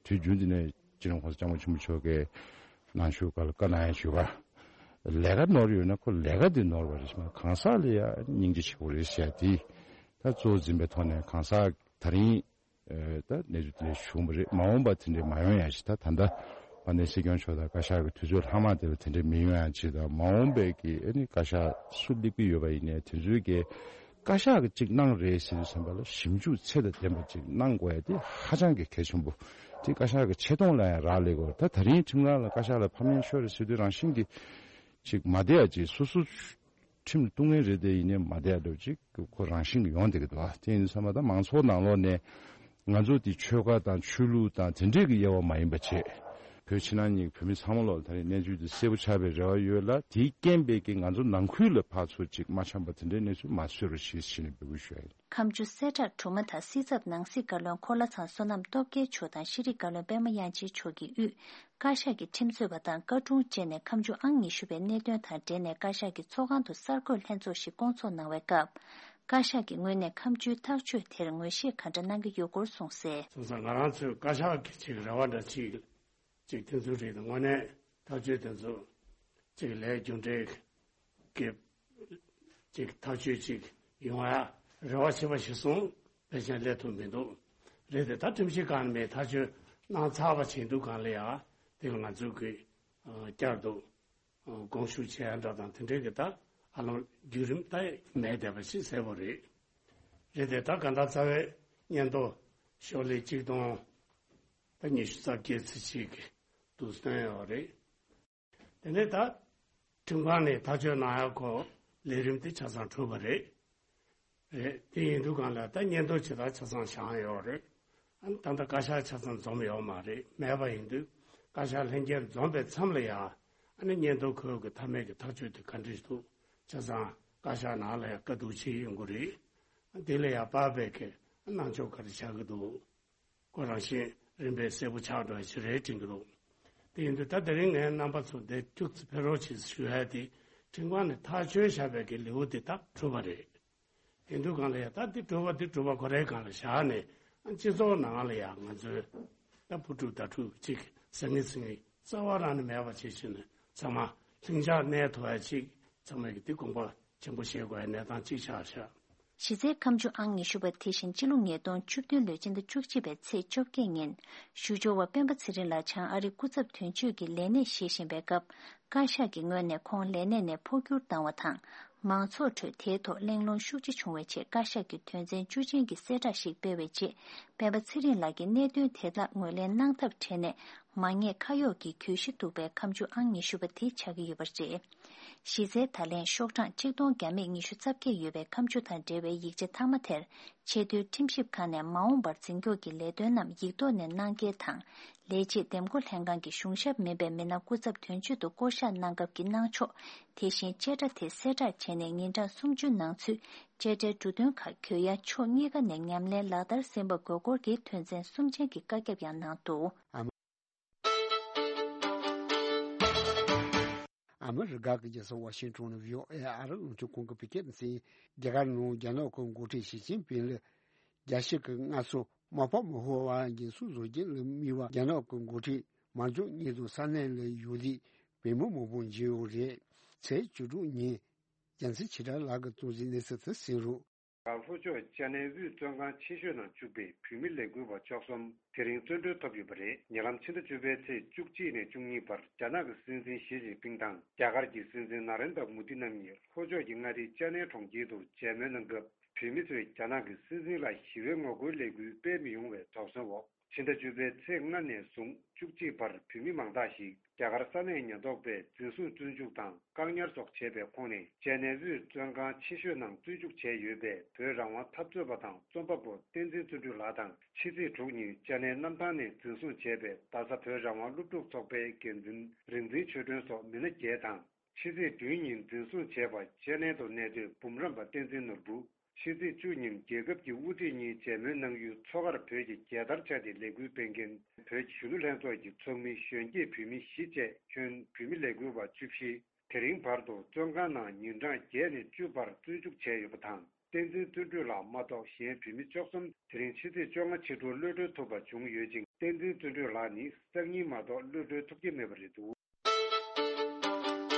དུས་རྒྱུན་དུ་ནས་སྤྱི་ནོར་༸གོང་ས་༸སྐྱབས་མགོན་ཆེན་པོ་མཆོག་གིས་ནང་ཆོས་སྒང་ལ་བཀའ་གནང་ཡ་བྱུས་པ། ལས་ཀ་ནོར་ཡོད་ན་ཁོ་ལས་ཀ་དེ་ནོར་བ་རེད་ཤག་གང་ཟག་ལ་ཡ་སྙིང་རྗེ་ཆེ་པོ་རེད་ཟེར་ཡ་དེ་ད་གཙོ་བོ་འཛིན་པའི་ཐོག་ནས་གང་ཟག་ད་རིང་ད་གནས་ཚུལ་དེ་འདྲ་བྱུང་བ་རེད། མ་འོངས་པ་དེ་འདྲ་མ་ཡོང་ཡ་ཞིག་ད་ད་ལྟ་དཔལ་ལྡན་སྲིད་སྐྱོང་མཆོག་དང་བཀའ་ཤག་གི་དུས་ཚོད་ལྷག་མ་དེ་ལ་དེ་འདྲ་མི་ཡོང་ཡ་ཅིག་དང་། མ་འོངས་པའི་གི་ཨ་ནི་བཀའ་ཤག་སུ་སླེབས་ཀྱི་ཡོད་པ་ཡིན་ནའི་དེ་ཚོའི་གི་བཀའ་ཤག་གིས་གཅིག་གནང་རེད་ཟེར་དུས་ཙམ་པ་ལ་ཞིབ་འཇུག་ཚད་དང་ལྡན་པ་ཅིག་གནང་དགོས་ཡ་དེ་ཧ་ཅང་གི་གལ་ཆེན་པོ། དེ་བཀའ་ཤག་གི་ཆེ་མཐོང་ལ་ཡང་རག་ལས་དགོས། ད་ད་རིང་ཁྲིམས་ཁང་ལ་བཀའ་ཤག་ལ་ཕམ་ཉེས་ཤོར་རེད་ཟེར་དུས་རང་བཞིན་གྱིས་ཅིག་མ་བསྡད་ཡ་ཅིག་སོ་སོ་ཁྲིམས་ལ་གཏུག་མཁན་རེད་དེ་ཡིན་ནའི་མ་བསྡད་ཡ་འདྲ་ཅིག་ཁོ་རང་བཞིན་གྱིས་ཡོང་བསྡད་ཀྱི་འདུག་ཨ། དེ་ཡིན་དུས་ཙམ་པ་ད་མང་ཚོགས་ནང་ལོགས་ནས་ང་ཚོ་དེ་ཆོལ་ཁ་དང་ཆོས་ལུགས་དང་དེ་འདྲས་ཀྱི་དབྱེ་བ་མ་ཡིན་པ་བྱས། བོད་ཕྱི་ནང་གཉིས་ཀྱི་བོད་མི་ཚང་མ་ལོག་ད་རེས་གནས་ཚུལ་དེ་གསལ་པོ་ཆགས་པའི་རེ་བ་ཡོད་ལ། དེའི་རྐྱེན་པས་ཀྱི་ང་ཚོ་ནང་ཁུལ་ལ་ཕར་ཚུར་ཅིག་མ་འཆམ་པ་དེ་འདྲའི་གནས་ཚུལ་མ་བཟོས་རོགས་ཞེས་ཞུས་ནས་འབོད་སྐུལ་ཞུ་ཡ་ཡིན། ཁ་མཆུ་གསལ་བསྒྲགས་གྲུབ་མ་ཐག་སྲིད་ཚབ་ནང་སྲིད་བཀའ་བློན་འཁོར་ལྷ་ཚང་བསོད་ནམས་སྟོབས་རྒྱལ་མཆོག་དང་ཤེས་རིག་བཀའ་བློན་པད་མ་དབྱངས་ཅན་མཆོག་གིས་དབུས་བཀའ་ཤག་གི་ཁྲིམས་རྩོད་པ་དང་བཀའ་དྲུང་བཅས་ནས་ཁ་མཆུ་ཨང་ཉི་ཤུ་པའི་གནད་དོན་དང་འབྲེལ་ནས་བཀའ་ཤག་གི་ཚོགས་ཁང་དུ་གསར་འགོད་ལྷན་ཚོགས་ཤིག་བསྐོང་ཚོགས་གནང་བའི་སྐབས། བཀའ་ཤག་གི་ངོས་ནས་ཁ་མཆུའི་ཐག་གཅོད་དེར་ངོས་བཞེས་ག་འདྲ་གནང་གི་ཡོད་སྐོར་གསུངས་གསལ། སོང་ཙང་ང་རང་ཚོའི་བཀའ་ཤག་གི་ཅིག་རེ་བ་འདྲ་ཅིག་ཅིག་དེ་ཚོ་རེད། དངོས་གནས་ཐག་གཅོད་དེ་ཚོ་ཅིག་ལས་རྒྱུ་འབྲས་ཀྱི་ཅིག་ཐག་གཅོད་ཅིག་ཡོང་ཡ་རེ་བ་བྱེད་པ་ཞིག་སོང་ཕལ་ཆེར་སླེབས་ཐུབ་མི་འདུག་རེད་དེ་ད་ཁྲིམས་ཞིབ་ཁང་ནས་ཐག་གཅོད་གནང་ཚར་བ་བྱས་འདུག་གང་ལ་ཡ་དེ་ལ་ང་ཚོ་གིས་བསྐྱར་དུ་དགོངས་ཞུ་བྱེད་ཡ་འདྲ་དང་དེ་འདྲའི་གི་ད་ཧ་ལམ་བརྒྱུད་རིམ་ད་མེད་བསྡད་པ་ཞིག་གསལ་པོ་རེད། རེད་དེ། ད་གང་ལྟར་རྩ་བའི་སྙན་ཐོ་ཤོག་ལྷེ་གཅིག་སྟོང་ད་ཉི་ཤུ་རྩ་བརྒྱད་ཙམ་ཅིག་འདུག་སྟོན་ཡོད་རེད། དེ་ནས་ད་ཁྲིམས་ཁང་ནས་ཐག་གཅོད་གནང་ཡག་གོ་ལས་རིམ་དེ་ཆ་ཚང་གྲུབ་པ་རེད། རེད། དེ་ཡིན་དུས་གང་ལ་ད་སྙན་ཐོ་ཇི་ལྟར་ཆ་ཚང་བཞག་ཡོད་རེད། ཨ་ནི་ད་ལྟ་བཀའ་ཤག་ཆ་ཚང་འཛོམས་ཡོད་མ་རེད། མེད་པ་ཡིན་དུས་བཀའ་ཤག་ལྷན་རྒྱས་འཛོམས་པའི་མཚམས་ལ་ཡང་ཨ་ནི་སྙན་ཐོ་ཁོས་གི་མཐའ་མའི་གི་ཐག་གཅོད་དེ་ག་འདྲ་ཞིག་འདུག་ཆ་ཚང་བཀའ་ཤག་ནང་ལ་ཡང་བཀའ་བསྡུར་བྱེད་ཡོང་གི་རེད། དེ་ལ་ཡང་དཔག་པའི་གི་གནང་ཕྱོགས་ག་རེ་ཆགས་ཀྱི་འདུག་ཁོ་རང་བཞིན་རིམ་པས་གསལ་པོ་ཆགས་འགྲོ་ཡ་ཞིག་རེད་དྲན་གྱི་འདུག་དེ་ཡིན་དུས་ད་དེ་རིང་ངས་རྣམ་པ་ཚོ་འདིར་ཐུགས་ཚེ་ཕེབས་རོགས་ཞེས་ཞུ་ཡ་དེ་ཁྲིམས་ཁང་ནས་ཐག་གཅོད་བཞག་པའི་གི་ལེའུ་དེ་ད་གྲུབ་པ་རེད། ཡིན་དུས་གང་ལ་ཡ་ད་འདི་གྲུབ་པ་འདི་གྲུབ་པ་ཁོ་རའི་སྒང་ལ་བཞག་ནས་ཨ་སྤྱི་ཚོགས་ནང་ལ་ཡ་ང་ཚོའི་ད་བུ་ཕྲུག་ད་ཕྲུག་ཅིག་ཟང་ངེ་ཟིང་ངེ་རྩ་བ་རང་ནས་མེད་པ་བྱེད་བྱེད་ནས་ཚང་མ་ལྷིང་འཇགས་གནས་ཐུབ་ཡ་ཅིག་ཚང་མས་ཀྱི་འདི་དགོངས་པ་ཆེན་པོ་བཞེས་དགོས་ཡ་གནས་སྟངས་ཅིག་ཆགས་ཤག་གཞི་རྩའི་ཁ་མཆུ་ཨང་ཉི་ཤུ་པ་དེ་བཞིན་སྤྱི་ལོ་ཉིས་སྟོང་བཅུ་བདུན་ལོའི་སྤྱི་ཟླ་བཅུ་གཅིག་པའི་ཚེས་བཅོ་བརྒྱད་ཉིན་ཞུ་སྦྱོར་བ་སྤེན་པ་ཚེ་རིང་ལགས་བྱང་ཨ་རི་སྐུ་ཚབ་དོན་གཅོད་ཀྱི་ལས་གནས་བཞེས་བཞིན་པའི་སྐབས། བཀའ་ཤག་གི་ངོས་ནས་ཁོང་ལས་གནས་ནས་འཕོ་འགྱུར་བཏང་བ་དང་། མང་ཚོགས་ཁྲོད་དེའི་ཐོག་གླེང་སློང་ཤུགས་ཆེ་བྱུང་བའི་རྗེས་བཀའ་ཤག་གི་དོན་ཚན་བཅུ་ཅན་གྱི་གསལ་བསྒྲགས་ཤིག་སྤེལ་བའི་རྗེས། སྤེན་པ་ཚེ་རིང་ལགས་ཀྱིས་གནད་དོན་དེ་དག་ངོས་ལེན་གནང་ཐབས་བྲལ་ནས་མ་ཉེས་ཁ་གཡོགས་ཀྱི་གྱོད་གཞི་འདུག་པའི་ཁ་མཆུ་ཨང་ཉི་ཤུ་པ་དེ་ཆགས་ཀྱི་ཡོད་པ་རེད། གཞི་རྩའི་ད་ལན་ཤོག་གྲངས་གཅིག་སྟོང་བརྒྱ་མེད་ཉི་ཤུ་རྩ་བརྒྱད་ཡོད་པའི་ཁ་མཆུ་དང་འབྲེལ་བའི་ཡིག་ཆ་མཐའ་མ་དེར་ཆེས་མཐོའི་ཁྲིམས་ཞིབ་ཁང་ནས་མ་འོངས་པར་འཛིན་སྐྱོང་གི་ལས་དོན་རྣམས་ཡིག་ཐོག་ནས་གནང་གལ་དང་། ལས་བྱེད་འདེམས་བསྐོ་ལྷན་ཁང་གི་གཞུང་ཞབས་མིན་པའི་མི་སྣ་སྐུ་ཚབ་དོན་གཅོད་དུ་བསྐོ་གཞག་གནང་སྐབས་ཀྱི་གནང་ཕྱོགས། དེ་བཞིན་བཅད་ཁྲ་དེ་གསལ་བསྒྲགས་བྱས་ནས་ཉིན་གྲངས་སུམ་ཅུ་ནང་ཚུད་བཅད་ཁྲའི་འབྲུ་དོན་ཁག་གྱོད་ཡ་ཕྱོགས་གཉིས་ཀ་ནས་ཉམས་ལེན་ལག་བསྟར་ཟིན་པ་དགོས་སྐོར་གྱི་དོན་ཚན་གསུམ་ཅན་གྱི་བཀའ་ཁྱབ་ཡང་གནང་འདུག་ཨ་མི་རི་ཀ་གི་རྒྱལ་ས་ཝ་ཤིང་ཊོན་ནས་བྷི་ཨོ་ཨེ་ཨ་རི་རླུང་འཕྲིན་ཁང་གི་བོད་སྐད་སྡེ་ཚན། རྒྱ་གར་ནང་རྒྱ་ནག་གི་འགོ་ཁྲིད་ཞི་ཅིན་ཕིང་ལ་རྒྱལ་སྤྱི་གི་སྔ་སོ་མ་ཕམ་མ་ཧོ་བ་འགན་སྲུང་བཟོ་རྒྱུ་ལ་དམིགས་པ་རྒྱ་ནག་གི་འགོ་ཁྲིད་མར་འཇོག་སྙིང་དུ་ས་གནས་ལ་ཡོད་དུས་བོད་མི་མང་པོ་འཇིགས་ཡོད་རེད། ཚེས་བཅུ་དྲུག་ཉིན་རྒྱལ་མཚན་ཆོས་གྲགས་ལགས་ཀྱིས་གཏོང་ཟིན་གནས་ཚུལ་དེ་གསན་རོགས། ལྷོ་ཕྱོགས་ཅ་ནའི་དབུས་བཙོན་ཁང་ཆེ་ཤོས་ནང་བཅུག་པའི་བོད་མི་ལས་འགུལ་བ་བཅུ་གསུམ་དེ་རིང་བཙོན་གྲོལ་ཐོབ་ཡོད་པ་རེད། ཉེ་ལམ་ཕྱི་ཟླ་བཅུ་པའི་ཚེས་བཅུ་གཅིག་ནས་བཅུ་གཉིས་བར་རྒྱ་ནག་གི་སྲིད་འཛིན་ཞི་ཅིན་ཕིང་དང་རྒྱ་གར་གྱི་སྲིད་འཛིན་ན་རེན་དྲ་མོ་དི་རྣམ་གཉིས་ལྷོ་ཕྱོགས་ཀྱི་མངའ་སྡེ་ཅ་ནའི་གྲོང་ཁྱེར་དུ་མཇལ་མོལ་གནང་སྐབས། བོད་མི་ཚོས་རྒྱ་ནག་གི་སྲིད་འཛིན་ལ་ཞི་བའི་ངོ་རྒོལ་ལས་འགུལ་སྤེལ་མི་ཡོང་བའི་དོགས་ཟོན་འོག་ཕྱི་ཟླ་བཅུ་པའི་ཚེས་ལྔ་ནས་བཟུང་བཅུ་གཅིག་བར་བོད་མི་མང་དག་ཞིག་རྒྱ་གར་ས་གནས་ཉེན་རྟོག་པས་འཛིན་བཟུང་བཙོན་འཇུག་དང་བཀག་ཉར་སོགས་བྱས་པའི་ཁོངས་ནས་ཅ་ནའི་དབུས་བཙོན་ཁང་ཆེ་ཤོས་ནང་བཙོན་འཇུག་བྱས་ཡོད་པའི་བོད་རང་དབང་འཐབ་རྩོད་པ་དང་རྩོམ་པ་པོ་བསྟན་འཛིན་བརྩོན་འགྲུས་ལགས་དང་། ཕྱི་ཚེས་དྲུག་ཉིན་ཅ་ནའི་གནམ་ཐང་ནས་འཛིན་བཟུང་བྱས་པའི་རྡ་ས་བོད་རང་དབང་སློབ་ཕྲུག་ཚོགས་པའི་འགན་འཛིན་རིག་འཛིན་ཆོས་སྒྲོན་སོགས་མི་སྣ་བརྒྱད་དང་། ཕྱི་ཚེས་བདུན་ཉིན་འཛིན་བཟུང་བྱས་པ་ཅ་ནའི་དུ་གནས་སྡོད་འབུམ་རམས་པ་བསྟན་འཛིན་ནོར་བུ། ཕྱི་ཚེས་བཅུ་ཉིན་རྒྱལ་ཁབ་ཀྱི་དབུ་ཁྲིད་གཉིས་མཇལ་མོལ་གནང་ཡུལ་མཚོ་ཁར་བོད་ཀྱི་རྒྱལ་དར་འཕྱར་ཏེ་ལས་འགུལ་སྤེལ་མཁན་བོད་ཀྱི་གཞོན་ནུ་ལྷན་ཚོགས་ཀྱི་ཚོགས་མི་གཞོན་སྐྱེས་བོད་མི་བཞི་བཅས་ཁྱོན་བོད་མི་ལས་འགུལ་བ་བཅུ་བཞི། དེ་རིང་བར་དུ་བཙོན་ཁང་ནང་ཉིན་གྲངས་བརྒྱད་ནས་བཅུ་བར་བཙོན་འཇུག་བྱས་ཡོད་པ་དང་། བསྟན་འཛིན་བརྩོན་འགྲུས་ལགས་མ་གཏོགས་གཞན་བོད་མི་བཅུ་གསུམ་དེ་རིང་ཕྱི་ཚེས་བཅོ་ལྔ་ཕྱི་དྲོ་གློད་གྲོལ་ཐུབ་པ་བྱུང་ཡོད་ཅིང་། བསྟན་འཛིན་བརྩོན་འགྲུས་ལགས་ནི་སང་ཉིན་མ་གཏོགས་གློད་གྲོལ་ཐུབ་ཀྱི་མེད་པ་རེད་འདུག་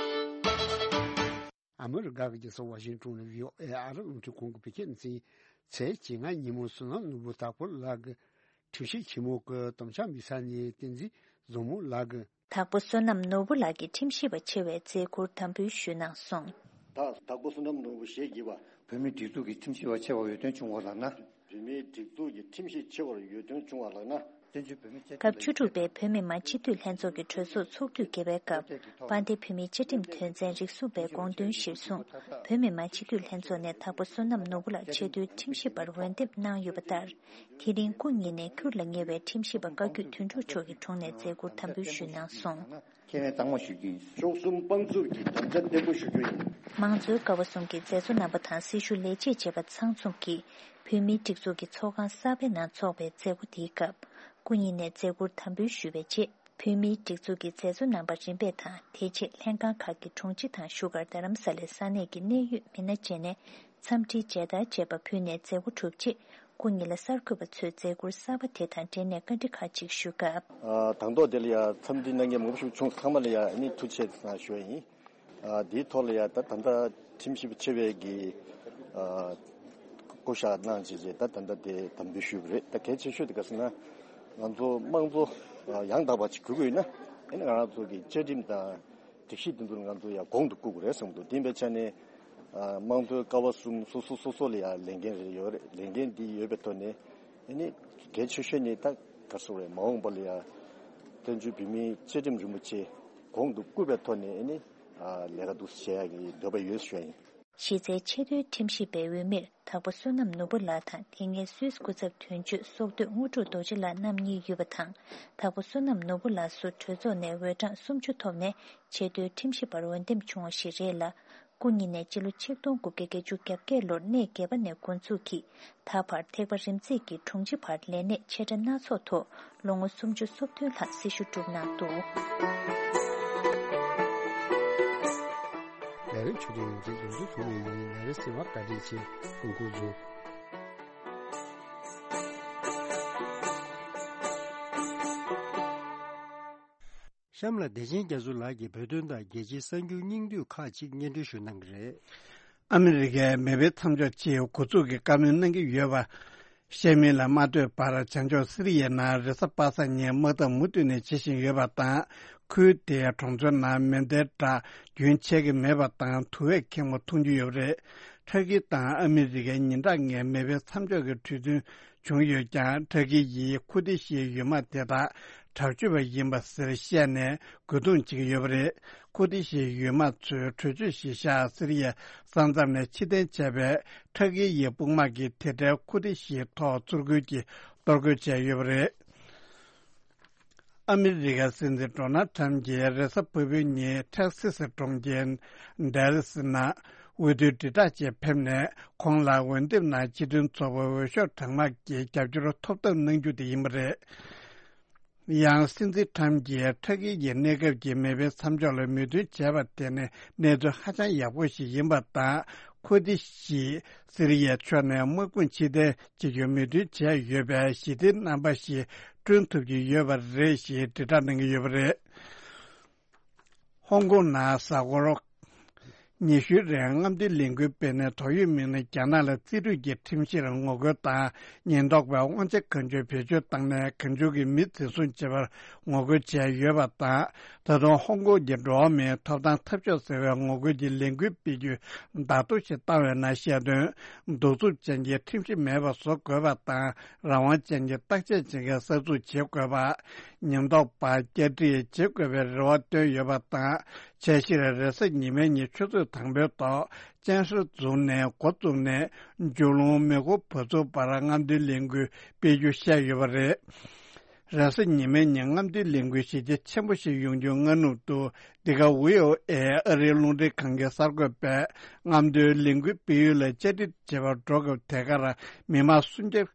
ཨ་མི་རི་ཀ་གི་རྒྱལ་ས་ཝ་ཤིང་ཊོན་ནས་བྷི་ཨོ་ཨེ་ཨ་རི་རླུང་འཕྲིན་ཁང་གི་བོད་སྐད་སྡེ་ཚན། ཚེས་བཅོ་ལྔ་ཉིན་མོ་བསོད་ནམས་ནོར་བུ་དྭགས་པོ་ལགས་ཀྱི་ཁྲིམས་ཞིབ་ཆེན་མོ་གི་དམ་བཅའ་མི་ཚང་ནས་བསྟན་འཛིན་བཟང་མོ་ལགས་ཀྱི། དྭགས་པོ་བསོད་ནམས་ནོར་བུ་ལགས་ཀྱི་ཁྲིམས་ཞིབ་པ་ཆེ་བའི་མཛད་ཁུར་དམ་འབུལ་ཞུས་གནང་སོང་། ད་དྭགས་པོ་བསོད་ནམས་ནོར་བུ་ཞེས་བགྱི་བ། བོད་མིའི་སྒྲིག་འཛུགས་ཀྱི་ཁྲིམས་ཞིབ་པ་ཆེ་བར་འོས་ཐོན་བྱུང་བ་ལགས་ན། བོད་མིའི་སྒྲིག་འཛུགས་ཀྱི་ཁྲིམས་ཞིབ་ཆེ་བར་འོས་ཐོན་བྱུང་བ་ལགས་ན། བཙན་བྱོལ་བོད་མི་སྤྱི་སྐབས་བཅུ་དྲུག་པའི་བོད་མི་མང་སྤྱི་འཐུས་ལྷན་ཚོགས་ཀྱི་གྲོས་ཚོགས་ཚོགས་དུས་བརྒྱད་པའི་སྐབས། དཔལ་ལྡན་བོད་མིའི་བཅའ་ཁྲིམས་དོན་ཚན་རིགས་གསུམ་པའི་དགོངས་དོན་གཞིར་བཟུང་། བོད་མི་མང་སྤྱི་འཐུས་ལྷན་ཚོགས་ནས་དྭགས་པོ་བསོད་ནམས་ནོར་བུ་ལགས་ཆེས་མཐོའི་ཁྲིམས་ཞིབ་པར་འོས་འདེམས་གནང་ཡོད་པ་ལྟར། དེ་རིང་སྐུ་ཉིད་ནས་ཁུར་ལ་ཉེ་བའི་ཁྲིམས་ཞིབ་པ་བཀའ་བརྒྱུད་དོན་གྲུབ་མཆོག་གི་དྲུང་ནས་མཛད་ཁུར་དམ་འབུལ་ཞུས་གནང་སོང་། ཁས་ལེན་གཙང་མ་ཞུ་རྒྱུ་ཡིན། བཅུ་གསུམ་དཔང་བཙུགས་ཀྱི་དམ་བཅའ་བརྟན་པོ་ཞུ་རྒྱུ་ཡིན། མང་གཙོའི་ཀ་བ་གསུམ་གྱི་མཛད་གཙོ་རྣམ་པ་དང་སྲི་ཞུ་ལས་བྱེད་བཅས་པ་ཚང་འཛོམས་ཀྱིས་བོད་མིའི་སྒྲིག་འཛུགས་ཀྱི་ཚོགས་ཁང་གསར་པའི་ནང་འཚོགས་པའི་མཛད་སྒོ་དེའི་སྐབས། སྐུ་ཉིད་ནས་མཛད་ཁུར་དམ་འབུལ་ཞུས་པའི་རྗེས། བོད་མིའི་སྒྲིག་འཛུགས་ཀྱི་མཛད་གཙོ་རྣམ་པ་རིམ་པས་དང་། དེ་རྗེས་ལྷན་ཁང་ཁག་གི་དྲུང་ཆེ་དང་བཞུགས་སྒར་རྡ་རམ་ས་ལའི་ས་གནས་ཀྱི་གནད་ཡོད་མི་སྣ་བཅས་ནས། འཚམས་འདྲིའི་མཇལ་དར་བཅས་པ་ཕུལ་ནས་མཛད་སྒོ་གྲུབ་རྗེས། སྐུ་ཉིད་ལ་གསར་འགོད་པ་ཚོས་མཛད་ཁུར་གསར་པ་དེ་དང་འབྲེལ་ནས་བཀའ་འདྲི་ཁག་ཅིག་ཞུས་སྐབས། ཨ། དང་ཐོག་དེ་ལ་ཡང་འཚམས་འདྲི་གནང་མཁན་མང་པོ་ཞིག་བྱུང་། ཚང་མ་ལ་ཡང་ཨ་ནི་ཐུགས་རྗེ་ཆེ་ཞུ་ཡ་ཡིན། ཨ། དེའི་ཐོག་ལ་ཡང་ད་ད་ལྟ་ཁྲིམས་ཞིབ་པ་ཆེ་བའི་གི། ཨ། བསྐོ་བཞག་གནང་བྱས་རྗེས་ད་ད་ལྟ་དེ་དམ་འབུལ་ཞུས་པ་རེད། ད་གལ་ཆེ་ཤོས་དེ་ག་ཟེར་ན། ང་ཚོ་དམངས་གཙོ་ཡང་དག་པ་ཅིག་དགོས་ཀྱི་ཡོད་ན། ཨ་ནི་ང་རང་ཚོ་གི་བཅའ་ཁྲིམས་དང་སྒྲིག་གཞི་དེ་ཚོ་ང་ཚོ་ཡང་གོང་དུ་བཀུར་དགོས་རེད་བསམ་གྱི་འདུག་དེ་ཡིན་པའི་ཆ་ནས། དམངས་དོན་ཀ་བ་གསུམ་སོ་སོ་སོ་སོ་ལ་ཡང་ལས་འགན་རེ་ཡོད་རེད། ལས་འགན་འདི་ཡོད་པའི་ཐོག་ནས་ཨ་ནི་གལ་ཆེ་ཤོས་ནི་ད་ག་རེ་ཟེར་དགོས་རེད། མ་འོངས་པ་ལ་ཡང་བཙན་བྱོལ་བོད་མིའི་བཅའ་ཁྲིམས་རིན་པོ་ཆེ་གོང་དུ་བཀུར་བའི་ཐོག་ནས་ཨ་ནི་ལས་ཀ་འདུག་སེ་བྱེད་ཡག་གི་འདོད་པ་ཡོད་ཞུ་ཡ་ཡིན། གཞི་རྩའི་ཆེས་མཐོའི་ཁྲིམས་ཞིབ་པའི་འོས་མིར་དྭགས་པོ་བསོད་ནམས་ནོར་བུ་ལགས་དང་། དེ་སྔའི་སུད་སི་སྐུ་ཚབ་དོན་གཅོད་སྲོག་བདུད་དངོས་གྲུབ་རྡོ་རྗེ་ལགས་རྣམ་གཉིས་ཡོད་པ་དང་། དྭགས་པོ་བསོད་ནམས་ནོར་བུ་ལགས་སུ་གྲོས་ཚོགས་ནས་འོས་གྲངས་སུམ་ཅུ་ཐོབ་ནས་ཆེས་མཐོའི་ཁྲིམས་ཞིབ་པར་འོས་འདེམས་བྱུང་བ་ཞིག་རེད་ལ། སྐུ་ཉིད་ནས་སྤྱི་ལོ་ཆིག་སྟོང་དགུ་བརྒྱ་བརྒྱད་ཅུ་གྱ་བརྒྱད་ལོར་གནས་བརྒྱད་པ་ནས་འགོ་འཛུགས་ཀྱིས་ད་བར་ཐེག་པ་རིམ་བརྩེགས་ཀྱི་དྲུང་ཆེ་བར་ལས་གནས་ཆེ་ཕྲ་སྣ་ཚོགས་ཐོག་ལོ་ངོ་སུམ་ཅུ་སོ་བདུན་ལྷག་སྲི་ཞུ་བསྒྲུབས་གནང་འདུག། ལས་རིམ་ཆུ་ཚོད་ཡོངས་འཛིན་རྡོ་རྗེ་ཐོགས་མེད་ཡིན། ལས་རིམ་གསན་པར་བཀའ་དྲིན་ཆེ། ཐུགས་རྗེ་ཆེ། གཤམ་ལ་བདེ་ཆེན་རྒྱ་མཚོ་ལགས་ཀྱིས་བོད་དོན་དང་རྒྱལ་སྤྱིའི་གསར་འགྱུར་སྙིང་བསྡུས་ཁག་ཅིག་སྙན་སྒྲོན་ཞུ་གནང་གི་རེད། ཨ་མི་རི་ཀའི་མེ་འཕེན་མཚམས་འཇོག་ཆེད་འགོ་འཛུགས་ཀྱི་བཀའ་མོལ་གནང་གི་ཡོད་པ་བཤད་མིན་ལ་མ་ལྟོས་པར། བྱང་ཕྱོགས་སི་རི་ཡའི་ནང་རེས་གཟའ་པ་སངས་ཉིན་དམག་འཐབ་མུ་མཐུད་ནས་བྱེད་བཞིན་ཡོད་པ་དང་། ཁུལ་དེའི་གྲོང་ཚོའི་ནང་མེ་མདའི་སྒྲ་རྒྱུན་ཆད་ཀྱི་མེད་པ་དང་། དུ་བས་ཁེངས་པ་མཐོང་རྒྱུ་ཡོད་པ་རེད། ཕྲ་གི་དང་ཨ་མི་རི་ཀའི་ཉིན་གྲངས་ལྔའི་མེ་འཕེན་མཚམས་འཇོག་གི་གྲོས་མཐུན་བྱུང་ཡོད་ཀྱང་། ཕྲ་གི་ཡིས་ཁུར་ཏི་ཤིའི་ཡུལ་དམག་དེ་དག་དྲག་སྤྱོད་པ་ཡིན་པ་ཟེར་བཤད་ནས་རྒོལ་རྡུང་བྱེད་ཀྱི་ཡོད་པ་རེད། ཁུར་ཏི་ཤིའི་ཡུལ་དམག་ཚོས་གྲོས་ཆོད་གཞིར་བཞག་སི་རི་ཡའི་ས་མཚམས་ནས་ཕྱིར་འཐེན་བྱས་པས། ཕྲ་གི་ཡི་དཔུང་དམག་གིས་དེ་འཕྲལ་ཁུར་ཏི་ཤིའི་ཐོག་ཚུར་རྒོལ་གྱིས་གཏོར་རྒོལ་བྱས་ཡོད་པ་རེད། ཨ་མི་རི་ཀའི་སྲིད་འཛིན་ཌོ་ནལ་ཊམ་གྱིས་རེས་གཟའ་ཕུར་བུའི་ཉིན་ཊེག་སི་སི་གྲོང་ཁྱེར་ཌལ་ལ་སི་ནང་འོས་བསྡུའི་དྲིལ་བསྒྲགས་ཆེད་ཕེབས་ནས། ཁོང་ལ་འོས་འདེམས་ནང་སྤྱི་མཐུན་ཚོགས་པའི་འོས་ཤོག་གྲངས་མང་གི་རྒྱབ་སྐྱོར་ཐོབ་ཐབས་གནང་རྒྱུ་དེ་ཡིན་པ་རེད། ཡང་སྲིད་འཛིན་ཊམ་གྱིས་ཕྲ་གི་ཡི་གནས་སྐབས་ཀྱི་མེ་འཕེན་མཚམས་འཇོག་ལ་མོས་མཐུན་བྱས་པ་དེ་ནི་གནས་ཚུལ་ཧ་ཅང་ཡག་པོ་ཞིག་ཡིན་པ་དང་། ཁུར་ཏི་ཤིས་སི་རི་ཡའི་ཕྱོགས་ནས་དམག་དཔུང་ཕྱིར་འཐེན་བྱེད་རྒྱུར་མོས་མཐུན་བྱས་ཡོད་པས། ཞི་བདེའི་རྣམ་པ་ཞིག་བསྐྲུན་ཐུབ་ཀྱི་ཡོད་པ་རེད་ཞེས་དྲིལ་བསྒྲགས་གནང་གི་ཡོད་པ་རེད། ཧོང་ཀོང་ནང་གཟའ་འཁོར་ཉི་ཤུའི་རིང་རྔམ་སྟོན་ལས་འགུལ་སྤེལ་ནས། དོགས་ཡོད་མི་སྣ་རྒྱ་ནག་ལ་རྩིས་སྤྲོད་ཀྱི་ཁྲིམས་གཞིར་ངོ་རྒོལ་དང་། ཉེན་རྟོག་པས་དབང་ཆ་གང་བྱུང་བེད་སྤྱོད་བཏང་ནས། གང་བྱུང་གིས་མི་འཛིན་བཟུང་བྱེད་པར་ངོ་རྒོལ་བྱས་ཡོད་པ་དང་། ད་དུང་ཧོང་ཀོང་གི་འགྲོ་བ་མིའི་ཐོབ་ཐང་འཐབ་ཕྱོགས་ཟེར་བའི་ངོ་རྒོལ་གྱི་ལས་འགུལ་སྤེལ་རྒྱུ་བརྡ་ཐོ་ཞིག་བཏང་བའི་ནང་བཤད་དོན། གདུག་རྩུབ་ཅན་གྱི་ཁྲིམས་གཞི་མེད་པ་བཟོ་དགོས་པ་དང་། རང་དབང་ཅན་གྱི་བརྟག་དཔྱད་བྱེད་མཁན་གསར་འཛུགས་བྱེད་དགོས་པ། ཉེན་རྟོག་པ་བསྐྱར་སྒྲིག་བྱེད་དགོས་པའི་རེ་བ་བཏོན་ཡོད་པ་དང་། འཆར་གཞིར་རེས་གཟའ་ཉི་མའི་ཉིན་ཆུ་ཚོད་དང་པོའི་ཐོག་སྤྱན་ཧྲི་རྫོང་ནས་འགོ་བཙུགས་ནས། ཇོ་ལུང་མེ་འཁོར་བ་ཚུགས་བར་རྔམ་སྟོན་ལས་འགུལ་སྤེལ་རྒྱུ་བཤད་ཡོད་པ་རེད། རེས་གཟའ་ཉི་མའི་ཉིན་རྔམ་སྟོན་ལས་འགུལ་གཞི་རྒྱ་ཆེན་པོ་ཞིག་ཡོང་རྒྱུ་སྔ་ནུབ་ཏུ། འདི་ག་ཝི་ཨོ་ཨེ་ཨ་རིའི་རླུང་འཕྲིན་ཁང་གི་གསར་འགོད་པས། རྔམ་སྟོན་ལས་འགུལ་སྤེལ་ཡུལ་ལ་བཅར་འདྲི་བྱེད་པར་འགྲོ་སྐབས། དེ་གར་མི་མང་སུམ་བརྒྱ་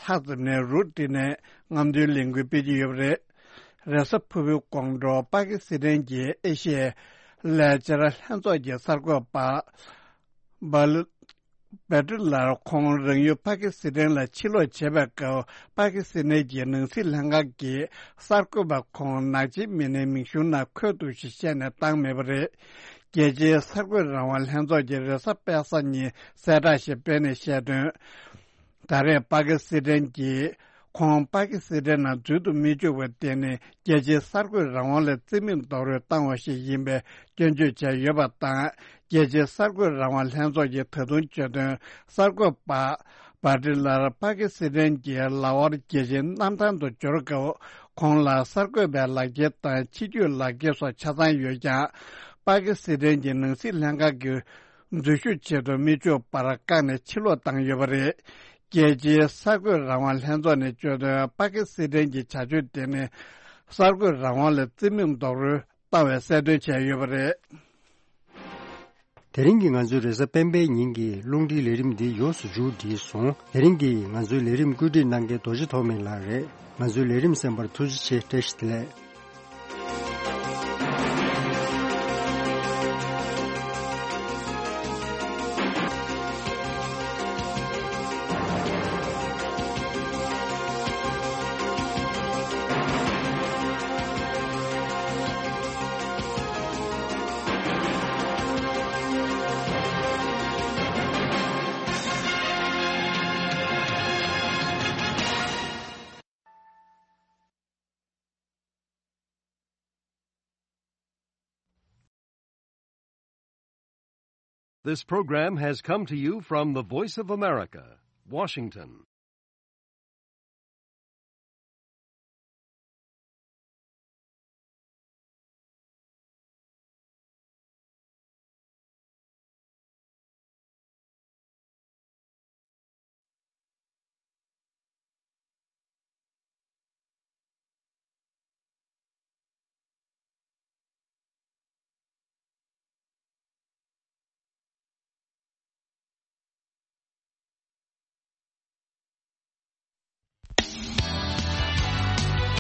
ལྷག་ཙམ་ནས་རུབ་བསྒྲིགས་ནས་རྔམ་སྟོན་ལས་འགུལ་སྤེལ་གྱི་ཡོད་པ་རེད། རེས་གཟའ་ཕུར་བུའི་དགོང་དྲོ། པ་ཀི་སི་ཐན་གྱི་ཨེ་ཤི་ཡའི་ལས་འཆར་ལྷན་ཚོགས་ཀྱི་གསར་འགོད་པ་བྷ་ལི་བྷ་ཏི་ལར། ཁོང་རང་ཡུལ་པ་ཀི་སི་ཐན་ལ་ཕྱིར་ལོག་བྱེད་པའི་སྐབས། པ་ཀི་སི་ཐན་གྱི་ནང་སྲིད་ལྷན་ཁང་གིས་གསར་འགོད་པ་ཁོང་ནག་ཆེན་མི་སྣའི་མིང་གཞུང་ནང་འཁོད་འདུག་ཞེས་བཤད་ནས་བཏང་མེད་པ་རེད། རྒྱལ་སྤྱིའི་གསར་འགོད་རང་དབང་ལྷན་ཚོགས་ཀྱིས་རེས་གཟའ་པ་སངས་ཉིན་གསལ་བསྒྲགས་ཤིག་སྤེལ་ནས་བཤད་དོན། ད་རེས་པ་ཀི་སི་ཐན་གྱིས་ཁོང་པ་ཀི་སི་ཐན་ནང་འཛུལ་དུ་མི་བཅུག་པ་དེ་ནི། རྒྱལ་སྤྱིའི་གསར་འགོད་རང་དབང་ལ་རྩིས་མེད་རྡོག་རོལ་བཏང་བ་ཞིག་ཡིན་པའི་སྐྱོན་བརྗོད་བྱས་ཡོད་པ་དང་། རྒྱལ་སྤྱིའི་གསར་འགོད་རང་དབང་ལྷན་ཚོགས་ཀྱིས་ད་དུང་བརྗོད་དོན། གསར་འགོད་པ་བྷ་ཏི་ལར་པ་ཀི་སི་ཐན་གྱི་ལ་ཧོར་རྒྱལ་ཆེན་གནམ་ཐང་དུ་འབྱོར་སྐབས། ཁོང་ལ་གསར་འགོད་པའི་ལག་འཁྱེར་དང་། ཕྱི་སྐྱོད་ལག་འཁྱེར་སོགས་ཆ་ཚང་ཡོད་ཀྱང་། པ་ཀི་སི་ཐན་གྱི་ནང་སྲིད་ལྷན་ཁང་གིས་འཛུལ་ཞུགས་བྱེད་དུ་མི་བཅུག་པར་བཀག་ནས་ཕྱིར་ལོག་བཏང་ཡོད་པ་རེད། རྒྱལ་སྤྱིའི་གསར་འགོད་རང་དབང་ལྷན་ཚོགས་ནས་བརྗོད་དོན། པ་ཀི་སི་ཐན་གྱི་བྱ་སྤྱོད་དེ་ནི་གསར་འགོད་རང་དབང་ལ་རྩིས་མེད་རྡོག་རོལ་བཏང་བའི་གསལ་སྟོན་བྱས་ཡོད་པ་རེད། དེ་རིང་གི་ང་ཚོའི་རེས་གཟའ་སྤེན་པའི་ཉིན་གྱི་རླུང་འཕྲིན་ལས་རིམ་འདི་ཡོངས་སུ་མཇུག་བསྒྲིལ་སོང་། དེ་རིང་གི་ང་ཚོའི་ལས་རིམ་བཀོད་སྒྲིག་གནང་མཁན་རྡོ་རྗེ་ཐོགས་མེད་ལགས་རེད། ང་ཚོའི་ལས་རིམ་གསན་པར་ཐུགས་རྗེ་ཆེ། བཀྲ་ཤིས་བདེ་ལེགས། This program has come to you from the Voice of America, Washington.